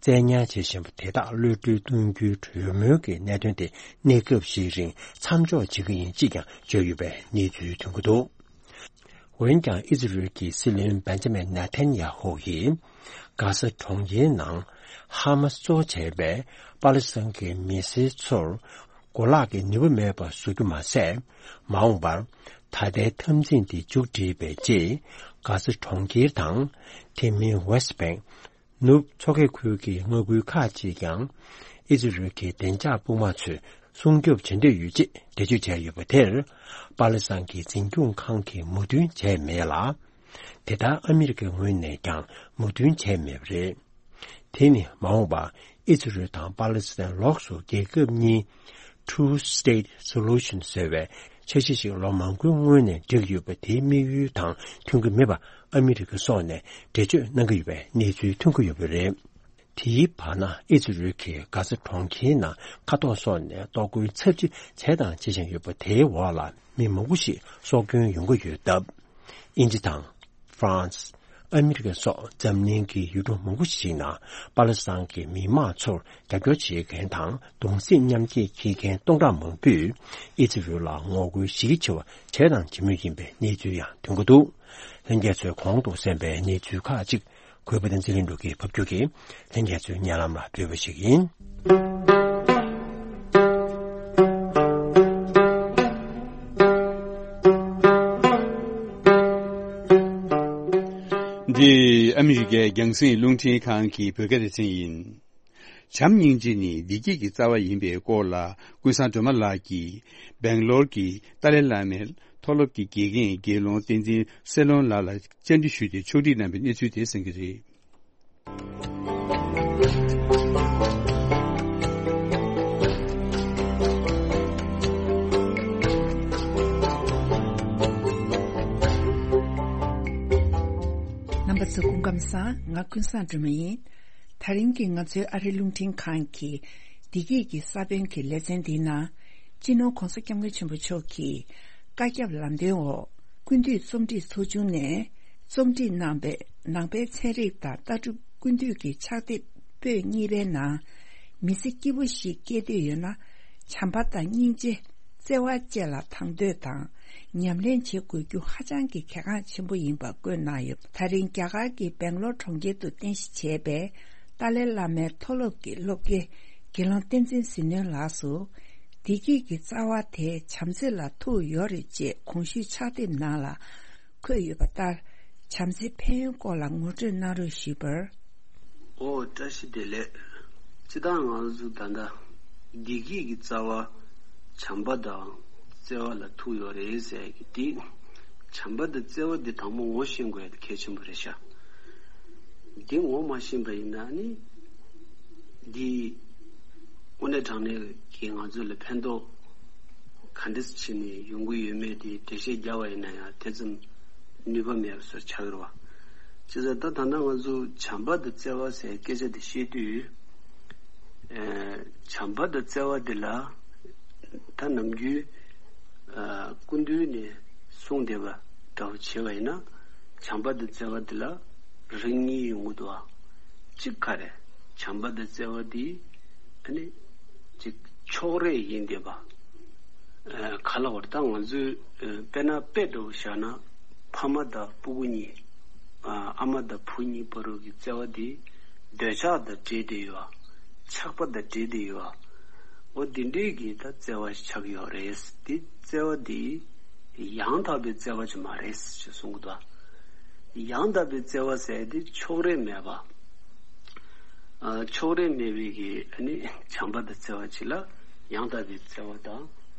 བཙན་ཉར་བྱེད་བཞིན་པ་དེ་དག་གློད་གྲོལ་གཏོང་རྒྱུའི་གྲོས་མོལ་གྱི་གནད་དོན་དེ་གནས་སྐབས་ཤིག་རིང་མཚམས་འཇོག་བྱེད་ཀྱི་ཡིན་ཅེས་ཀྱང་བརྗོད་ཡོད་པའི་གནས་ཚུལ་ཐོན་གྱི་འདུག་འོན་ཀྱང་ཨི་ཛི་རལ་གྱི་སྲིད་བློན་བེན་ཇ་མིན་ནེ་ཐན་ཡ་ཧོ་ཡིས། གྷ་ཟ་གྲོང་ཁྱེར་ནང་ཧ་མ་སི་གཙོ་བྱས་པའི་པ་ལི་སི་ཐན་གྱི་མི་སེར་ཚོར་གོ་ལག་གི་ནུས་པ་མེད་པ་བཟོ་རྒྱུ་མ་ཟད། མ་འོངས་པར་ད་ལྟའི་འཐབ་འཛིང་དེ་མཇུག་བསྒྲིལ་བའི་རྗེས། གྷ་ཟ་གྲོང་ཁྱེར་དང་། དེ་མིན་ཝེ་སི་བེང་། ནུབ་མཚོ་ཁའི་ཁུལ་གྱི་མངའ་ཁུལ་ཁག་ཅིག་ཀྱང་ཨི་ཛི་རལ་གྱི་བདེ་འཇགས་དཔུང་དམག་ཚོས་སྲུང་སྐྱོབ་བྱེད་འདོད་ཡོད་ཅེས་འགྲེལ་བརྗོད་བྱས་ཡོད་པ་དེར། པ་ལི་སི་ཐན་གྱི་འཛིན་སྐྱོང་ཁང་གིས་མོས་མཐུན་བྱས་མེད་ལ། དེ་ལྟར་ཨ་མི་རི་ཀའི་ངོས་ནས་ཀྱང་མོས་མཐུན་བྱས་མེད་པ་རེད། དེ་ནི་མ་འོངས་པར་ཨི་ཛི་རལ་དང་པ་ལི་སི་ཐན་ལོགས་སུ་རྒྱལ་ཁབ་གཉིས། Two State Solution ཟེར་བའི་འཆར་གཞི་ཞིག་ལོ་མང་པོའི་སྔོན་ནས་བསྒྲིགས་ཡོད་པ་དེའི་དམིགས་ཡུལ་དང་མཐུན་གྱི་མེད་པ་ཨ་མི་རི་ཀ་སོགས་ནས་འགྲེལ་བརྗོད་གནང་གི་ཡོད་པའི་གནས་ཚུལ་ཐོན་གྱི་ཡོད་པ་རེད། དེའི་བར་ན་ཨི་ཛི་རལ་གྱིས་གྷ་ཟ་གྲོང་ཁྱེར་ནང་མཁའ་ཐོག་སོགས་ནས་གཏོར་རྒོལ་ཚབས་ཆེ་བྱས་དང་བྱེད་བཞིན་ཡོད་པ་དེའི་འོག་ལ་མི་མང་པོ་ཞིག་སྲོག་སྐྱོན་ཡོང་གི་ཡོད་སྟབས། དབྱིན་ཇི་དང་། ཧྥ་རན་སི། ཨ་མི་རི་ཀ་སོགས་འཛམ་གླིང་གི་ཡུལ་གྲུ་མང་པོ་ཞིག་ནང་པ་ལི་སི་ཐན་གྱི་མི་དམངས་ཚོར་རྒྱབ་སྐྱོར་བྱེད་མཁན་དང་གདུང་སེམས་མཉམ་སྐྱེད་བྱེད་མཁན་སྟོང་ཕྲག་མང་པོས་ཨི་ཛི་རལ་ལ་ངོ་རྒོལ་གཞི་རྒྱ་ཆེ་བ་བྱས་དང་བྱེད་མུས་ཡིན་པའི་གནས་ཚུལ་ཡང་ཐོན་གྱི་འདུག་ལྷན་རྒྱས་ཚོས་གོང་དུ་གསན་པའི་གནས་ཚུལ་ཁག་ཅིག་གུས་པ་བསྟན་འཛིན་ལྷུན་གྲུབ་ཀྱིས་ཕབ་སྒྱུར་གྱིས་ལྷན་རྒྱས་ཚོའི་སྙན་ལམ་ལ་ཕུལ་བ་ཞིག་ཡིན། འདི་ཨ་མི་རི་ཀའི་རྒྱང་སྲིང་རླུང་འཕྲིན་ཁང་གི་བོད་སྐད་སྡེ་ཚན་ཡིན། བྱམས་སྙིང་རྗེ་ནི་བདེ་སྐྱིད་ཀྱི་རྩ་བ་ཡིན་པའི་སྐོར་ལ་ཀུན་བཟང་སྒྲོལ་མ་ལགས་ཀྱིས་སྦེང་ལོར་གྱི་ཏཱ་ལའི་བླ་མའི་མཐོ་སློབ་ཀྱི་དགེ་རྒན་དགེ་སློང་བསྟན་འཛིན་སེ་ལོན་ལགས་ལ་བཅར་འདྲི་ཞུས་ཏེ་ཕྱོགས་སྒྲིག་གནང་བའི་གནས་ཚུལ་དེ་གསན་གྱི་རེད། རྣམ་པ་ཚོ་སྐུ་ཁམས་བཟང་། ང་ཀུན་བཟང་སྒྲོལ་མ་ཡིན། ད་རིང་གི་ང་ཚོའི་ཨ་རིའི་རླུང་འཕྲིན་ཁང་གི་བདེ་སྐྱིད་ཀྱི་ས་བོན་གྱི་ལེ་ཚན་འདིའི་ནང་། སྤྱི་ནོར་༸གོང་ས་༸སྐྱབས་མགོན་ཆེན་པོ་མཆོག་གི་བཀའ་ཁྱབ་ལམ་སྟོན་འོག་ཀུན་འདུས་རྩོམ་སྒྲིག་ཚོགས་ཆུང་ནས་རྩོམ་སྒྲིག་གནང་བའི་ནང་པའི་ཚན་རིག་དང་ལྟ་གྲུབ་ཀུན་འདུས་ཀྱི་ཕྱག་དེབ་པོད་གཉིས་པའི་ནང་། མི་ཚེ་སྐྱིད་པོ་ཞིག་སྐྱེལ་འདོད་ཡོད་ན། བྱམས་པ་དང་སྙིང་རྗེ། བརྩེ་བ་བཅས་ལ་དང་དོད་དང་ཉམས་ལེན་བྱེད་དགོས་རྒྱུ་ཧ་ཅང་གི་གལ་འགངས་ཆེན་པོ་ཡིན་པ་བཀོད་གནང་ཡོད། ད་རིང་རྒྱ་གར་གྱི་སྦེང་ལོར་གྲོང་ཁྱེར་དུ་རྟེན་གཞི་བྱས་པའི་ཏཱ་ལའི་བླ་མའི་མཐོ་སློབ་ཀྱི་སློབ་དགེ་དགེ་སློང་བསྟན་འཛིན་ཟིལ་གནོན་ལགས་སུ། བདེ་སྐྱིད་ཀྱི་རྩ་བ་དེ་བྱམས་བརྩེ་ལ་ཐུག་ཡོད་རེད་ཅེས་གོང་ཞུས་ཕྱག་དེབ་ནང་ལ་འཁོད་ཡོད་པ་ལྟར། བྱམས་བརྩེའི་ཕན་ཡོན་སྐོར་ལ་ངོ་སྤྲོད་གནང་རོགས་ཞུས་པར། ཨོ་བཀྲ་ཤིས་བདེ་ལེགས། སྤྱིར་བཏང་ང་ཚོ་ད་ལྟ་བདེ་སྐྱིད་ཀྱི་རྩ་བ་བྱམས་པ་དང་བརྩེ་བ་ལ་ཐུག་ཡོད་རེད་ཟེར་གི་དེ། བྱམས་པ་དང་བརྩེ་བ་འདི་དང་པོ་ངོ་ཤེས་དགོས་ཡ་དེ་གལ་ཆེན་པོ་རེད་ཤག་འདི་ངོ་མ་ཤེས་པ་ཡིན་ན་ནི། འདི་དངོས་གནས་དྲང་གནས་ཀྱི་ང་ཚོ་ལ་ཕན་ཐོགས་ག་འདྲ་བྱས་ནས་ཡོང་གི་ཡོད་མེད་དེ་འགྲེལ་བཤད་རྒྱག་པ་ཡིན་ན་ཡང་དེ་ཙམ་ནུས་པ་མེད་པ་བཟོ་ཆགས་ཀྱི་རེད་བ། བྱས་ཙང་ད་ད་ལྟ་ང་ཚོ་བྱམས་པ་དང་བརྩེ་བ་ཟེར་སྐད་ཆ་དེ་བཤད་དུས། ཨེ། བྱམས་པ་དང་བརྩེ་བ་དེ་ལ་ད་ནམ་རྒྱུན་ཨ། སྐུ་མདུན་ནས་གསུངས་བསྡད་པ་འདྲ་བོ་བྱས་པ་ཡིན་ན། བྱམས་པ་དང་བརྩེ་བ་དེ་ལ་རིགས་གཉིས་ཡོང་གི་འདུག་བ། གཅིག་ག་རེ། བྱམས་པ་དང་བརྩེ་བ་དེ་ཨ་ནི་གཅིག་ཕྱོགས་རིས་ཡིན་བསྡད་པ། ཨ། ག་ལ་བར་ད་ང་ཚོས་ཨ། དཔེར་ན་དཔེ་འདྲ་བོ་བཞག་ན་ཕ་མ་དང་སྤུ་གུ་གཉིས། ཨ། ཨ་མ་དང་བུ་གཉིས་བར་དུ་གི་བརྩེ་བ་དེ་འདོད་ཆགས་དང་འདྲེས་བསྡད་ཡོད་པ། ཆགས་པ་དང་འདྲེས་བསྡད་ཡོད་པ། འོ་དེ་འདྲས་ཀྱི་ད་བརྩེ་བ་ཞིག་ཆགས་ཀྱི་ཡོད་རེད། དེ་བརྩེ་བ་དེ་ཡང་དག་པའི་བརྩེ་བ་ཅིག་མ་རེད་ཅེས་གསུང་གི་འདུག་ཡང་དག་པའི་བརྩེ་བ་ཟེར་དེ་ཕྱོགས་རིས་མེད་པ། ཨ། ཕྱོགས་རིས་མེད་པའི་གི་ཨ་ནི་བྱམས་པ་དང་བརྩེ་བ་ཅིག་ལ་ཡང་དག་པའི་བརྩེ་བ་དང་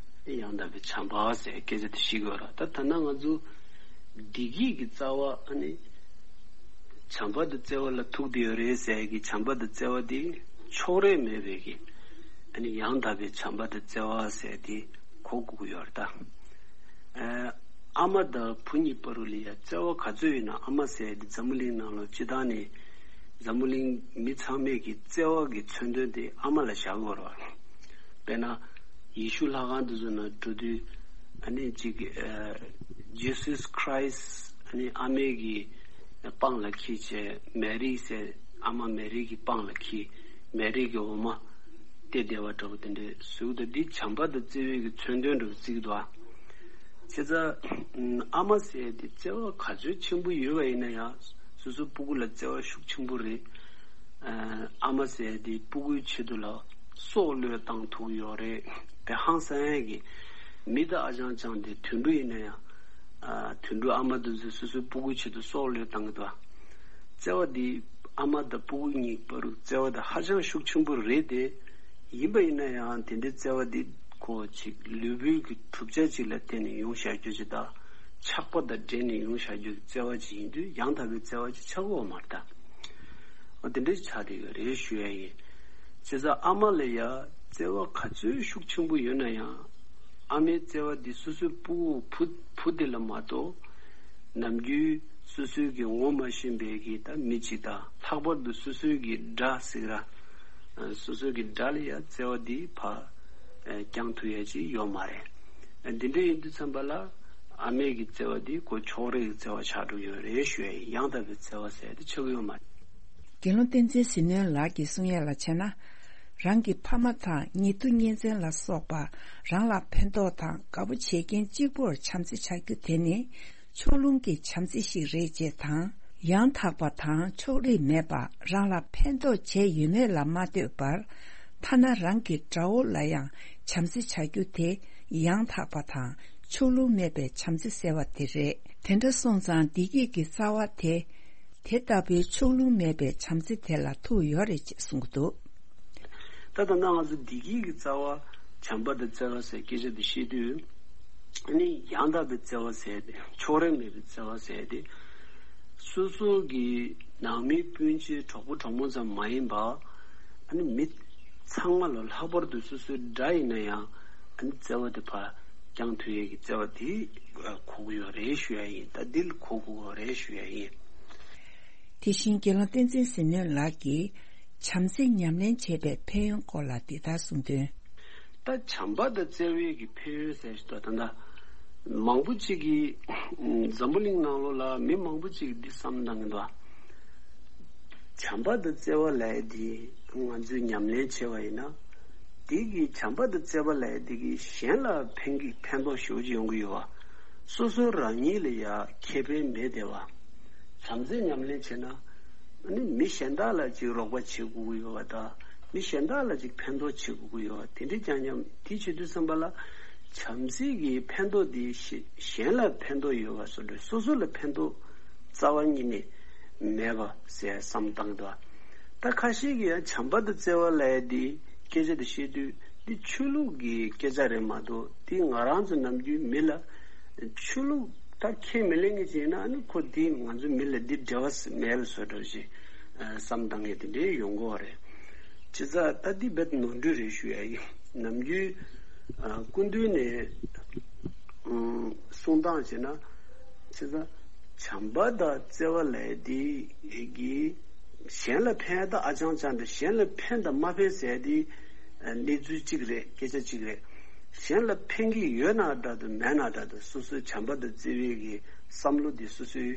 ཡང་དག་པའི་བྱམས་པ་ཟེར་སྐད་ཆ་དེ་བཤད་ཀྱི་ཡོད་རེད། ད་ད་ལྟ་ང་ཚོ་བདེ་སྐྱིད་ཀྱི་རྩ་བ་ཨ་ནི་བྱམས་པ་དང་བརྩེ་བ་ལ་ཐུག་བསྡད་ཡོད་རེད་ཟེར་གི་བྱམས་པ་དང་བརྩེ་བ་དེ་ཕྱོགས་རིས་མེད་པའི་གི་ཨ་ནི་ཡང་དག་པའི་བྱམས་པ་དང་བརྩེ་བ་ཟེར་དེ་གོ་དགོས་ཀྱི་ཡོད་རེད་ད། ཨ། ཨ་མ་དང་བུ་གཉིས་བར་དུ་ལ་ཡ་བརྩེ་བ་ག་ཚོད་ཡོད་ན། ཨ་མ་ཟེར་ཡ་དེ་འཛམ་བུ་གླིང་ནང་ལ་སྤྱིར་བཏང་ནས་འཛམ་བུ་གླིང་མི་ཚང་མས་ཀྱི་བརྩེ་བ་གི་མཚོན་དོན་དེ་ཨ་མ་ལ་བཞག་དགོས་རེད་བ། དཔེར་ན་ཡེ་ཤུ་ལྷ་ཁང་དེ་ཚོ་ནང་འགྲོ་དུས་ཨ་ནི་གཅིག་ཨ་Jesus Christ ཨ་ནི་ཨ་མའི་གི་པང་ལ་འཁྱེར་བྱས། མེ་རི་ཟེར་ཨ་མ་མེ་རི་གི་པང་ལ་འཁྱེར། མེ་རི་གི་འོ་མ་སྟེར་བསྡད་པ་འདྲ་པོ་དེ་འདྲ་བཟོས་འདུག་འདི་བྱམས་པ་དང་བརྩེ་བའི་གི་མཚོན་དོན་འདྲ་པོ་བརྩི་གི་འདུག་ཨ། བྱས་ཙང་ཨ་མ་ཟེར་ཡ་དེ་བརྩེ་བ་ག་ཚོད་ཆེན་པོ་ཡོད་པ་ཡིན་ན་ཡང་། སོ་སོའི་སྤུ་གུ་ལ་བརྩེ་བ་ཤུགས་ཆེན་པོ་རེད། ཨ་མ་ཟེར་ཡ་དེ་སྤུ་གུའི་ཆེད་དུ་ལ་སྲོག་བློས་བཏང་ཐུབ་ཀྱི་ཡོད་རེད། དཔེ་ཧང་སང་ཡ་གི་མི་དང་ཨ་ཅང་ཅང་དེ་དུད་འགྲོ་ཡིན་ན་ཡང་། ཨ་དུད་འགྲོ་ཨ་མ་དེ་ཚོས་སོ་སོའི་སྤུ་གུའི་ཆེད་དུ་སྲོག་བློས་བཏང་གི་འདུག་ཨ། བརྩེ་བ་འདི་ཨ་མ་དང་སྤུ་གུ་གཉིས་བར་དུ་བརྩེ་བ་དེ་ཧ་ཅང་ཤུགས་ཆེན་པོ་རེད་དེ། ཡིན་པ་ཡིན་ན་ཡང་དེ་འདྲའི་བརྩེ་བ་འདི་ཁོ་ཅིག་ལུས་པོའི་གི་གྲུབ་ཆ་ཅིག་ལ་བརྟེན་ནས་ཡོང་བཞག་རྒྱུ་ཅིག་དང་། ཆགས་པ་དང་འབྲེལ་ནས་ཡོང་བཞག་རྒྱུ་གི་བརྩེ་བ་ཅིག་ཡིན་དུས་ཡང་དག་པའི་བརྩེ་བ་ཅིག་ཆགས་ཀྱི་ཡོད་མ་རེད་ད། འོ་དེ་འདྲ་ཆགས་བསྡད་ཡོད་རེད་ཞུ་ཡ་ཡིན། བྱས་ཙང་ཨ་མ་ལ་ཡ་བརྩེ་བ་ག་ཚོད་ཤུགས་ཆེན་པོ་ཡོད་ན་ཡང་། ཨ་མའི་བརྩེ་བ་འདི་སོ་སོའི་སྤུ་བུ་བུ་དེ་ལ་མ་གཏོགས། ནམ་རྒྱུན་སོ་སོའི་གི་ངོ་མ་ཤེས་པའི་གི་ད་མི་གཅིག་དང་། ལྷག་པར་དུ་སོ་སོའི་གི་དགྲ་ཟེར་གི་ར། སོ་སོའི་གི་དགྲ་ལ་ཡ་བརྩེ་བ་འདི་ཕར་བསྐྱང་ཐུབ་ཡ་ཅིག་ཡོད་མ་རེད། འདི་འདྲ་ཡིན་དུས་ཙམ་པ་ལ་ཨ་མའི་གི་བརྩེ་བ་འདི་ཁོ་ཕྱོགས་རིས་ཀྱི་བརྩེ་བ་ཆགས་འགྲོ་ཡོད་རེད་ཞུ་ཡ་ཡིན། ཡང་དག་པའི་བརྩེ་བ་ཟེར་དེ་ཆགས་ཀྱི་ཡོད་མ་རེད། དགེ་སློང་བསྟན་འཛིན་ཟིལ་གནོན་ལགས་ཀྱིས་གསུང་ཡ་ལ་བྱས་ན། རང་གི་ཕ་མ་དང་ཉེ་དུ་གཉེན་ཚན་ལ་སོགས་པ་རང་ལ་ཕན་ཐོགས་དང་དགའ་པོ་བྱེད་མཁན་གཅིག་པུར་བྱམས་བརྩེ་བྱ་རྒྱུ་དེ་ནི་ཕྱོགས་ལྷུང་གི་བྱམས་བརྩེ་ཞིག་རེད་ཅེས་དང་། ཡང་དག་པ་དང་ཕྱོགས་རིས་མེད་པ་རང་ལ་ཕན་ཐོགས་བྱས་ཡོད་མེད་ལ་མ་ལྟོས་པར། ཐ་ན་རང་གི་དགྲ་བོ་ལ་ཡང་བྱམས་བརྩེ་བྱ་རྒྱུ་དེ་ཡང་དག་པ་དང་ཕྱོགས་ལྷུང་མེད་པའི་བྱམས་བརྩེ་ཟེར་བ་དེ་རེད། དེ་འདྲ་སོང་ཙང་བདེ་སྐྱིད་ཀྱི་རྩ་བ་དེ། དེ་ལྟ་བུའི་ཕྱོགས་ལྷུང་མེད་པའི་བྱམས་བརྩེ་དེ་ལ་ཐུག་ཡོད་རེད་ཅེས་གསུངས་འདུག་ད་ད་ལྟ་ང་ཚོ་བདེ་སྐྱིད་ཀྱི་རྩ་བ། བྱམས་པ་དང་བརྩེ་བ་ཟེར་སྐད་ཆ་དེ་བཤད་དུས། ཨ་ནི་ཡང་དག་པའི་བརྩེ་བ་ཟེར་ཏེ། ཕྱོགས་རིས་མེད་པའི་བརྩེ་བ་ཟེར་ཏེ། སོ་སོ་གི་ནང་མི་སྤུན་མཆེད་གྲོགས་པོ་གྲོགས་མོ་ཙམ་མ་ཡིན་པ། ཨ་ནི་མི་ཚང་མ་ལ། ལྷག་པར་དུ་སོ་སོའི་དགྲ་ཡིན་ན་ཡང་། ཨ་ནི་བརྩེ་བ་དེ་ཕར་བསྐྱང་ཐུབ་ཡས་ཀྱི་བརྩེ་བ་དེ་གོ་གི་ཡོད་རེད་ཞུ་ཡ་ཡིན། ད་འདི་ལ་གོ་དགོས་པ་རེད་ཞུ་ཡ་ཡིན། དེ་བཞིན་དགེ་སློང་བསྟན་འཛིན་ཟིལ་གནོན་ལགས་ཀྱིས་བྱམས་བརྩེ་ཉམས་ལེན་བྱེད་པའི་ཕན་ཡོན་སྐོར་ལ་འདི་ལྟར་གསུངས་དོན། ད་བྱམས་པ་དང་བརྩེ་བའི་གི་ཕན་ཡོན་ཟེར་ཞིག་འདུག་ད་ལྟ་མང་པོ་ཅིག་གིས་འཛམ་བུ་གླིང་ནང་ལོགས་ལ་མི་མང་པོ་ཅིག་གིས་འདི་བསམ་བཏང་གི་འདུག་བྱམས་པ་དང་བརྩེ་བ་ལབ་ཡ་འདི་ང་ཚོས་ཉམས་ལེན་བྱས་པ་ཡིན་ན། འདི་གི་བྱམས་པ་དང་བརྩེ་བ་ལབ་ཡ་འདི་གིས་གཞན་ལ་ཕན་གི་ཕན་ཐོགས་ཞེ་པོ་ཅིག་ཡོང་གི་ཡོད་པ། སོ་སོ་རང་ཉིད་ལ་ཡ་ཁེ་ཕན་མེད་བསྡད་པ། བྱམས་བརྩེ་ཉམས་ལེན་བྱས་ན། ཨ་ནི་མི་གཞན་དག་ལ་ཅིག་རོགས་པ་བྱེད་དགོས་ཀྱི་ཡོད་པ་དང་། མི་གཞན་དག་ལ་ཅིག་ཕན་ཐོགས་བྱེད་དགོས་ཀྱི་ཡོད་པ། དེ་འདྲའི་རྐྱང་རྐྱང་དེ་བྱེད་དུས་ཙམ་པ་ལ། བྱམས་བརྩེ་གི་ཕན་ཐོགས་དེ་གཞན་ལ་ཕན་ཐོགས་ཡོད་པ་བཟོ་འདྲ། སོ་སོ་ལ་ཕན་ཐོགས་རྩ་བ་ཉིད་ནས་མེད་པ་ཟེར་བསམ་བཏང་འདུག་ད་ཁ་ཤས་ཀྱིས་ཡང་བྱམས་པ་དང་བརྩེ་བ་ལབ་ཡ་འདི་སྐད་ཆ་དེ་བཤད་དུས། འདི་ཆོས་ལུགས་ཀྱི་སྐད་ཆ་རེད་མ་གཏོགས། འདི་ང་རང་ཚོ་ནམ་རྒྱུན་མི་ལ། ཆོས་ལུགས་ད་ཁས་མི་ལེན་མཁན་ཅིག་ཡིན་ན། ཨ་ནི་ཁོ་འདི་ང་ཚོ་མི་ལ་འདི་འབྲེལ་བ་མེད་པ་བཟོ་འདྲ་ཞིག་བསམ་བཏང་མཁན་དེ་འདྲའི་ཡོང་གི་ཡོད་རེད། བྱས་ཙང་ད་འདི་རྦད་ནོར་འཁྲུལ་རེད་ཞུ་ཡ་ཡིན། ནམ་རྒྱུན་སྐུ་མདུན་ནས་གསུང་སྟངས་བྱས་ན། བྱས་ཙང་བྱམས་པ་དང་བརྩེ་བ་ལབ་ཡ་འདི་གིས་གཞན་ལ་ཕན་ཡ་ད་ཨ་ཅང་ཅང་འདྲ། གཞན་ལ་ཕན་དང་མ་ཕན་ཟེར་ཡ་འདི་གནས་ཚུལ་གཅིག་རེད། སྐད་ཆ་གཅིག་རེད། གཞན་ལ་ཕན་གྱི་ཡོད་ན་འདྲ་འདུག་མེད་ན་འདྲ་འདུག་སོ་སོའི་བྱམས་པ་དང་བརྩེ་བའི་གི་བསམ་བློ་དེ་སོ་སོའི་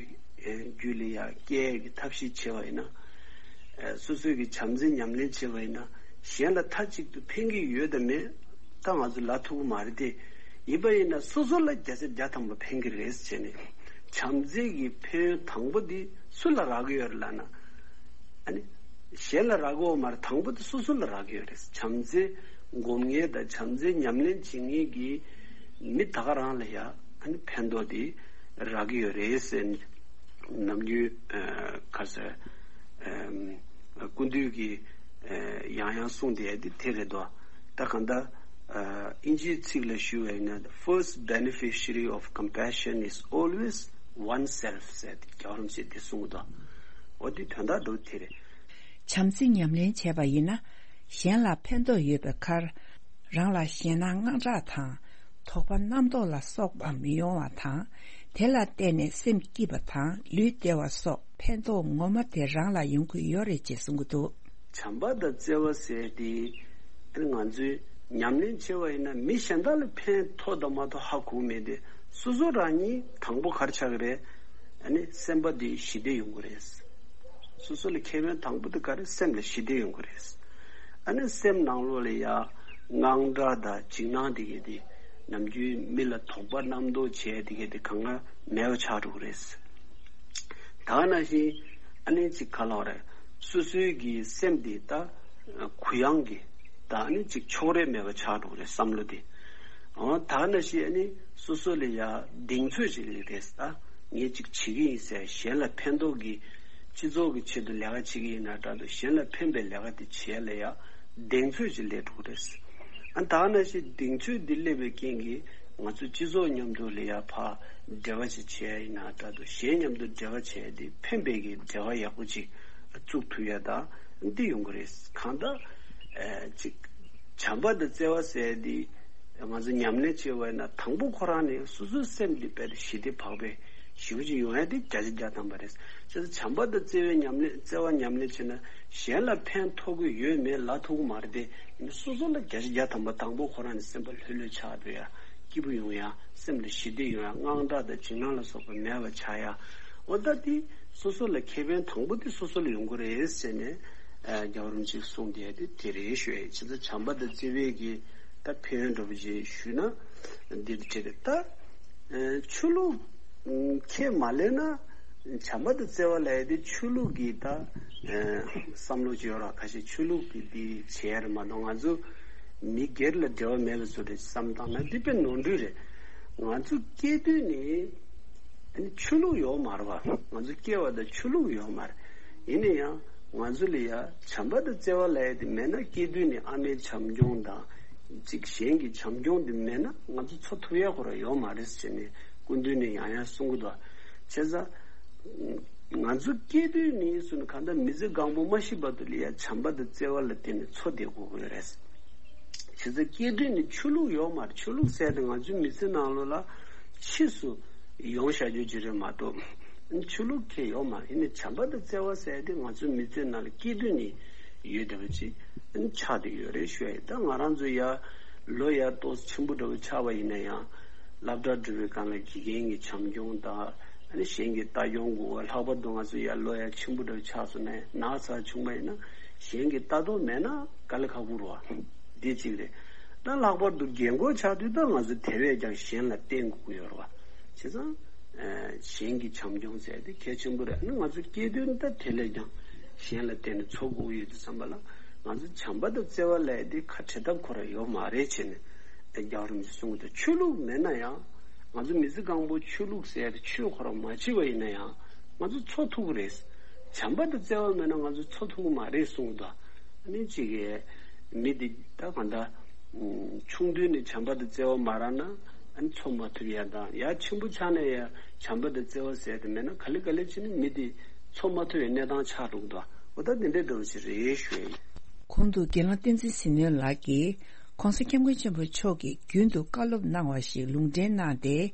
རྒྱུད་ལ་ཡ་སྐྱེ་ཡ་གི་ཐབས་ཤེས་བྱས་པ་ཡིན་ན། སོ་སོའི་གི་བྱམས་བརྩེ་ཉམས་ལེན་བྱས་པ་ཡིན་ན། གཞན་ལ་མཐའ་གཅིག་ཏུ་ཕན་གྱི་ཡོད་དམ་མེད་ད་ང་ཚོ་ལབ་ཐུབ་ཀྱི་མ་རེད་དེ། ཡིན་པ་ཡིན་ན་སོ་སོ་ལ་བརྒྱ་ཆ་བརྒྱ་ཐམ་པ་ཕན་གྱི་རེད་ཟེར་བྱས་ནས། བྱམས་བརྩེ་གི་ཕན་ཡོན་དང་པོ་འདི་སུ་ལ་རག་གི་ཡོད་རེད་ལབ་ན། ཨ་ནི་གཞན་ལ་རག་གི་ཡོད་མ་རེད། དང་པོ་དེ་སོ་སོ་ལ་རག་གི་ཡོད་རེད། བྱམས་བརྩེ་སྒོམ་མཁན་དང་བྱམས་བརྩེ་ཉམས་ལེན་བྱེད་མཁན་གྱི་མི་ད་ག་རང་ལ་ཡ་ཨ་ནི་ཕན་ཐོགས་དེ་རག་གི་ཡོད་རེད་ཟེར། ནམ་རྒྱུན་ཨ་ག་ཟེར། ཨ་སྐུ་མདུན་གྱིས་ཨ་ཡང་ཡང་གསུངས་བསྡད་དེ་དེ་རེད་དོ། ད་གང་ལྟར་ཨ་དབྱིན་ཇིའི་ཚིག་ལ་ཞུ་བ་ཡིན་ན། The first beneficiary of compassion is always oneself ཟེར་ཏེ་རྒྱལ་བ་རིན་པོ་ཆེས་དེ་གསུངས་འདུག་འོ་དེ་དོན་དག་འདྲ་བོ་དེ་རེད། བྱམས་བརྩེ་ཉམས་ལེན་བྱས་པ་ཡིན་ན། གཞན་ལ་ཕན་ཐོགས་ཡོད་པའི་ཁར། རང་ལ་ཞེད་སྣང་དངངས་སྐྲག་དང་། དོགས་པ་རྣམ་རྟོག་ལ་སོགས་པ་མི་ཡོང་བ་དང་། དེ་ལ་བརྟེན་ནས་སེམས་སྐྱིད་པ་དང་ལུས་བདེ་བ་སོགས་ཕན་ཐོགས་ངོ་མ་དེ་རང་ལ་ཡོང་གི་ཡོད་རེད་ཅེས་གསུང་གི་འདུག། བྱམས་པ་དང་བརྩེ་བ་ཟེར་དེ་ང་ཚོས་ཉམས་ལེན་བྱེད་པ་ཡིན་ན་མི་གཞན་དག་ལ་ཕན་ཐོགས་དང་མ་ཐོགས་ཧ་གོ་མེད་དེ། སོ་སོ་རང་ཉིད་དང་པོ་ག་རེ་ཆགས་ཀྱི་རེད། ཨ་ནི་སེམས་པ་དེ་ཞི་བདེ་ཡོང་གི་རེད། སོ་སོ་ལ་ཁེ་ཕན་དང་པོ་དེ་ག་རེ། སེམས་ལ་ཞི་བདེ་ཡོང་གི་རེད། ཨ་ནི་སེམས་ནང་ལོགས་ལ་ཡ་དངངས་སྐྲག་དང་འཇིགས་སྣང་དེ་གས་དེ་ནམ་རྒྱུན་མི་ལ་དོགས་པ་རྣམ་རྟོག་བྱས་དེ་གས་དེ་གང་ག་མེད་པ་ཆགས་འགྲོ་གི་རེད། ད་ནང་བཞིན་ཨ་ནི་ཅིག་ག་ལབ་རེད། སོ་སོའི་གི་སེམས་དེ་ད་གུ་ཡངས་ཀྱི་ད་ཨ་ནི་ཅིག་ཕྱོགས་རིས་མེད་པ་ཆགས་འགྲོ་གི་རེད་བསམ་བློ་དེ། འོ་ད་ནང་བཞིན་ཨ་ནི་སོ་སོ་ལ་ཡ་གདེང་ཚོད་ཅིག་རེད། ད་ངས་ཅིག་བྱེད་ཀྱི་ཡིན་ཟེར་གཞན་ལ་ཕན་ཐོགས་ཀྱི་སྤྱི་ཚོགས་ཀྱི་ཆེད་དུ་ལས་ཀ་བྱེད་ཀྱི་ཡིན་ན་འདྲ་འདུག། གཞན་ལ་ཕན་པའི་ལས་ཀ་དེ་བྱེད་ལ་ཡ་གདེང་ཚོད་ཅིག་སླེབས་འགྲོ་གི་རེད། ཨ་ད་ནང་བཞིན་གདེང་ཚོད་འདི་སླེབས་པའི་རྐྱེན་གྱིས་ང་ཚོ་སྤྱི་ཚོགས་མཉམ་དུ་ལ་ཡ་ཕར་འབྲེལ་བ་ཅིག་བྱས་ཡིན་ན་འདྲ་འདུག། གཞན་མཉམ་དུ་འབྲེལ་བ་བྱས་ཏེ་ཕན་པའི་གི་འབྲེལ་བ་ཡག་པོ་ཅིག་བཙུགས་ཐུབ་ཡ་ད་འདི་ཡོང་གི་རེད། གང་ལྟར་ཨ་ཅིག་བྱམས་པ་དང་བརྩེ་བ་ཟེར་འདི་ང་ཚོ་ཉམས་ལེན་བྱེད་པ་ཡིན་ན་དང་པོ་ཁོ་རང་ནས་སོ་སོའི་སེམས་འདི་དཔེ་ཞི་བདེ་བག་ཕེབས་ཞེ་པོ་ཅིག་ཡོང་ཡ་དེ་བརྒྱ་ཆ་བརྒྱ་ཐམ་པ་རེད། བྱས་ཙང་བྱམས་པ་དང་བརྩེ་བའི་ཉམས་ལེན་བརྩེ་བ་ཉམས་ལེན་བྱས་ན་གཞན་ལ་ཕན་ཐོགས་ཀྱི་ཡོད་མེད་ལབ་ཐུབ་ཀྱི་མ་རེད་དེ། སོ་སོ་ལ་བརྒྱ་ཆ་བརྒྱ་ཐམ་པ་དང་པོ་ཁོ་རང་ནས་སེམས་པ་ལྷོད་ལྷོད་ཆགས་འགྲོ་ཡ། སྐྱིད་པོ་ཡོང་ཡ། སེམས་ལ་ཞི་བདེ་ཡོང་ཡ། དངངས་སྐྲག་དང་འཇིགས་སྣང་ལ་སོགས་པ་མེད་པ་ཆགས་ཡ། འོ་ད་དེ་སོ་སོ་ལ་ཁེ་ཕན་དང་པོ་དེ་སོ་སོ་ལ་ཡོང་གི་རེད་ཟེར་ནས་ཨ་རྒྱལ་བ་རིན་པོ་ཆེས་གསུངས་བསྡད་དེ་དེ་རེད་ཞུ་ཡ་ཡིན། བྱས་ཙང་བྱམས་པ་དང་བརྩེ་བའི་གི་ད་ཕན་ཡོན་འདྲ་པོ་ཅིག་ཞུས་ན་འདི་འདྲ་རེད། ད་ཨ་ཆོས་ལུགས་ཁས་མ་ལེན་ན་བྱམས་པ་དང་བརྩེ་བ་ལབ་ཡ་དེ་ཆོས་ལུགས་ཀྱི་ད་ཨ་བསམ་བློ་ཅིག་ཡོད་ར། ཁ་ཤས་ཆོས་ལུགས་ཀྱི་དེ་བྱས་རེད་མ་གཏོགས་ང་ཚོ་མི་སྒེར་ལ་འབྲེལ་བ་མེད་པ་བཟོ་འདྲ་བསམ་བཏང་ན་འདི་དཔེ་ནོར་འཁྲུལ་རེད། ང་ཚོ་སྐྱེས་དུས་ནས་ཨ་ནི་ཆོས་ལུགས་ཡོད་མ་རེད་བ། ང་ཚོ་སྐྱེ་བ་དང་ཆོས་ལུགས་ཡོད་མ་རེད། ཡིན་ན་ཡང་ང་ཚོ་ལ་ཡ་བྱམས་པ་དང་བརྩེ་བ་ལབ་ཡ་དེ་མེད་ན། སྐྱེས་དུས་ནས་ཨ་མའི་བྱམས་སྐྱོང་དང་ཅིག་གཞན་གྱི་བྱམས་སྐྱོང་དེ་མེད་ན་ང་ཚོ་འཚོ་ཐུབ་ཡ་ཁོ་རང་ཡོད་མ་རེད་ཟེར་ནས་སྐུ་མདུན་ནས་ཡང་ཡང་གསུང་གི་འདུག། བྱས་ཙང་ང་ཚོ་སྐྱེས་དུས་ནས་བཟུང་ནས་གང་ལྟར་མི་ཚེ་གང་པོ་མ་ཤི་བར་དུ་ལ་ཡ་བྱམས་པ་དང་བརྩེ་བ་ལ་བརྟེན་ནས་འཚོ་བསྡད་དགོས་ཀྱི་ཡོད་རེད། བྱས་ཙང་སྐྱེས་དུས་ནས་ཆོས་ལུགས་ཡོད་མ་རེད། ཆོས་ལུགས་ཟེར་དེ་ང་ཚོའི་མི་ཚེ་ནང་ལོགས་ལ་ཕྱིས་སུ་ཡོང་བཞག་རྒྱུ་ཅིག་རེད་མ་གཏོགས་ཆོས་ལུགས་ཁས་ཡོད་མ་རེད། ཡིན་ནའི་བྱམས་པ་དང་བརྩེ་བ་ཟེར་དེ་ང་ཚོའི་མི་ཚེ་ནང་ལ་སྐྱེས་དུས་ནས་ཡོད་བསྡད་པ་ཅིག་ཆགས་བསྡད་ཡོད་རེད་ཞུ་ཡ་ཡིན། ད་ང་རང་ཚོ་ཡ་ལོ་ཡ་ཏོག་ཙམ་ཆེན་པོ་འདྲ་བོ་ཆགས་པ་ཡིན་ན་ཡང་། སློབ་གྲྭ་འགྲོ་བའི་སྒང་ལ་དགེ་རྒན་གྱི་བྱམས་སྐྱོང་དང་། ཨ་ནི་གཞན་གྱི་ལྟ་སྐྱོང་དགོས་པ། ལྷག་པར་དུ་ང་ཚོ་ཡར་ལོ་ཡར་ཆེན་པོ་འདྲ་ཆགས་སོང་ནས་ན་ཚ་བྱུང་བ་ཡིན་ན་གཞན་གྱི་ལྟ་རྟོག་མེད་ན་དཀའ་ལས་ཁག་པོ་རེད་བ། འདི་གཅིག་རེད། ད་ལྷག་པར་དུ་རྒན་གོག་ཆགས་དུས་ད་ང་ཚོ་དེ་བས་ཀྱང་གཞན་ལ་བརྟེན་དགོས་ཀྱི་ཡོད་རེད་བ། བྱས་ཙང་གཞན་གྱི་བྱམས་སྐྱོང་ཟེར་དེ་གལ་ཆེན་པོ་རེད། ཨ་ནི་ང་ཚོ་སྐྱེས་དུས་ད་དེ་ལས་ཀྱང་གཞན་ལ་བརྟེན་ནས་འཚོ་དགོས་ཀྱི་ཡོད་དུས་ཙམ་པ་ལ། ང་ཚོ་བྱམས་པ་དང་བརྩེ་བ་ལབ་ཡ་དེ་ཁ་བྲལ་ཐབས་ཁོ་རང་ཡོད་མ་རེད་བྱས་ནས་རྒྱལ་བ་རིན་པོ་ཆེས་གསུངས་འདུག། ཆོས་ལུགས་མེད་ན་ཡང་ང་ཚོ་མི་ཚེ་གང་པོ་ཆོས་ལུགས་ཟེར་ཡ་དེ་ཆོས་ཁོ་རང་མ་བྱས་པ་ཡིན་ན་ཡང་ང་ཚོ་འཚོ་ཐུབ་ཀྱི་རེད། བྱམས་པ་དང་བརྩེ་བ་མེད་ན་ང་ཚོ་འཚོ་ཐུབ་ཀྱི་མ་རེད་གསུངས་འདུག། ཨ་ནི་གཅིག་གིས་མི་དེ་ད་གང་ལྟར་ཆུང་དུས་ནས་བྱམས་པ་དང་བརྩེ་བ་མ་རག་ན་ཨ་ནི་འཚོ་མ་ཐུབ་ཡ་དང་། ཡར་ཆེན་པོ་ཆགས་ནས་ཡང་བྱམས་པ་དང་བརྩེ་བ་ཟེར་དེ་མེད་ན་ག་ལེ་ག་ལེ་བྱས་ནས་མི་དེ་འཚོ་མ་ཐུབ་པའི་གནས་སྟངས་ཆགས་འགྲོ་གི་འདུག། འོ་ད་དེ་འདྲའི་འདྲ་བོ་ཞིག་རེད་ཞུ་ཡ་ཡིན། གོང་དུ་དགེ་སློང་བསྟན་འཛིན་ཟིལ་གནོན་ལགས་ཀྱིས་༸གོང་ས་༸སྐྱབས་མགོན་ཆེན་པོ་མཆོག་གིས་རྒྱུན་དུ་བཀའ་སློབ་གནང་བ་ཞིག་ལུང་འདྲེན་གནང་སྟེ།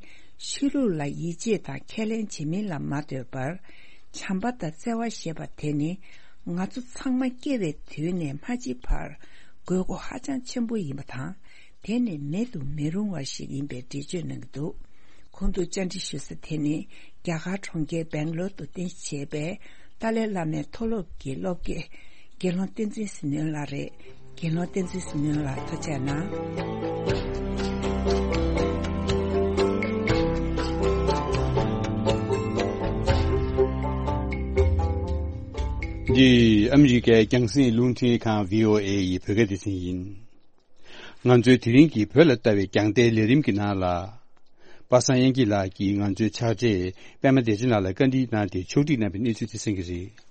ཆོས་ལུགས་ལ་ཡིད་ཆེས་དང་ཁས་ལེན་བྱེད་མིན་ལ་མ་ལྟོས་པར། བྱམས་པ་དང་བརྩེ་བ་ཞེས་པ་དེ་ནི་ང་ཚོ་ཚང་མ་སྐྱེ་བའི་དུས་ནས་མ་འཆི་བར་དགོས་མཁོ་ཧ་ཅང་ཆེན་པོ་ཡིན་པ་དང་། དེ་ནི་མེད་དུ་མི་རུང་བ་ཞིག་ཡིན་པའི་འགྲེལ་བརྗོད་གནང་གི་འདུག། གོང་དུ་བཅར་འདྲི་ཞུ་ས་དེ་ནི་རྒྱ་གར་གྲོང་ཁྱེར་སྦེང་ལོར་དུ་རྟེན་གཞི་བྱས་པའི་ཏཱ་ལའི་བླ་མའི་མཐོ་སློབ་ཀྱི་སློབ་དགེ་དགེ་སློང་བསྟན་འཛིན་ཟིལ་གནོན་ལགས་རེད། དགེ་སློང་བསྟན་འཛིན་ཟིལ་གནོན་ལགས་ཐུགས་རྗེ་གནང་། འདི་ཨ་མི་རི་ཀའི་རྒྱང་སྲིང་རླུང་འཕྲིན་ཁང་བྷི་ཨོ་ཨེ་ཡི་བོད་སྐད་སྡེ་ཚན་ཡིན། ང་ཚོའི་དེ་རིང་གི་བོད་ལ་ལྟ་བའི་རྒྱང་ལྟའི་ལས་རིམ་གྱི་ནང་ལ། པ་སངས་དབྱངས་སྐྱིད་ལགས་ཀྱིས་ང་ཚོའི་ཕྱག་སྦྲེལ་པད་མ་བདེ་ཆེན་ལགས་ལ་བཀའ་འདྲི་གནང་སྟེ་ཕྱོགས་སྒྲིག་གནང་བའི་གནས་ཚུལ་དེ་གསན་གྱི་རེད།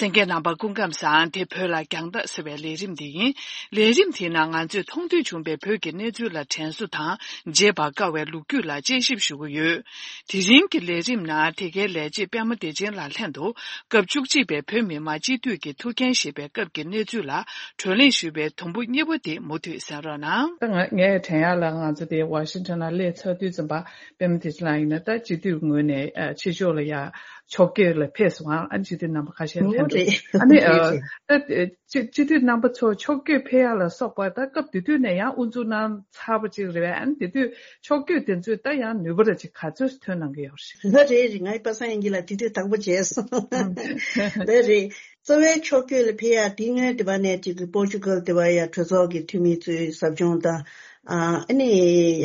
གསན་མཁན་རྣམ་པ་སྐུ་ཁམས་བཟང་། དེ་བོད་ལ་རྒྱང་ལྟ་ཟེར་བའི་ལས་རིམ་དེ་ཡིན། ལས་རིམ་དེའི་ནང་ང་ཚོས་མཐོང་ཐོས་བྱུང་བའི་བོད་ཀྱི་གནས་ཚུལ་ལ་དྲན་གསོ་དང་བརྗེད་པར་དཀའ་བའི་ལོ་རྒྱུས་ལ་དཔྱད་ཞིབ་ཞུ་གི་ཡོད། དེ་རིང་གི་ལས་རིམ་ནང་དེ་གའི་ལས་བྱེད་པད་མ་བདེ་ཆེན་ལགས་ལྷན་དུ་སྐབས་བཅུ་གཅིག་པའི་བོད་མི་མང་སྤྱི་འཐུས་ཀྱི་ཐུགས་འགན་བཞེས་པའི་སྐབས་ཀྱི་གནས་ཚུལ་ལ་བགྲོ་གླེང་ཞུས་པའི་དུམ་བུ་གཉིས་པ་དེ་མུ་མཐུད་གསན་རོགས་གནང་། ད་ང་ངས་དྲན་ཡག་ལ་ང་ཚོ་དེ་ཝ་ཤིང་ཊོན་ལ་སླེབས་ཚར་དུས་ཙམ་པ་པད་མ་བདེ་ཆེན་ལགས་ཡིན་ན་ད་སྤྱི་འཐུས་ངོས་ནས་ཨ་ཕྱི་ཕྱོགས་ལ་ཡ་ཕྱོགས་བསྐྱོད་ལ་ཕེབས་སོང་ཨ། ཨ་ནི་སྤྱི་འཐུས་རྣམ་པ་ཁ་ཤས་ལྷན་འགྲོ་རེད། ཨ་ནི་རེད། ཨ་རེད། ད་སྤྱི་སྤྱི་འཐུས་རྣམ་པ་ཚོ་ཕྱོགས་བསྐྱོད་ཕེབས་ཡག་ལ་སོགས་པ་ད་སྐབས་དེ་དུས་ནས་ཡང་དབུ་འཛུགས་གནང་ཚར་བ་ཅིག་རེད་པས། ཨ་ནི་དེ་དུས་ཕྱོགས་བསྐྱོད་དེ་ཚོས་ད་ཡང་ནུས་པ་ར་ཅིག་ག་ཚོད་ཐོན་གནང་གི་ཡོད་རེད། ད་རེད་རེད། ང་ཡི་པ་སངས་དབྱངས་སྐྱིད་ལགས་དེ་དུས་དང་པོ་མཇལ་སོང་། ད་རེད། གཙོ་བའི་ཕྱོགས་བསྐྱོད་ལ་ཕེབས་ཡག་དེ་སྔོན་དེ་བ་ནས་ཅིག་གི་པོར་ཅུ་གལ་དེ་བ་ཡ་གྲོས་ཚོགས་ཀྱི་འཐུས་མི་ཚོའི་ཟབ་སྦྱོང་དང་། ཨ་ཨ་ནི་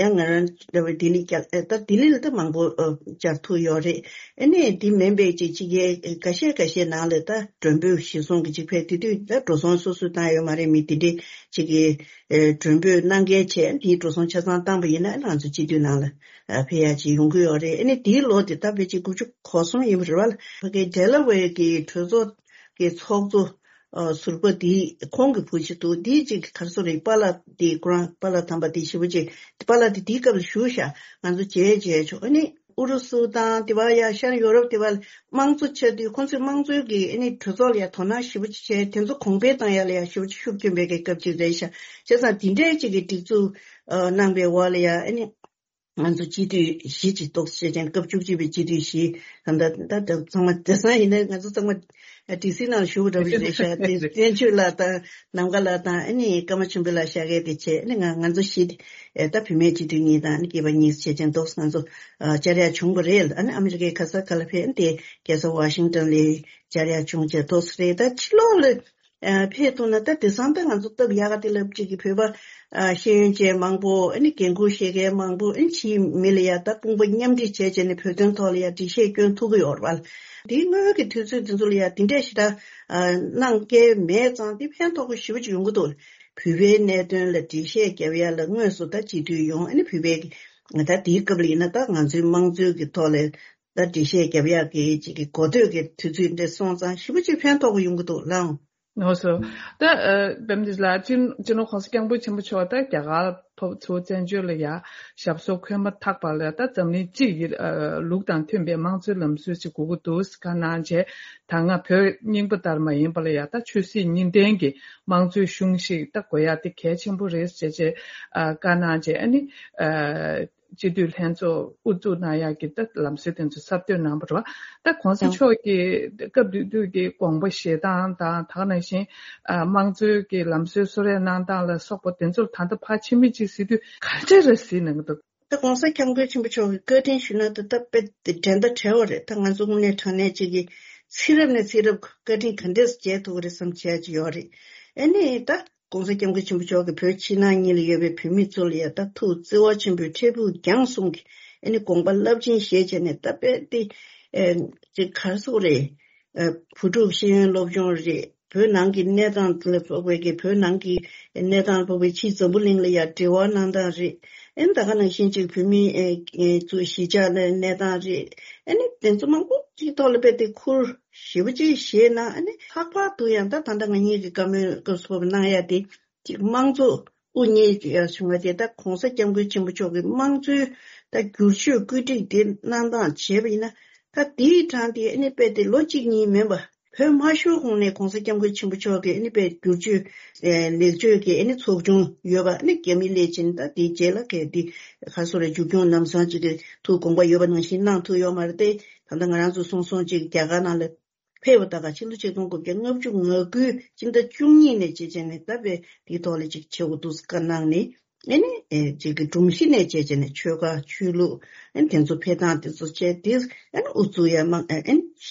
ཡང་ང་རང་འདྲ་བའི་ལྡི་ལི་བསྐྱལ་ཨེ་ད་ལྡི་ལི་ལ་ད་མང་པོ་ཨ་བཅར་ཐུབ་ཡོད་རེད། ཨ་ནི་དེ་མིན་པའི་ཅིག་ཅིག་གི་འགའ་ཤས་འགའ་ཤས་ནང་ལ་ད་མགྲོན་འབོད་གཞིར་བཟུང་གི་ཅིག་ཕེབས། དེ་དུས་ད་འགྲོ་སོང་སོ་སོས་བཏང་ཡོད་མ་རེད། མི་དེ་འདྲས་ཅིག་གི་ཨེ་མགྲོན་འབོད་གནང་མཁན་བྱས། དེའི་འགྲོ་སོང་ཆ་ཚང་བཏང་པ་ཡིན་ན་ང་ཚོ་སྤྱི་འཐུས་ནང་ལ་ཨ་ཕེབས་ཡག་ཅིག་ཡོང་གི་ཡོད་རེད། ཨ་ནི་དེའི་ལོ་དེ་ད་ཕལ་ཆེར་དགུ་བཅུ་གོ་གསུམ་ཡིན་པ་རེད་བ། ཕ་གི་ཌེ་ལ་ཝེར་གྱི་གྲོས་ཚོགས་ཀྱི་ཚོགས་གཙོ་ཨ་ཟུར་པ་དེ་ཁོང་གི་བུ་ཅིག་འདུག་དེ་ཅིག་ག་རེ་ཟེར་རེད། པཱ་ལགས་དེ་ཁོ་རང་པཱ་ལགས་དམ་པ་དེ་ཞེ་པོ་ཅིག་པཱ་ལགས་དེ་དེའི་སྐབས་ལ་བཞུགས་ཤག་ང་ཚོ་མཇལ་མཇལ་ཆོག་ཨ་ནི་ཨུ་རུ་སུ་དང་དེ་བ་ཡ་ཤར་ཡོ་རོབ་དེ་བ་དམངས་གཙོ་ཆགས་དུས་ཁོང་ཚོས་དམངས་གཙོའི་གི་ཨ་ནི་གྲོས་ཚོགས་ལ་ཡ་དོ་སྣང་ཞེ་པོ་ཅིག་བྱས། དེ་ཚོ་གོང་འཕེལ་བཏང་ཡ་ལ་ཡ་ཞེ་པོ་ཅིག་ཤུགས་སྐྱོན་པའི་གི་སྐབས་ཅིག་རེད་ཤག་བྱས་ཙང་དེ་འདྲའི་ཅིག་གི་སྒྲིག་འཛུགས་ཨ་གནང་པའི་འོག་ལ་ཡ་ཨ་ནི། ང་ཚོ་སྤྱི་འཐུས་བཞི་ཅིག་གཏོགས་བྱས་ཙང་སྐབས་བཅུ་གཅིག་པའི་སྤྱི་འཐུས་བཞི། ད་ལྟ་ད་ལྟ་ཚང་མ་བདེ་སང་ཡིན་ན་ང་ཚོ་ཚང་མ་ཌི་སི་ནང་ལ་བཞུགས་པ་འདྲ་པོ་ཞིག་རེད་ཤག་དེ་བསྟན་ཆོས་ལགས་དང་ནམ་མཁའ་ལགས་དང་ཨ་ནི་ཀརྨ་ཆོས་འཕེལ་ལགས་ཤར་མཁན་དེ་བྱས། ཨ་ནི་ང་ང་ཚོ་བཞི་དེ་ད་བུད་མེད་སྤྱི་འཐུས་གཉིས་དང་ཨ་ནི་སྐྱེས་པ་གཉིས་བྱས་ཙང་ཏོག་ཙམ་ང་ཚོ་བཅར་ཡག་བྱུང་བ་རེད། ཨ་ནི་ཨ་མི་རི་ཀའི་ག་ས་ག་ལ་ཕེབས། ཨ་ནི་དེ་རྒྱལ་ས་ཝ་ཤིང་ཊོན་ལ་བཅར་ཡག་བྱུང་བྱས་ཏོག་ཙམ་རེད། ད་ཕྱི་ལོགས་ལ། ཨ་ཕེབས་ཐུབ་ན་ད་དེང་སང་ད་ང་ཚོ་སྟབས་ཡག་ག་དེ་ལབ་ཅིག་གི་བོད་པ་ཨ་ཤེས་ཡོན་ཅན་མང་པོ་ཨ་ནི་འགན་ཁུར་བཞེས་མཁན་མང་པོ་ཨ་ནི་ཕྱིའི་མི་ལ་ཡ་ད་དཔུང་པ་མཉམ་འབྲེལ་བྱས་བྱས་ནས་བོད་དོན་ཐོག་ལ་ཡ་འགྲེལ་བཤད་སྐྱོན་ཐུབ་ཀྱི་ཡོད་རེད་བ། དེའི་སྔོན་གྱི་དུས་ཚོད་དེ་ཚོ་ལ་ཡ་དེ་འདྲས་ཞེ་དྲག་ཨ་གནང་མཁན་མེད་ཙང་དེ་ཕན་ཐོགས་པོ་ཞེ་པོ་ཅིག་ཡོང་གི་འདུག་བོད་པའི་གནད་དོན་ལ་འགྲེལ་བཤད་རྒྱབ་ཡ་ལ་དངོས་སུ་ད་སྤྱི་འཐུས་ཡོང་ཨ་ནི་བོད་པའི་ད་དེའི་སྐབས་ལ་ཡིན་ན་ད་ང་ཚོའི་དམངས་གཙོའི་གི་ཐོག་ལ། ད་འགྲེལ་བཤད་རྒྱབ་ཡག་གི་ཅིག་གི་གོ་ཐོས་ཀྱི་དུས་ཚོད་འདི་སོང་ཙང་ཞེ་པོ་ཅིག་ཕན་ཐོགས་པོ་ཡོང་གི་འདུག་ལགས། ལགས་སོ། ད་ཨ་བེམ་འདི་ལ་སྤྱི་སྤྱི་ནོར་༸གོང་ས་༸སྐྱབས་མགོན་ཆེན་པོ་མཆོག་ད་རྒྱ་གར་ཕེབས་ཚུར་བཙན་བྱོལ་ལ་ཡ་ཞབས་སོར་འཁོད་མ་ཐག་པ་ལ་ད་འཛམ་གླིང་སྤྱི་ཡི་ཨ་ལུགས་དང་མཐུན་པའི་དམངས་གཙོའི་ལམ་སྲོལ་ཅིག་དགོས་ཀྱི་འདུག་བཀའ་གནང་བྱས། ད་སྔ་བོད་རྙིང་པ་ལྟར་མ་ཡིན་པ་ལ་ཡ་ད་ཆོས་སྲིད་གཉིས་ལྡན་གྱི་དམངས་གཙོའི་གཞུང་ཞིག་ད་དགོས་ཡ་དེ་གལ་ཆེན་པོ་རེད་ཟེར་བྱས་ཨ་བཀའ་གནང་བྱས། ཨ་ནི་ཨ། སྤྱི་འཐུས་ལྷན་ཚོགས་དབུ་འཛུགས་གནང་ཡག་གི་ད་ལམ་སྲོལ་དེ་ཚོ་གསར་གཏོད་གནང་བ་རེད་བ། ད་༸གོང་ས་མཆོག་གིས་སྐབས་དེ་དུས་ཀྱི་དགོངས་པ་བཞེས་སྟངས་དང་ད་ག་ནང་བཞིན་ཨ་དམངས་གཙོའི་གི་ལམ་སྲོལ་གསོལ་རས་གནང་སྟངས་ལ་སོགས་པ་དེ་ཚོར་ད་ལྟ་ཕར་ཕྱི་མིག་ཅིག་གཟིགས་དུས་ག་འདྲ་རེད་གཟིགས་གནང་གི་འདུག་ད་༸གོང་ས་༸སྐྱབས་མགོན་ཆེན་པོ་མཆོག་གི་བཀའ་དྲིན་ཞུ་ན་ད་ད་དཔེ་དེ་འགྲན་ཟླ་བྲལ་བ་རེད། ད་ང་ཚོ་དངོས་གནས་དྲང་གནས་ཅིག་གི་ཚེ་རབས་ནས་ཚེ་རབས་བཀའ་དྲིན་ག་འདྲས་འཇལ་ཐུབ་ཀྱི་རེད་བསམ་བྱས་ཅིག་ཡོད་རེད། ཨ་ནི་ད། ༸གོང་ས་༸སྐྱབས་མགོན་ཆེན་པོ་མཆོག་གིས་བོད་ཕྱི་ནང་གཉིས་ལ་ཡོད་པའི་བོད་མི་ཚོ་ལ་ཡ་ད་ཐུགས་བརྩེ་བ་ཆེན་པོས་འཕྲལ་ཕུགས་རྒྱང་གསུམ་གྱི་ཨ་ནི་དགོངས་པ་རླབས་ཆེན་བཞེས་བྱས་ནས་ད་དཔེ་དེ་ཨེ་ཅིག་ག་རེ་ཟེར་དགོས་རེད། ཨེ་བུ་ཕྲུག་ཤེས་ཡོན་སློབ་སྦྱོང་རེད། བོད་ནང་གི་གནས་སྟངས་ལ་ཕོག་པའི་གི་བོད་ནང་གི་གནས་སྟངས་ལ་ཕོག་པའི་ཕྱི་འཛམ་བུ་གླིང་ལ་ཡ་འབྲེལ་བ་གནང་སྟངས་རེད། ཨེ་ད་ག་ནང་བཞིན་ཅིག་བོད་མི་ཨེ་ཚོ་གཞིས་ཆགས་ལ་གནས་སྟངས་རེད། ཨེ་ནི་དེ་ཚོ་མང་པོ་ཅིག་ཐོག་ལ་དཔེ་དེ་ཁུར། ཞེ་པོ་ཅིག་བཞེས་ན་ཨ་ནི་ལྷག་པར་དུ་ཡང་ད་ད་ལྟ་ང་གཉིས་ཀྱི་བཀའ་མོལ་སྐབས་སུ་བབས་གནང་ཡ་དེ་ཅིག་དམངས་གཙོ་དབུ་བརྙེས་ཡ་བྱུང་བ་དེ་ད་༸གོང་ས་༸སྐྱབས་མགོན་ཆེན་པོ་མཆོག་གི་དམངས་གཙོའི་ད་བསྒྱུར་བཅོས་བཀོད་སྒྲིག་དེ་གནང་སྟངས་བྱས་པ་ཡིན་ན་ད་དེའི་གྲངས་དེ་ཨ་ནི་དཔེ་དེ་ལོ་གཅིག་གཉིས་མིན་པ་བོད་མ་ཤོར་གོང་ནས་༸གོང་ས་༸སྐྱབས་མགོན་ཆེན་པོ་མཆོག་གི་ཨ་ནི་དཔེ་བསྒྱུར་བཅོས་ལེགས་བཅོས་ཀྱི་ཨ་ནི་ཚོགས་ཆུང་ཡོད་པ་ཨ་ནི་རྒྱ་མི་སླེབས་ཕྱིན་ད་དེའི་རྗེས་ལ་གལ་ཏེ་ག་སོ་རེ་མཇུག་སྐྱོང་ལམ་སང་ཅིག་གི་ཐུགས་དགོངས་པ་ཡོད་པ་ནང་བཞིན་གནང་ཐུབ་ཡོད་མ་རེད་དེ། ད་ལྟ་ང་རང་ཚོ་སོང་སོང་ཅིག་རྒྱ་གར་ནང་ལ་ཕེབས་པ་ད་ག་ཕྱི་ལོ་ཆིག་སྟོང་དགུ་བརྒྱ་ལྔ་བཅུ་ང་དགུའི་སྤྱི་ཟླ་བཅུ་གཉིས་ནས་བྱས་བྱས་ནས་ད་དཔེ་དེའི་ཐོག་ལ་ཅིག་བྱེད་དགོས་འདུག་བཀའ་གནང་ནས་ཨ་ནི་ཨེ་ཅིག་གི་སྒྲོམ་གཞི་ནས་བྱས་བྱས་ནས་ཆོལ་ཁ་ཆོས་ལུགས་ཨ་ནི་དེ་ཚོ་ཕེབས་སྟངས་དེ་ཚོ་བྱས་དེ་ཨ་ནི་ཨུ་ཚུགས་ཡ་མང་ཨ་ནི་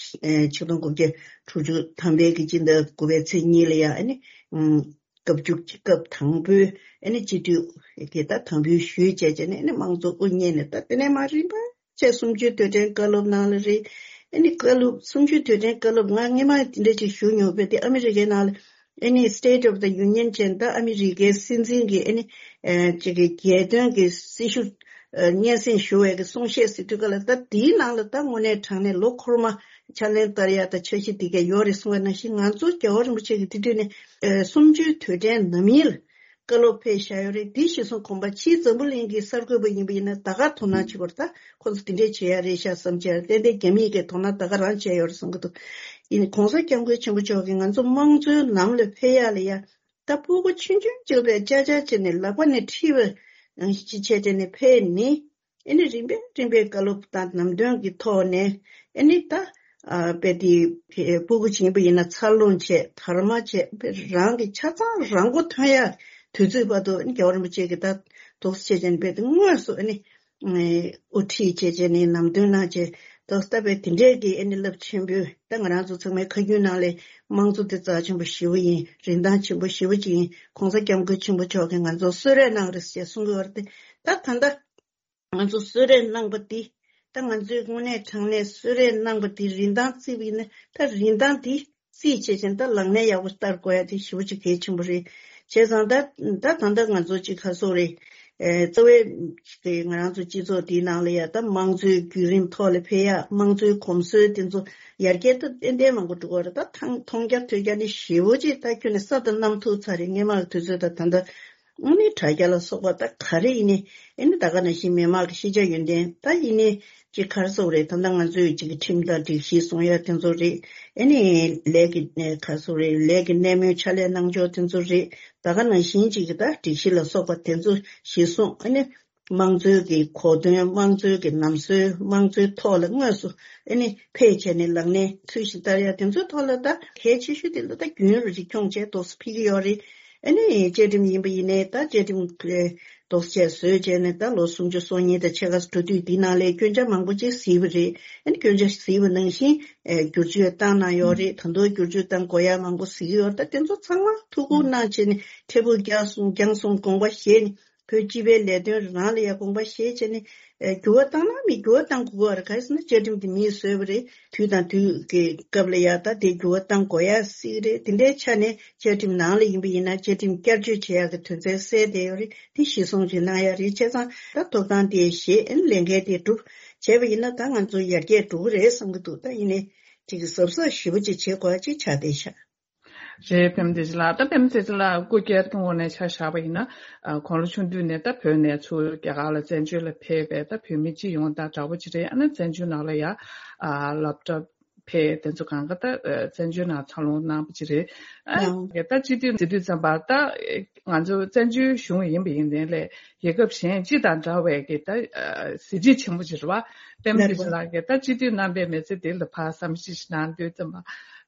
ཨེ་ཆིག་སྟོང་དགུ་བརྒྱ་དྲུག་ཅུ་ཐམ་པའི་གི་སྤྱི་ཟླ་དགུ་པའི་ཚེས་གཉིས་ལ་ཡ་ཨ་ནི་སྐབས་བཅུ་གཅིག་སྐབས་དང་པོའི་ཨ་ནི་སྤྱི་འཐུས་དེ་ད་དམ་འབུལ་ཞུས་བྱས་བྱས་ནས་ཨ་ནི་དམངས་གཙོ་དབུ་བརྙེས་ནས་ད་དེ་ནས་མར་རིམ་པ། བྱས་གསུམ་བཅུའི་དུས་དྲན་བཀའ་སློབ་ནང་ལ་རེད། ཨ་ནི་བཀའ་སློབ་གསུམ་བཅུའི་དུས་དྲན་བཀའ་སློབ་ང་སྔས་མ་དེ་འདྲ་ཅིག་ཞུ་མྱོང་བས་དེ་ཨ་མི་རི་ཀའི་ནང་ལ་ཨ་ནི་State of the Union་བྱས་ད་ཨ་མི་རི་ཀའི་སྲིད་འཛིན་གྱི་ཨ་ནི་ཅིག་གི་རྒྱལ་དོན་གྱི་སྲི་ཞུ་ སྙན་སེང་ཞུ་བའི་གི་གསུང་བཤད་ཟེར་དུས་ག་ལ། ད་དེའི་ནང་ལ་ད་དངོས་གནས་དྲང་གནས་ལོ་འཁོར་མ་ཕྱག་ལེན་བསྟར་ཡ་ད་འཆར་གཞི་དེ་ག་ཡོད་རེད་གསུང་བ་ནང་བཞིན། ང་ཚོ་རྒྱལ་བ་རིན་པོ་ཆེ་གི་དེ་དུས་ནས་གསུམ་བཅུའི་དུས་དྲན་ནམ་ཡིན་ལ་བཀའ་སློབ་ཕེབས་བཞག་ཡོད་རེད། དེ་གཞིར་བཟུང་དགོངས་པ། ཕྱིའི་འཛམ་བུ་གླིང་གི་གསར་འགོད་པ་ཡིན་པ་ཡིན་ན་ད་ག་དོ་སྣང་བྱེད་དགོས་རེད། ད་ཁོ་ཚོ་དེ་འདྲས་བྱེད་ཡ་རེད་ཤག་བསམ་བྱས། ཏན་ཏན་རྒྱ་མིས་གི་དོ་སྣང་ད་ག་རང་བྱས་ཡོད་རེད་བསམ་གི་འདུག་ཡིན་ནའི་གོང་ས་སྐྱབས་མགོན་ཆེན་པོ་མཆོག་གིས་ང་ཚོ་དམངས་གཙོའི་ལམ་ལ་ཕེབས་ཡ་ལ་ཡ། ད་ཕྲུ་གུ་ཆུང་ཆུང་གཅིག་ལ་ཅག་ཅག་བྱས་ནས་ལག་པ་ནས་ཁྲིད་པ་ནང་བཞིན་ཅིག་བྱས་བྱས་ནས་ཕེབས་ནས། ཨེ་ནི་རིམ་པས་རིམ་པས་བཀའ་སློབ་དང་ནམ་དོན་གྱི་ཐོག་ནས། ཨེ་ནི་ད་ཨ་དཔེ་དེ་ཕྲུ་གུ་ཡིན་པ་ཡིན་ན་འཚར་ལོངས་བྱས། དར་མ་བྱས། རང་གི་ཆ་ཚང་རང་མགོ་ཐོན་ཡ་དུས་ཚོད་བར་དུ། ཨེ་ནི་རྒྱལ་བ་རིན་པོ་ཆེ་གིས་ད་འདུག་སེ་བྱས་བྱས་ནས་དཔེ་དེ་དངོས་སུ་ཨེ་ནི་དབུ་ཁྲིད་བྱས་བྱས་ནས་ནམ་དོན་གནང་བྱས། ད་ལྟ་བའི་དེ་འདྲའི་གི་ཨེ་ནི་རླབས་ཆེན་པོའི། ད་ང་རང་ཚོ་ཚང་མའི་ཁ་རྒྱུན་ནང་ལས་དམངས་གཙོ་དེ་རྩ་ཆེན་པོ་ཞེ་པོ་ཡིན། རིན་ཐང་ཆེན་པོ་ཞེ་པོ་ཅིག་ཡིན། གོང་ས་སྐྱབས་མགོན་ཆེན་པོ་མཆོག་གིས་ང་ཚོར་གསོལ་རས་གནང་རེད་ཅེས་གསུང་གི་ཡོད་རེད་དེ། ད་ད་ལྟ་ང་ཚོ་གསོལ་རས་གནང་པ་འདི། ད་ང་ཚོས་དངོས་གནས་དྲང་གནས་གསོལ་རས་གནང་པ་འདི་རིན་ཐང་བརྩིས་པ་ཡིན་ན། ད་རིན་ཐང་འདི་རྩིས་བྱས་ཙང་ད་ལག་ལེན་ཡག་པོ་བསྟར་དགོས་ཡ་དེ་ཞེ་པོ་ཅིག་གལ་ཆེན་པོ་རེད། བྱས་ཙང་ད་ད་ད་ལྟ་ང་ཚོ་ཅིག་ག་སོག་རེད། ཨེ་རྩ་བའི་དེ་ང་རང་ཚོ་སྤྱི་ཚོགས་འདིའི་ནང་ལ་ཡ་ད་དམངས་གཙོའི་བརྒྱུད་རིམ་ཐོག་ལ་ཕེབས་ཡ། དམངས་གཙོའི་གོམས་སྲོལ་དེ་ཚོ་ཡར་རྒྱས་ད་ཏན་ཏན་མང་པོ་འགྲོ་གི་རེད། ད་ཐང་མཐོང་རྒྱ་ཐོས་རྒྱ་ནི་ཞེ་པོ་ཅིག་ད་ཁྱོན་ནས་ས་དང་གནམ་ཐུག་ཚར་རེད། སྔོན་མ་གི་དུས་ཚོད་ད་ད་ལྟ། ཨ་ནི་དྲ་རྒྱ་ལ་སོགས་པ་ད་ག་རེ་ཡིན་ནའི། ཨ་ནི་ད་ག་ནང་བཞིན་མི་མང་གི་ཤེས་བྱ་ཡོན་ཏན་ད་ཡིན་ནའི་ཅིག་ག་རེ་ཟེར་དགོས་རེད། ད་ལྟ་ང་ཚོས་ཅིག་ཁྲིམས་དང་སྒྲིག་གཞི་སྲུང་ཡ་དེ་ཚོ་རེད། ཨ་ནི་ལས་ཀྱི་ཨ་ག་རེ་ཟེར་དགོས་རེད། ལས་ཀྱི་གནས་མོལ་ཕྱག་ལས་གནང་ཕྱོགས་དེ་ཚོ་རེད། ད་ག་ནང་བཞིན་ཅིག་གི་ད་སྒྲིག་གཞི་ལ་སོགས་པ་དེ་ཚོ་གཞིར་བཟུང་། ཨ་ནི་དམངས་གཙོའི་གི་གོ་དོན། དམངས་གཙོའི་གི་ལམ་སྲོལ། དམངས་གཙོའི་ཐོག་ལ་དངོས་སུ་ཨ་ནི་ཕེབས་བྱས་ནས་ལག་ལེན་ཚུལ་བཞིན་བསྟར་ཡ་དེ་ཚོའི་ཐོག་ལ་ད་གལ་ཆེ་ཤོས་དེ་ལ་ད་རྒྱུན་རིང་ཅིག་འཁྱོངས་བྱས་ཏོག་ཙམ་ཕེབས་ཀྱི་ཡོད་རེད། ཨ་ནི་བཅའ་ཁྲིམས་ཡིན་པ་ཡིན་ནའི་ད་བཅའ་ཁྲིམས་ལ་ཏོག་ཙམ་བཟོས་བྱས་ནས་ད་ལོ་སུམ་ཅུ་སོ་གཉིས་དང་ཕྱེད་ཀ་འགྲོ་དུས་འདི་ནང་ལ་སྐྱོན་ཆ་མང་པོ་ཅིག་གཟིགས་པ་རེད། ཨ་ནི་སྐྱོན་ཆ་གཟིགས་པ་ནང་བཞིན་ཨེ་བསྒྱུར་བཅོས་བཏང་གནང་ཡོད་རེད། ད་དུང་བསྒྱུར་བཅོས་བཏང་དགོས་ཡ་མང་པོ་གཟིགས་ཡོད་རེད། ད་དེ་ཚོ་ཚང་མ་ཐུགས་ཁུར་གནང་བྱས་ནས་འཕྲལ་ཕུགས་རྒྱང་སོང་རྒྱང་སོང་དགོངས་པ་བཞེས་ནས། བོད་སྤྱི་པའི་ལས་དོན་རང་ལ་ཡ་དགོངས་པ་བཞེས་བྱས་ནས། ཨེ་འགྱུར་བ་བཏང་ན་མི་འགྱུར་བ་བཏང་དགོས་པ་རེད། ག་རེ་ཟེར་ན་བཅའ་ཁྲིམས་དེ་མིས་བཟོས་པ་རེད། དུས་དང་དུས་ཀྱི་སྐབས་ལ་ཡ་ད་དེ་འགྱུར་བ་བཏང་དགོས་ཡ་སྲིད་རེད། དེ་འདྲའི་ཆ་ནས་བཅའ་ཁྲིམས་ནང་ལ་ཡིན་པ་ཡིན་ན་བཅའ་ཁྲིམས་བསྐྱར་བཅོས་བྱེད་ཡ་གི་དོན་ཚན་གསལ་བསྡད་ཡོད་རེད། དེ་གཞིར་བཟུང་ཅིག་གནང་ཡ་རེད། བྱས་ཙང་ད་ཐོབ་ཐང་དེ་བཞེས། ཨེ་ལས་འགན་དེ་སྒྲུབ་བྱས་པ་ཡིན་ན་ད་ང་ཚོ་ཡར་རྒྱས་འགྲོ་གི་རེད་བསམ་གི་འདུག་ད་ཡིན་ནའི་ཅིག་གཟབ་གཟབ་ཞེ་པོ་ཅིག་བྱེད་དགོས་ཡ་ཅིག་ཆགས་བསྡད་ཤག་རེད། པད་མ་བདེ་ཆེན་ལགས། ད་པད་མ་བདེ་ཆེན་ལགས་སྐུ་སྒེར་གྱི་ངོས་ནས་ཆ་བཞག་པ་ཡིན་ན། ཨ་དགུང་ལོ་ཆུང་དུས་ནས་ད་བོད་ནས་ཚུར་རྒྱ་གར་ལ་བཙན་བྱོལ་ལ་ཕེབས་པའི་ད་བོད་མི་སྤྱི་ཡོངས་དང་འདྲ་པོ་ཅིག་རེད། ཨ་ནི་བཙན་བྱོལ་ནང་ལ་ཡ་ཨ་སློབ་གྲྭ་ཕེབས། དེ་ཚོ་གང་ག་ད་ཨ་བཙན་བྱོལ་ནང་འཚར་ལོངས་གནང་པ་ཅིག་རེད། ཨ་ཨང་། ད་སྤྱི་འཐུས་ཟེར་དུས་ཙམ་པ་ད་ང་ཚོ་བཙན་བྱོལ་གཞུང་ཡིན་པ་ཡིན་ནའི་ལས་རྒྱལ་ཁབ་གཞན་སྤྱི་དང་འདྲ་བའི་གི་ད་ཨ་གཟི་བརྗིད་ཆེན་པོ་ཅིག་རེད་པ། པད་མ་བདེ་ཆེན་ལགས་ཀྱིས་ད་སྤྱི་འཐུས་རྣམ་པའི་མི་ཚེ་འདི་ལ་ཕར་བསམ་གཞིག་ཞིག་གནང་དུས་ཙམ་པ།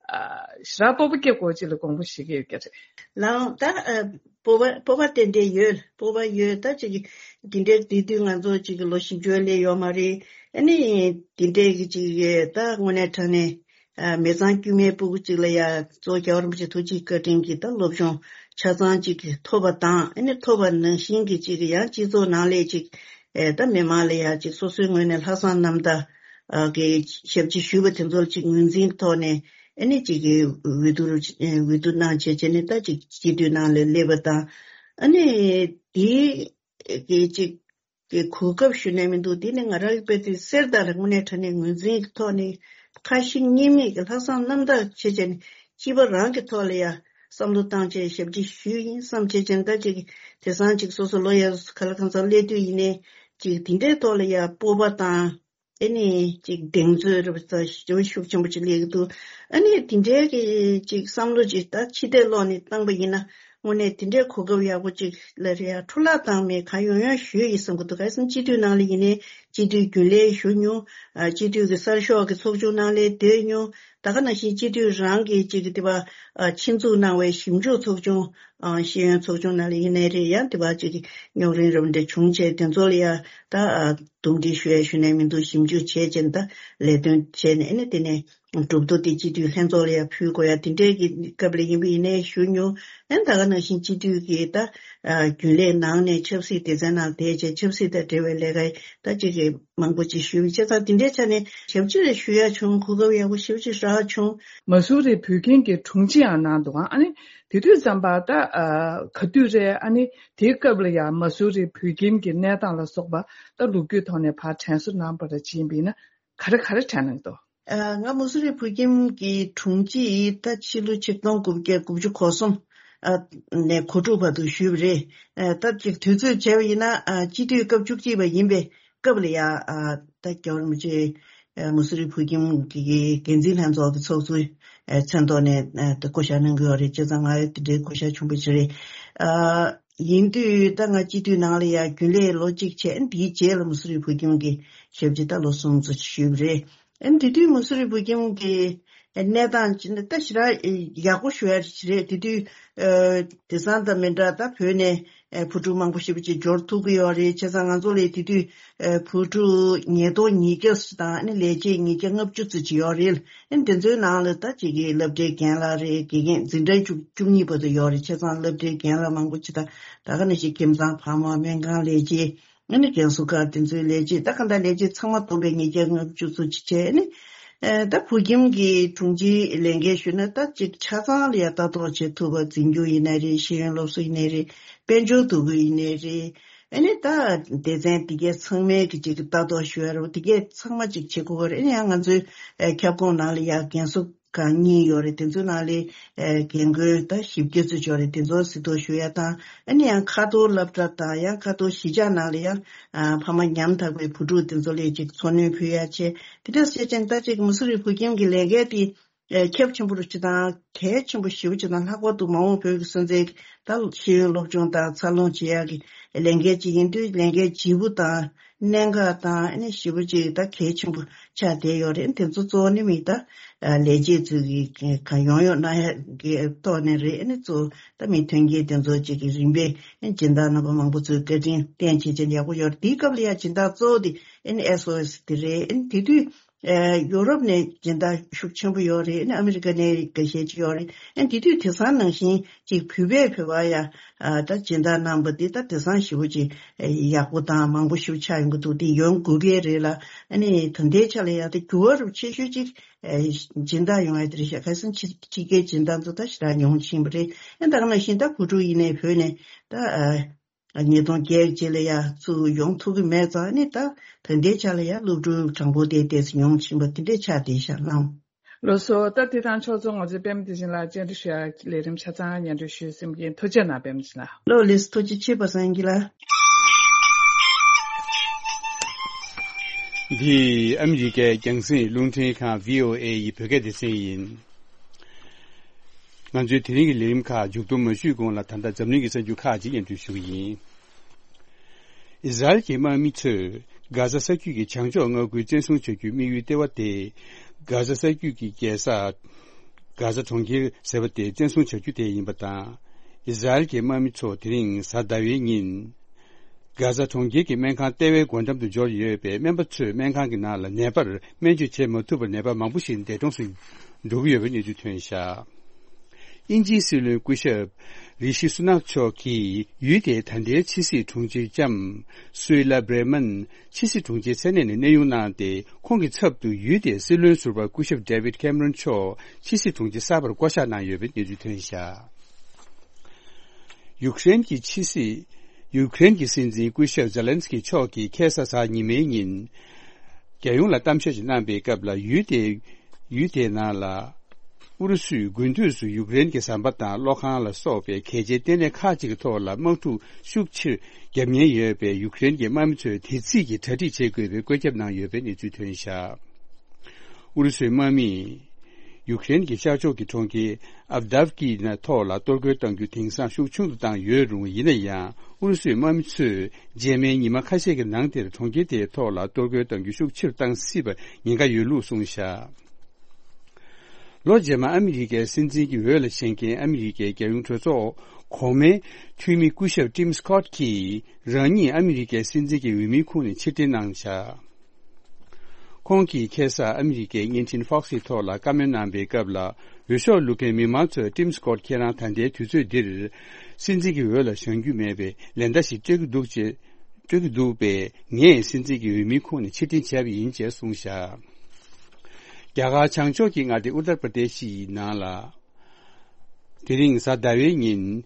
ཨ་ཞེ་དྲག་སྤོབས་པ་སྐྱེ་དགོས་ཅིག་ལ་དགོངས་པ་བཞེས་ཀྱི་ཡོད་ཀྱི་རེད། ལགས་ད་ཨ་སྤོབས་པ་སྤོབས་པ་ཏན་ཏན་ཡོད། སྤོབས་པ་ཡོད། ད་ཅིག་འདི་འདྲའི་དུས་དུས་ང་ཚོ་ཅིག་ལོ་བཞི་བཅུ་སླེབས་ཡོད་མ་རེད། ཨ་ནི་འདི་འདྲའི་གི་ཅིག་ད་དངོས་གནས་དྲང་གནས་ཨ་མི་ཚང་དཀྱུས་མའི་སྤུ་གུ་ཅིག་ལ་ཡ་གཙོ་བོ་རྒྱལ་བ་རིན་པོ་ཆེ་ཐུགས་རྗེ་བཀའ་དྲིན་གྱིས་ད་སློབ་སྦྱོང་ཆ་ཚང་ཅིག་ཐོབ་པ་དང་། ཨ་ནི་ཐོབ་པ་ནང་བཞིན་གྱི་ཅིག་ཡང་སྤྱི་ཚོགས་ནང་ལས་ཅིག་ཨེ་ད་མི་མང་ལ་ཡ་ཅིག་སོ་སོའི་ངོས་ནས་ལྷག་བསམ་རྣམ་དག་ཨ་གི་ཞབས་ཕྱི་ཞུས་པ་དེ་ཚོར་ཅིག་ངོས་འཛིན་ཐོག་ནས། ཨ་ནི་ཅིག་གི་འོས་བསྡུ་ཨེ་འོས་བསྡུ་གནང་བྱས་བྱས་ནས་ད་ཅིག་སྤྱི་འཐུས་ནང་ལ་སླེབས་པ་དང་། ཨ་ནི་དེའི་གི་ཅིག་གི་གོ་སྐབས་ཞུ་ནས་མི་འདུག་དེ་ནི་ང་རང་གི་དཔེ་དེ་གསེར་རྟ་ལ་དངོས་གནས་དྲང་གནས་ངོས་འཛིན་གྱི་ཐོག་ནས་ཁ་ཞེ་གཉིས་མེད་ཀྱི་ལྷག་བསམ་རྣམ་དག་བྱེད་བྱས་ནས་སྤྱི་པ་རང་གི་ཐོག་ལ་ཡ་བསམ་བློ་བཏང་བྱས་ཞབས་ཕྱི་ཞུས་ཡིན་བསམ་བྱས་བྱས་ནས། ད་ཅིག་དེང་སང་ཅིག་སོ་སོ་ལོ་ཡར་ག་ལ་གང་འཚམ་སླེབས་དུས་ཡིན་ནའི་ཅིག་དེ་འདྲའི་ཐོག་ལ་ཡ་སྤོབས་པ་དང་། ཨ་ནི་ཅིག་གདེང་ཚོད་རེད་པ། ད་ཞེ་པོ་ཤུགས་ཆེན་པོ་ཅིག་སླེབས་ཀྱི་འདུག་ཨ་ནི་དེ་འདྲའི་གི་ཅིག་བསམ་བློ་ཅིག་ད་ཕྱི་བལྟས་ལོག་ནས་བཏང་པ་ཡིན་ན། དངོས་གནས་དེ་འདྲའི་གོ་སྐབས་ཡག་པོ་ཅིག་ལ་རེད་ཡ། འཕྲོ་བརླག་བཏང་མེད། གང་ཡོང་ཡོང་ཞུས་ཡིན་བསམ་གྱི་འདུག་ག་རེ་ཟེར་ན་སྤྱི་འཐུས་ནང་ལ་ཡིན་ནའི་སྤྱི་འཐུས་རྒྱུན་ལས་ཞུ་མྱོང་། ཨ་སྤྱི་འཐུས་ཀྱི་གསར་ཤོག་གི་ཚོགས་ཆུང་ནང་ལ་སྡོད་མྱོང་། ད་ག་ནང་བཞིན་སྤྱི་འཐུས་རང་གིས་ཅིག་དེ་བ་ཨ་ཆེད་འཛུགས་གནང་བའི་ཞིབ་འཇུག་ཚོགས་ཆུང་། ཨ་ཤེས་ཡོན་ཚོགས་ཆུང་ནང་ལ་ཡིན་ནའི་རེད་ཡ། དེ་བ་ཅིག་རྙོག་རིམ་རབ་འདྲ་བྱུང་བྱས་དེ་ཚོ་ལ་ཡ་ད་ཨ་འདུམ་འགྲིག་ཞུ་ཡ་ཞུ་ནས་མི་འདུག་ཞིབ་འཇུག་བྱས་བྱས་ད་ལས་དོན་བྱས་ནས། ཨ་ནི་དེ་ནས་ གྲུབ་ཐོབ་དེ་སྤྱི་འཐུས་ལྷན་ཚོགས་ལ་ཡང་ཕུལ་དགོས་ཡ་དེ་འདྲའི་གི་སྐབས་ལ་ཡིན་པ་ཡིན་ནའི་ཞུ་མྱོང་། ཨན་ད་ག་ནང་བཞིན་སྤྱི་འཐུས་ཀྱི་ད་རྒྱུན་ལས་ནང་ནས་ཆབ་སྲིད་སྡེ་ཚན་ནང་བསྡད་བྱས་ཆབ་སྲིད་དང་འབྲེལ་བའི་ལས་ཀ་ད་ཅིག་གི་མང་པོ་ཅིག་ཞུས་པའི་བྱས་ཙང་དེ་འདྲའི་ཆ་ནས་ཞབས་ཕྱི་རེ་ཞུ་ཡ་བྱུང་། གོ་སྐབས་ཡག་པོ་ཞེ་པོ་ཅིག་རག་བྱུང་། མ་སུ་རི་བོད་ཁྱིམ་གྱི་དྲུང་ཆེའང་གནང་འདུག་ཨ་ནི་དེ་དུས་ཙམ་པ་ད་ག་དུས་རེད། ཨ་ནི་དེའི་སྐབས་ལ་ཡང་མ་སུ་རི་བོད་ཁྱིམ་གྱི་གནས་སྟངས་ལ་སོགས་པ་ད་ལོ་རྒྱུས་ཐོག་ནས་ཕར་དྲན་གསོ་གནང་བ་རེ་བྱས་པ་ཡིན་ན། ག་རེ་ག་རེ་དྲན་གནང་འདུག་ཨ། ང་མ་སུ་རི་བོད་ཁྱིམ་གྱི་དྲུང་ཆེ་ཡིས་ད་ཕྱི་ལོ་ཆིག་སྟོང་དགུ་བརྒྱ་དགུ་བཅུ་གོ་གསུམ། ཨ། ནས་གོ་དྲུག་བར་དུ་ཞུས་པ་རེད། ཨ། ད་ཅིག་དུས་ཚོད་བྱས་པ་ཡིན་ན། ཨ། སྤྱི་འཐུས་སྐབས་བཅུ་གཅིག་པ་ཡིན་པའི་སྐབས་ལ་ཡ། ཨ། ད་རྒྱལ་བ་རིན་པོ་ཆེ། ཨ། མ་སུ་རི་བོད་ཁྱིམ་གྱི་འགན་འཛིན་ལྷན་ཚོགས་ཀྱི་ཚོགས་གཙོའི། ཨ། མཚན་ཐོག་ནས། ཨ། ད་བསྐོ་བཞག་གནང་གི་ཡོད་རེད། བྱས་ཙང་ང་དེ་འདྲའི་བསྐོ་བཞག་བྱུང་བ་ཞིག་རེད། ཨ། ཡིན་དུས་ད་ང་སྤྱི་འཐུས་ནང་ལ་ཡ་རྒྱུན་ལས་ལོ་གཅིག་བྱས། ཨ། དེའི་རྗེས་ལ་མ་སུ་རི་བོད་ཁྱིམ་གྱི་ཞབས་ཕྱི་ད་ལོ་གསུམ་ཙམ་ཞུས་པ་རེད། ཨ། དེ་དུས་མ་སུ་རི་བོད་ཁྱིམ་གྱི་གནས་སྟངས་ཅིག་ནི་ད་ཞེ་དྲག་ཡག་པོ་ཞུ་ཡ་ཞིག་རེད། དེ་དུས། ཨ། དེང་སང་དང་མི་འདྲ། ད་བོད་ནས། ཨ། བུ་ཕྲུག་མང་པོ་ཞེ་པོ་ཅིག་འབྱོར་ཐུབ་ཀྱི་ཡོད་རེད། བྱས་ཙང་ང་ཚོ་ལ་དེ་དུས། ཨ། བུ་ཕྲུག་ཉིས་སྟོང་ཉིས་བརྒྱ་དང་། ཨ་ནི་ལས་བྱེད་ཉིས་བརྒྱ་ལྔ་བཅུ་ཙམ་ཅིག་ཡོད་རེད། ཨ་ནི་དེ་ཚོའི་ནང་ལ་ད་ཅིག་གི་སློབ་གྲྭའི་རྒན་ལགས་རེད། དགེ་རྒན། འཛིན་གྲྭ་བཅུ་བཅུ་གཉིས་བར་དུ་ཡོད་རེད། བྱས་ཙང་སློབ་གྲྭའི་རྒན་ལགས་མང་པོ་ཅིག་དང་། ད་ག་ནང་བཞིན་ཁྱིམ་ཚང་ཕ་མ། སྨན་ཁང་ལས་བྱེད། ཨ་ནི་རྒན་གསོ་ཁང་དེ་ཚོའི་ལས་བྱེད། ད་གང་ལྟར་ལས་བྱེད་ཚང་མ་བསྡོམས་པས་ཉིས་བརྒྱ་ལྔ་བཅུ་ཙམ་ཅིག་བྱས། ཨ་ནི། ཨ། ད་བོད་ཁྱིམ་གྱི་དྲུང་ཆེའི་ལས་འགན་ཞུས་ན། ད་ཅིག་ཆ་ཚང་ལ་ཡ་ལྟ་རྟོག་བྱེད་ཐུབ་པ། འཛིན་སྐྱོང་ཡིན་ནའི་རེད། ཤེས་ཡོན་སློབ་གསོ་ཡིན་ནའི་རེད། དཔལ་འབྱོར་འདུ་འགོད་ཡིན་ནའི་རེད། ཨ་ནི་ད་སྡེ་ཚན་དེ་གས་ཚང་མའི་གི་ཅིག་ལྟ་རྟོག་ཞུ་ཡ་རེད། དེ་གས་ཚང་མ་ཅིག་བྱེད་དགོས་པ་རེད། ཨ་ནི་ཡང་ང་ཚོའི། ཨ། ཁྱབ་ཁོངས་ནང་ལ་ཡ་རྒན་གསོ་ཁང་གཉིས་ཡོད་རེད། དེ་ཚོའི་ནང་ལ། ཨ། རྒན་རྒོན་ད་བཞི་བརྒྱ་ཙམ་ཡོད་རེད། དེ་ཚོར་གཟིགས་རྟོག་ཞུ་ཡ་དང་། ཨ་ནི་ཡང་ཁ་ཐོར་སློབ་གྲྭ་དང་། ཡང་ཁ་ཐོར་གཞིས་ཆགས་ནང་ལ་ཡང་། ཨ། ཕ་མ་ཉམ་ཐག་པའི་བུ་ཕྲུག་དེ་ཚོ་ལ་ཅིག་འཚོ་སྣོན་ཕུལ་ཡ་བྱས། དེ་འདྲ་བྱས་ཙང་ད་ཅིག་མ་སུ་རི་བོད་ཁྱིམ་གྱི་ལས་འགན་དེ། ཨ། ཁྱབ་ཆེན་པོ་རུ་ཅིག་དང་གལ་ཆེན་པོ་ཞེ་པོ་ཅིག་དང་། ལྷག་པར་དུ་མ་འོངས་བོད་ཀྱི་སོན་རྩའི་ད་ཤེས་ཡོན་སློབ་སྦྱོང་དང་འཚར་ལོངས་བྱེད་ཡག་གི་ལས་འགན་ཅིག་ཡིན་དུས། ལས་འགན་ལྗིད་པོ་དང་གནད་འགག་དང་། ཨ་ནི་ཞེ་པོ་ཅིག་ད་གལ་ཆེན་པོ་ཆགས་བསྡད་ཡོད་རེད། དེ་ཚོ་གཙོ་བོ་ནི་མི་ད། ཨ། ལས་བྱེད་ཚོས་ཀྱི་གང་ཡོང་ཡོང་གནང་ཡག་གི་ཐོག་ནས་རེད། ཨ་ནི་གཙོ་བོ་ད་མི་མཐུན་རྐྱེན་དེ་ཚོ་ཅིག་གི་རིམ་པས། ཨ། སྦྱིན་བདག་རྣམ་པ་མང་པོ་ཚོས་བཀའ་དྲིན་བརྟེན་བྱས་བྱས་ཡག་པོ་ཡོད་རེད། དེའི་སྐབས་ལ་ཡ་སྦྱིན་བདག་གཙོ་བོ་དེ། ཨ་ནི་ཨེས་ཨོ་ཨེས་དེ་རེད། ཨ་ནི་དེ་དུས། ཨ། ཡོ་རོབ་ནས་སྦྱིན་བདག་ཤུགས་ཆེན་པོ་ཡོད་རེད། ཨ་ནི་ཨ་མི་རི་ཀ་ནས་འགའ་ཤས་ཅིག་ཡོད་རེད། ཨ་ནི་དེ་དུས་དེང་སང་ནང་བཞིན་ཅིག་བོད་པས་བོད་པར་ཡ། ཨ། ད་སྦྱིན་བདག་གནང་བ་འདི་ད་དེང་སང་ཞེ་པོ་ཅིག་ཡག་པོ་དང་མང་པོ་ཞེ་པོ་ཆགས་ཡོང་གི་འདུག་དེ་ཡོང་དགོས་ཀྱི་རེད་ལ། ཨ་ནི་ད་ལྟའི་ཆ་ལ་ཡ་ད་འགྱུར་བ་རུ་ཆེ་ཤོས་ཅིག་ཨ། སྦྱིན་བདག་ཡོང་ཡ་དེ་རེད་ཤག་ཁ་སང་ཕྱི་ཕྱི་རྒྱལ་སྦྱིན་བདག་ཚོ་ད་ཞེ་དྲག་ཉུང་ཕྱིན་པ་རེད། ཨ། ད་ག་ནང་བཞིན་ད་བུ་ཕྲུག་ཡིན་ནའི་བོད་ནས་ད། ཨ། ཉིས་སྟོང་བརྒྱད་རྗེས་ལ་ཡ་ཚུར་ཡོང་ཐུབ་ཀྱི་མེད་ཙང་། ཨ་ནི་ད་ད་ལྟའི་ཆ་ལ་ཡ་སློབ་ཕྲུག་གྲངས་འབོར་དེ་ཏོག་ཙམ་ཉུང་ཕྱིན་པ་དེ་འདྲས་ཆགས་བསྡད་ཤག་ལགས། ལགས་སོ། ད་དེ་དང་ཕྱོགས་མཚུངས་ང་ཚོའི་པད་མ་བདེ་ཆེན་ལགས་བཅར་འདྲི་ཞུ་ཡ་ལས་རིམ་ཆ་ཚང་སྙན་སྒྲོན་ཞུས་ཟིན་པ་ཡིན། ཐུགས་རྗེ་གནང་། པད་མ་བདེ་ཆེན་ལགས། ལགས་ལགས་སོ། ཐུགས་རྗེ་ཆེ། པ་སངས་སྐྱིད་ལགས། འདི་ཨ་མི་རི་ཀའི་རྒྱང་སྲིང་རླུང་འཕྲིན་ཁང་བྷི་ཨོ་ཨེ་ཡི་བོད་སྐད་སྡེ་ཚན་ཡིན། ང་ཚོའི་དེ་རིང་གི་ལས་རིམ་ཁག་མཇུག་སྡོམ་མ་ཞུས་གོང་ལ། ད་ལྟ་འཛམ་གླིང་གི་གསར་འགྱུར་ཁག་ཅིག་སྙན་སྒྲོན་ཞུ་གི་ཡིན། ཨི་ཟ་རེལ་གྱི་དམག་མི་ཚོས་གྷ་ཟ་ས་རྒྱུད་ཀྱི་བྱང་ཕྱོགས་མངའ་ཁུལ་བཙན་བཟུང་བྱ་རྒྱུའི་དམིགས་ཡུལ་ལྟེ་བ་དེ། གྷ་ཟ་ས་རྒྱུད་ཀྱི་རྒྱལ་ས་གྷ་ཟ་གྲོང་ཁྱེར་ཟེར་བ་དེ་བཙན་བཟུང་བྱ་རྒྱུ་དེ་ཡིན་པ་དང་། ཨི་ཟ་རེལ་གྱི་དམག་མི་ཚོ་དེ་རིང་གཟའ་ཟླ་བའི་ཉིན། གྷ་ཟ་གྲོང་ཁྱེར་གྱི་སྨན་ཁང་ལྟེ་བའི་སྒོ་འགྲམ་དུ་འབྱོར་ཡོད་པས། སྨན་པ་ཚོས་སྨན་ཁང་གི་ནང་ལ་ནད་པར་སྨན་བཅོས་བྱེད་མ་ཐུབ་པར་ནད་པ་མང་པོ་ཞིག་འདས་གྲོངས་སུ་འགྲོ་གི་ཡོད་པའི་གནས་ཚུལ་ཐོན་བཞག་དབྱིན་ཇིའི་སྲིད་བློན་སྐུ་ཞབས་རི་ཤི་སུ་ནག་མཆོག་གིས་ཡུལ་དེའི་ད་ལྟའི་ཕྱི་སྲིད་དྲུང་ཆེ་ལྕམ་སུའེ་ལ་བྷྲེ་མན་ཕྱི་སྲིད་དྲུང་ཆེའི་མཚན་གནས་ནས་གནས་དབྱུང་གནང་སྟེ། ཁོང་གི་ཚབ་ཏུ་ཡུལ་དེའི་སྲིད་བློན་ཟུར་པ་སྐུ་ཞབས་ཌེ་བིད་ཁེམ་རོན་མཆོག་ཕྱི་སྲིད་དྲུང་ཆེ་གསར་པར་བསྐོ་གཞག་གནང་ཡོད་པའི་གནས་ཚུལ་ཐོན་བཞག་ཡུཀ་རེན་གྱི་ཕྱི་སྲིད། ཡུཀ་རེན་གྱི་སྲིད་འཛིན་སྐུ་ཞབས་ཛེ་ལན་སི་ཀི་མཆོག་གིས་ཁ་སང་གཟའ་ཉི་མའི་ཉིན། རྒྱལ་ཡོངས་ལ་གཏམ་བཤད་ཅིག་གནང་པའི་སྐབས་ལ། ཡུལ་དེ། ཡུལ་དེའི་ནང་ལ། ཨུ་རུ་སུས་དགུན་དུས་སུ་ཡུཀ་རེན་གྱི་ཟམ་པ་དང་གློག་ཁང་ལ་སོགས་པའི་གལ་ཆེའི་ལྟེ་གནས་ཁག་ཅིག་གི་ཐོག་ལ་དམག་འཁྲུག་ཤུགས་ཆེར་བརྒྱབ་ཉེན་ཡོད་པས། ཡུཀ་རེན་གྱི་དམག་མི་ཚོས་དེ་རྩིས་ཀྱིས་གྲ་སྒྲིག་བྱེད་དགོས་པའི་བཀོད་ཁྱབ་གནང་ཡོད་པའི་གནས་ཚུལ་ཐོན་བཞག་ཨུ་རུ་སུའི་དམག་མིས་ཡུཀ་རེན་གྱི་ཤར་ཕྱོགས་ཀྱི་གྲོང་ཁྱེར་ཨབ་དཱབ་ཀི་ནང་ཐོག་ལ་གཏོར་རྒོལ་གཏང་རྒྱུ་དེང་སང་ཤུགས་ཆུང་དུ་བཏང་ཡོད་རུང་། ཡིན་ན་ཡང་ཨུ་རུ་སུའི་དམག་མི་ཚོས་རྗེས་མའི་ཉི་མ་ཁ་ཤས་ཀྱི་ནང་དེར་གྲོང་ཁྱེར་དེའི་ཐོག་ལ་གཏོར་རྒོལ་གཏང་རྒྱུ་ཤུགས་ཆེ་རུ་བཏང་སྲིད་པར་ཉེན་ཁ་ཡོད་ལུགས་གསུངས་བཞག་ལོ་རྗེས་མ་ཨ་མི་རི་ཀའི་སྲིད་འཛིན་གྱི་འོས་ལ་བཞེངས་མཁན་ཨ་མི་རི་ཀའི་རྒྱལ་ཡོངས་གྲོས་ཚོགས་གོང་མའི་འཐུས་མི་སྐུ་ཞབས་ཊིམ་སི་ཁོཊ་གྱིས་རང་ཉིད་ཨ་མི་རི་ཀའི་སྲིད་འཛིན་གྱི་འོས་མིའི་ཁོངས་ནས་ཕྱིར་འཐེན་གནང་བཞག་ཁོང་གིས་ཁ་སང་ཨ་མི་རི་ཀའི་བརྙན་འཕྲིན་Fox་གི་ཐོག་ལ་བཀའ་མོལ་གནང་བའི་སྐབས་ལ། འོས་ཤོག་བླུག་མཁན་མི་མང་ཚོས་Tim Scott་ཁྱེད་རང་ད་ལྟའི་དུས་ཚོད་འདིར་སྲིད་འཛིན་གྱི་འོས་ལ་བཞེངས་རྒྱུ་མེད་པས་ལན་བརྡ་ཞིག་སྤྲོད་ཀྱི་འདུག་ཅེས། སྤྲོད་ཀྱི་འདུག་པས། ངས་སྲིད་འཛིན་གྱི་འོས་མིའི་ཁོངས་ནས་ཕྱིར་འཐེན་བྱས་པ་ཡིན་ཅེས་གསུངས་བཞག་རྒྱ་གར་བྱང་ཕྱོགས་ཀྱི་མངའ་སྡེ་ཨུ་ཏར་པྲ་དེ་ཤི་ཡི་ནང་ལ། དེ་རིང་གཟའ་ཟླ་བའི་ཉིན།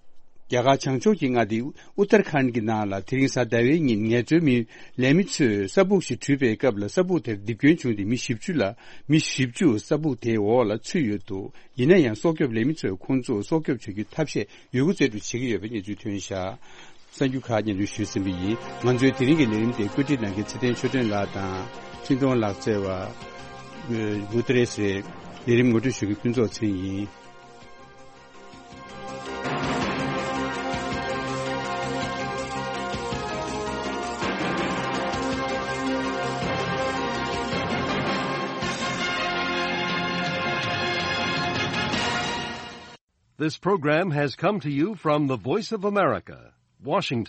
རྒྱ་གར་བྱང་ཕྱོགས་ཀྱི་མངའ་སྡེ་ཨུ་ཏར་ཁཱན་གྱི་ནང་ལ་དེ་རིང་གཟའ་ཟླ་བའི་ཉིན་ངལ་རྩོལ་མི་ལས་མི་ཚོས་ས་སྦུག་ཞིག་བྲུས་པའི་སྐབས་ལ་ས་སྦུག་དེར་རྡིབ་སྐྱོན་བྱུང་སྟེ་མི་བཞི་བཅུ་ལ། མི་བཞི་བཅུ་ས་སྦུག་དེའི་འོག་ལ་ཚུད་ཡོད་འདུག་ཡིན་ན་ཡང་སྲོག་སྐྱོབ་ལས་མི་ཚོས་ཁོང་ཚོ་སྲོག་སྐྱོབ་བྱ་རྒྱུའི་ཐབས་ཤེས་ཡོད་རྒུ་རྩལ་སྤྲུགས་བྱེད་ཀྱི་ཡོད་པའི་གནས་ཚུལ་ཐོན་བཞག་གསར་འགྱུར་ཁག་སྙན་སྒྲོན་ཞུས་ཟིན་པ་ཡིན། ང་ཚོའི་དེ་རིང་གི་ལས་རིམ་དེ་བཀོད་སྒྲིག་གནང་མཁན་ཚེ་བརྟན་ཆོས་སྒྲོན་ལགས་དང་། འཕྲིན་གཏོང་ལག་རྩལ་བ། མུ་ཏྲེ་སེ། ལས་རིམ་ངོ་སྤྲོད་ཞུ་མཁན་ཕུན་ཚོགས་ཚེ་རིང་ཡིན། This program has come to you from the Voice of America, Washington.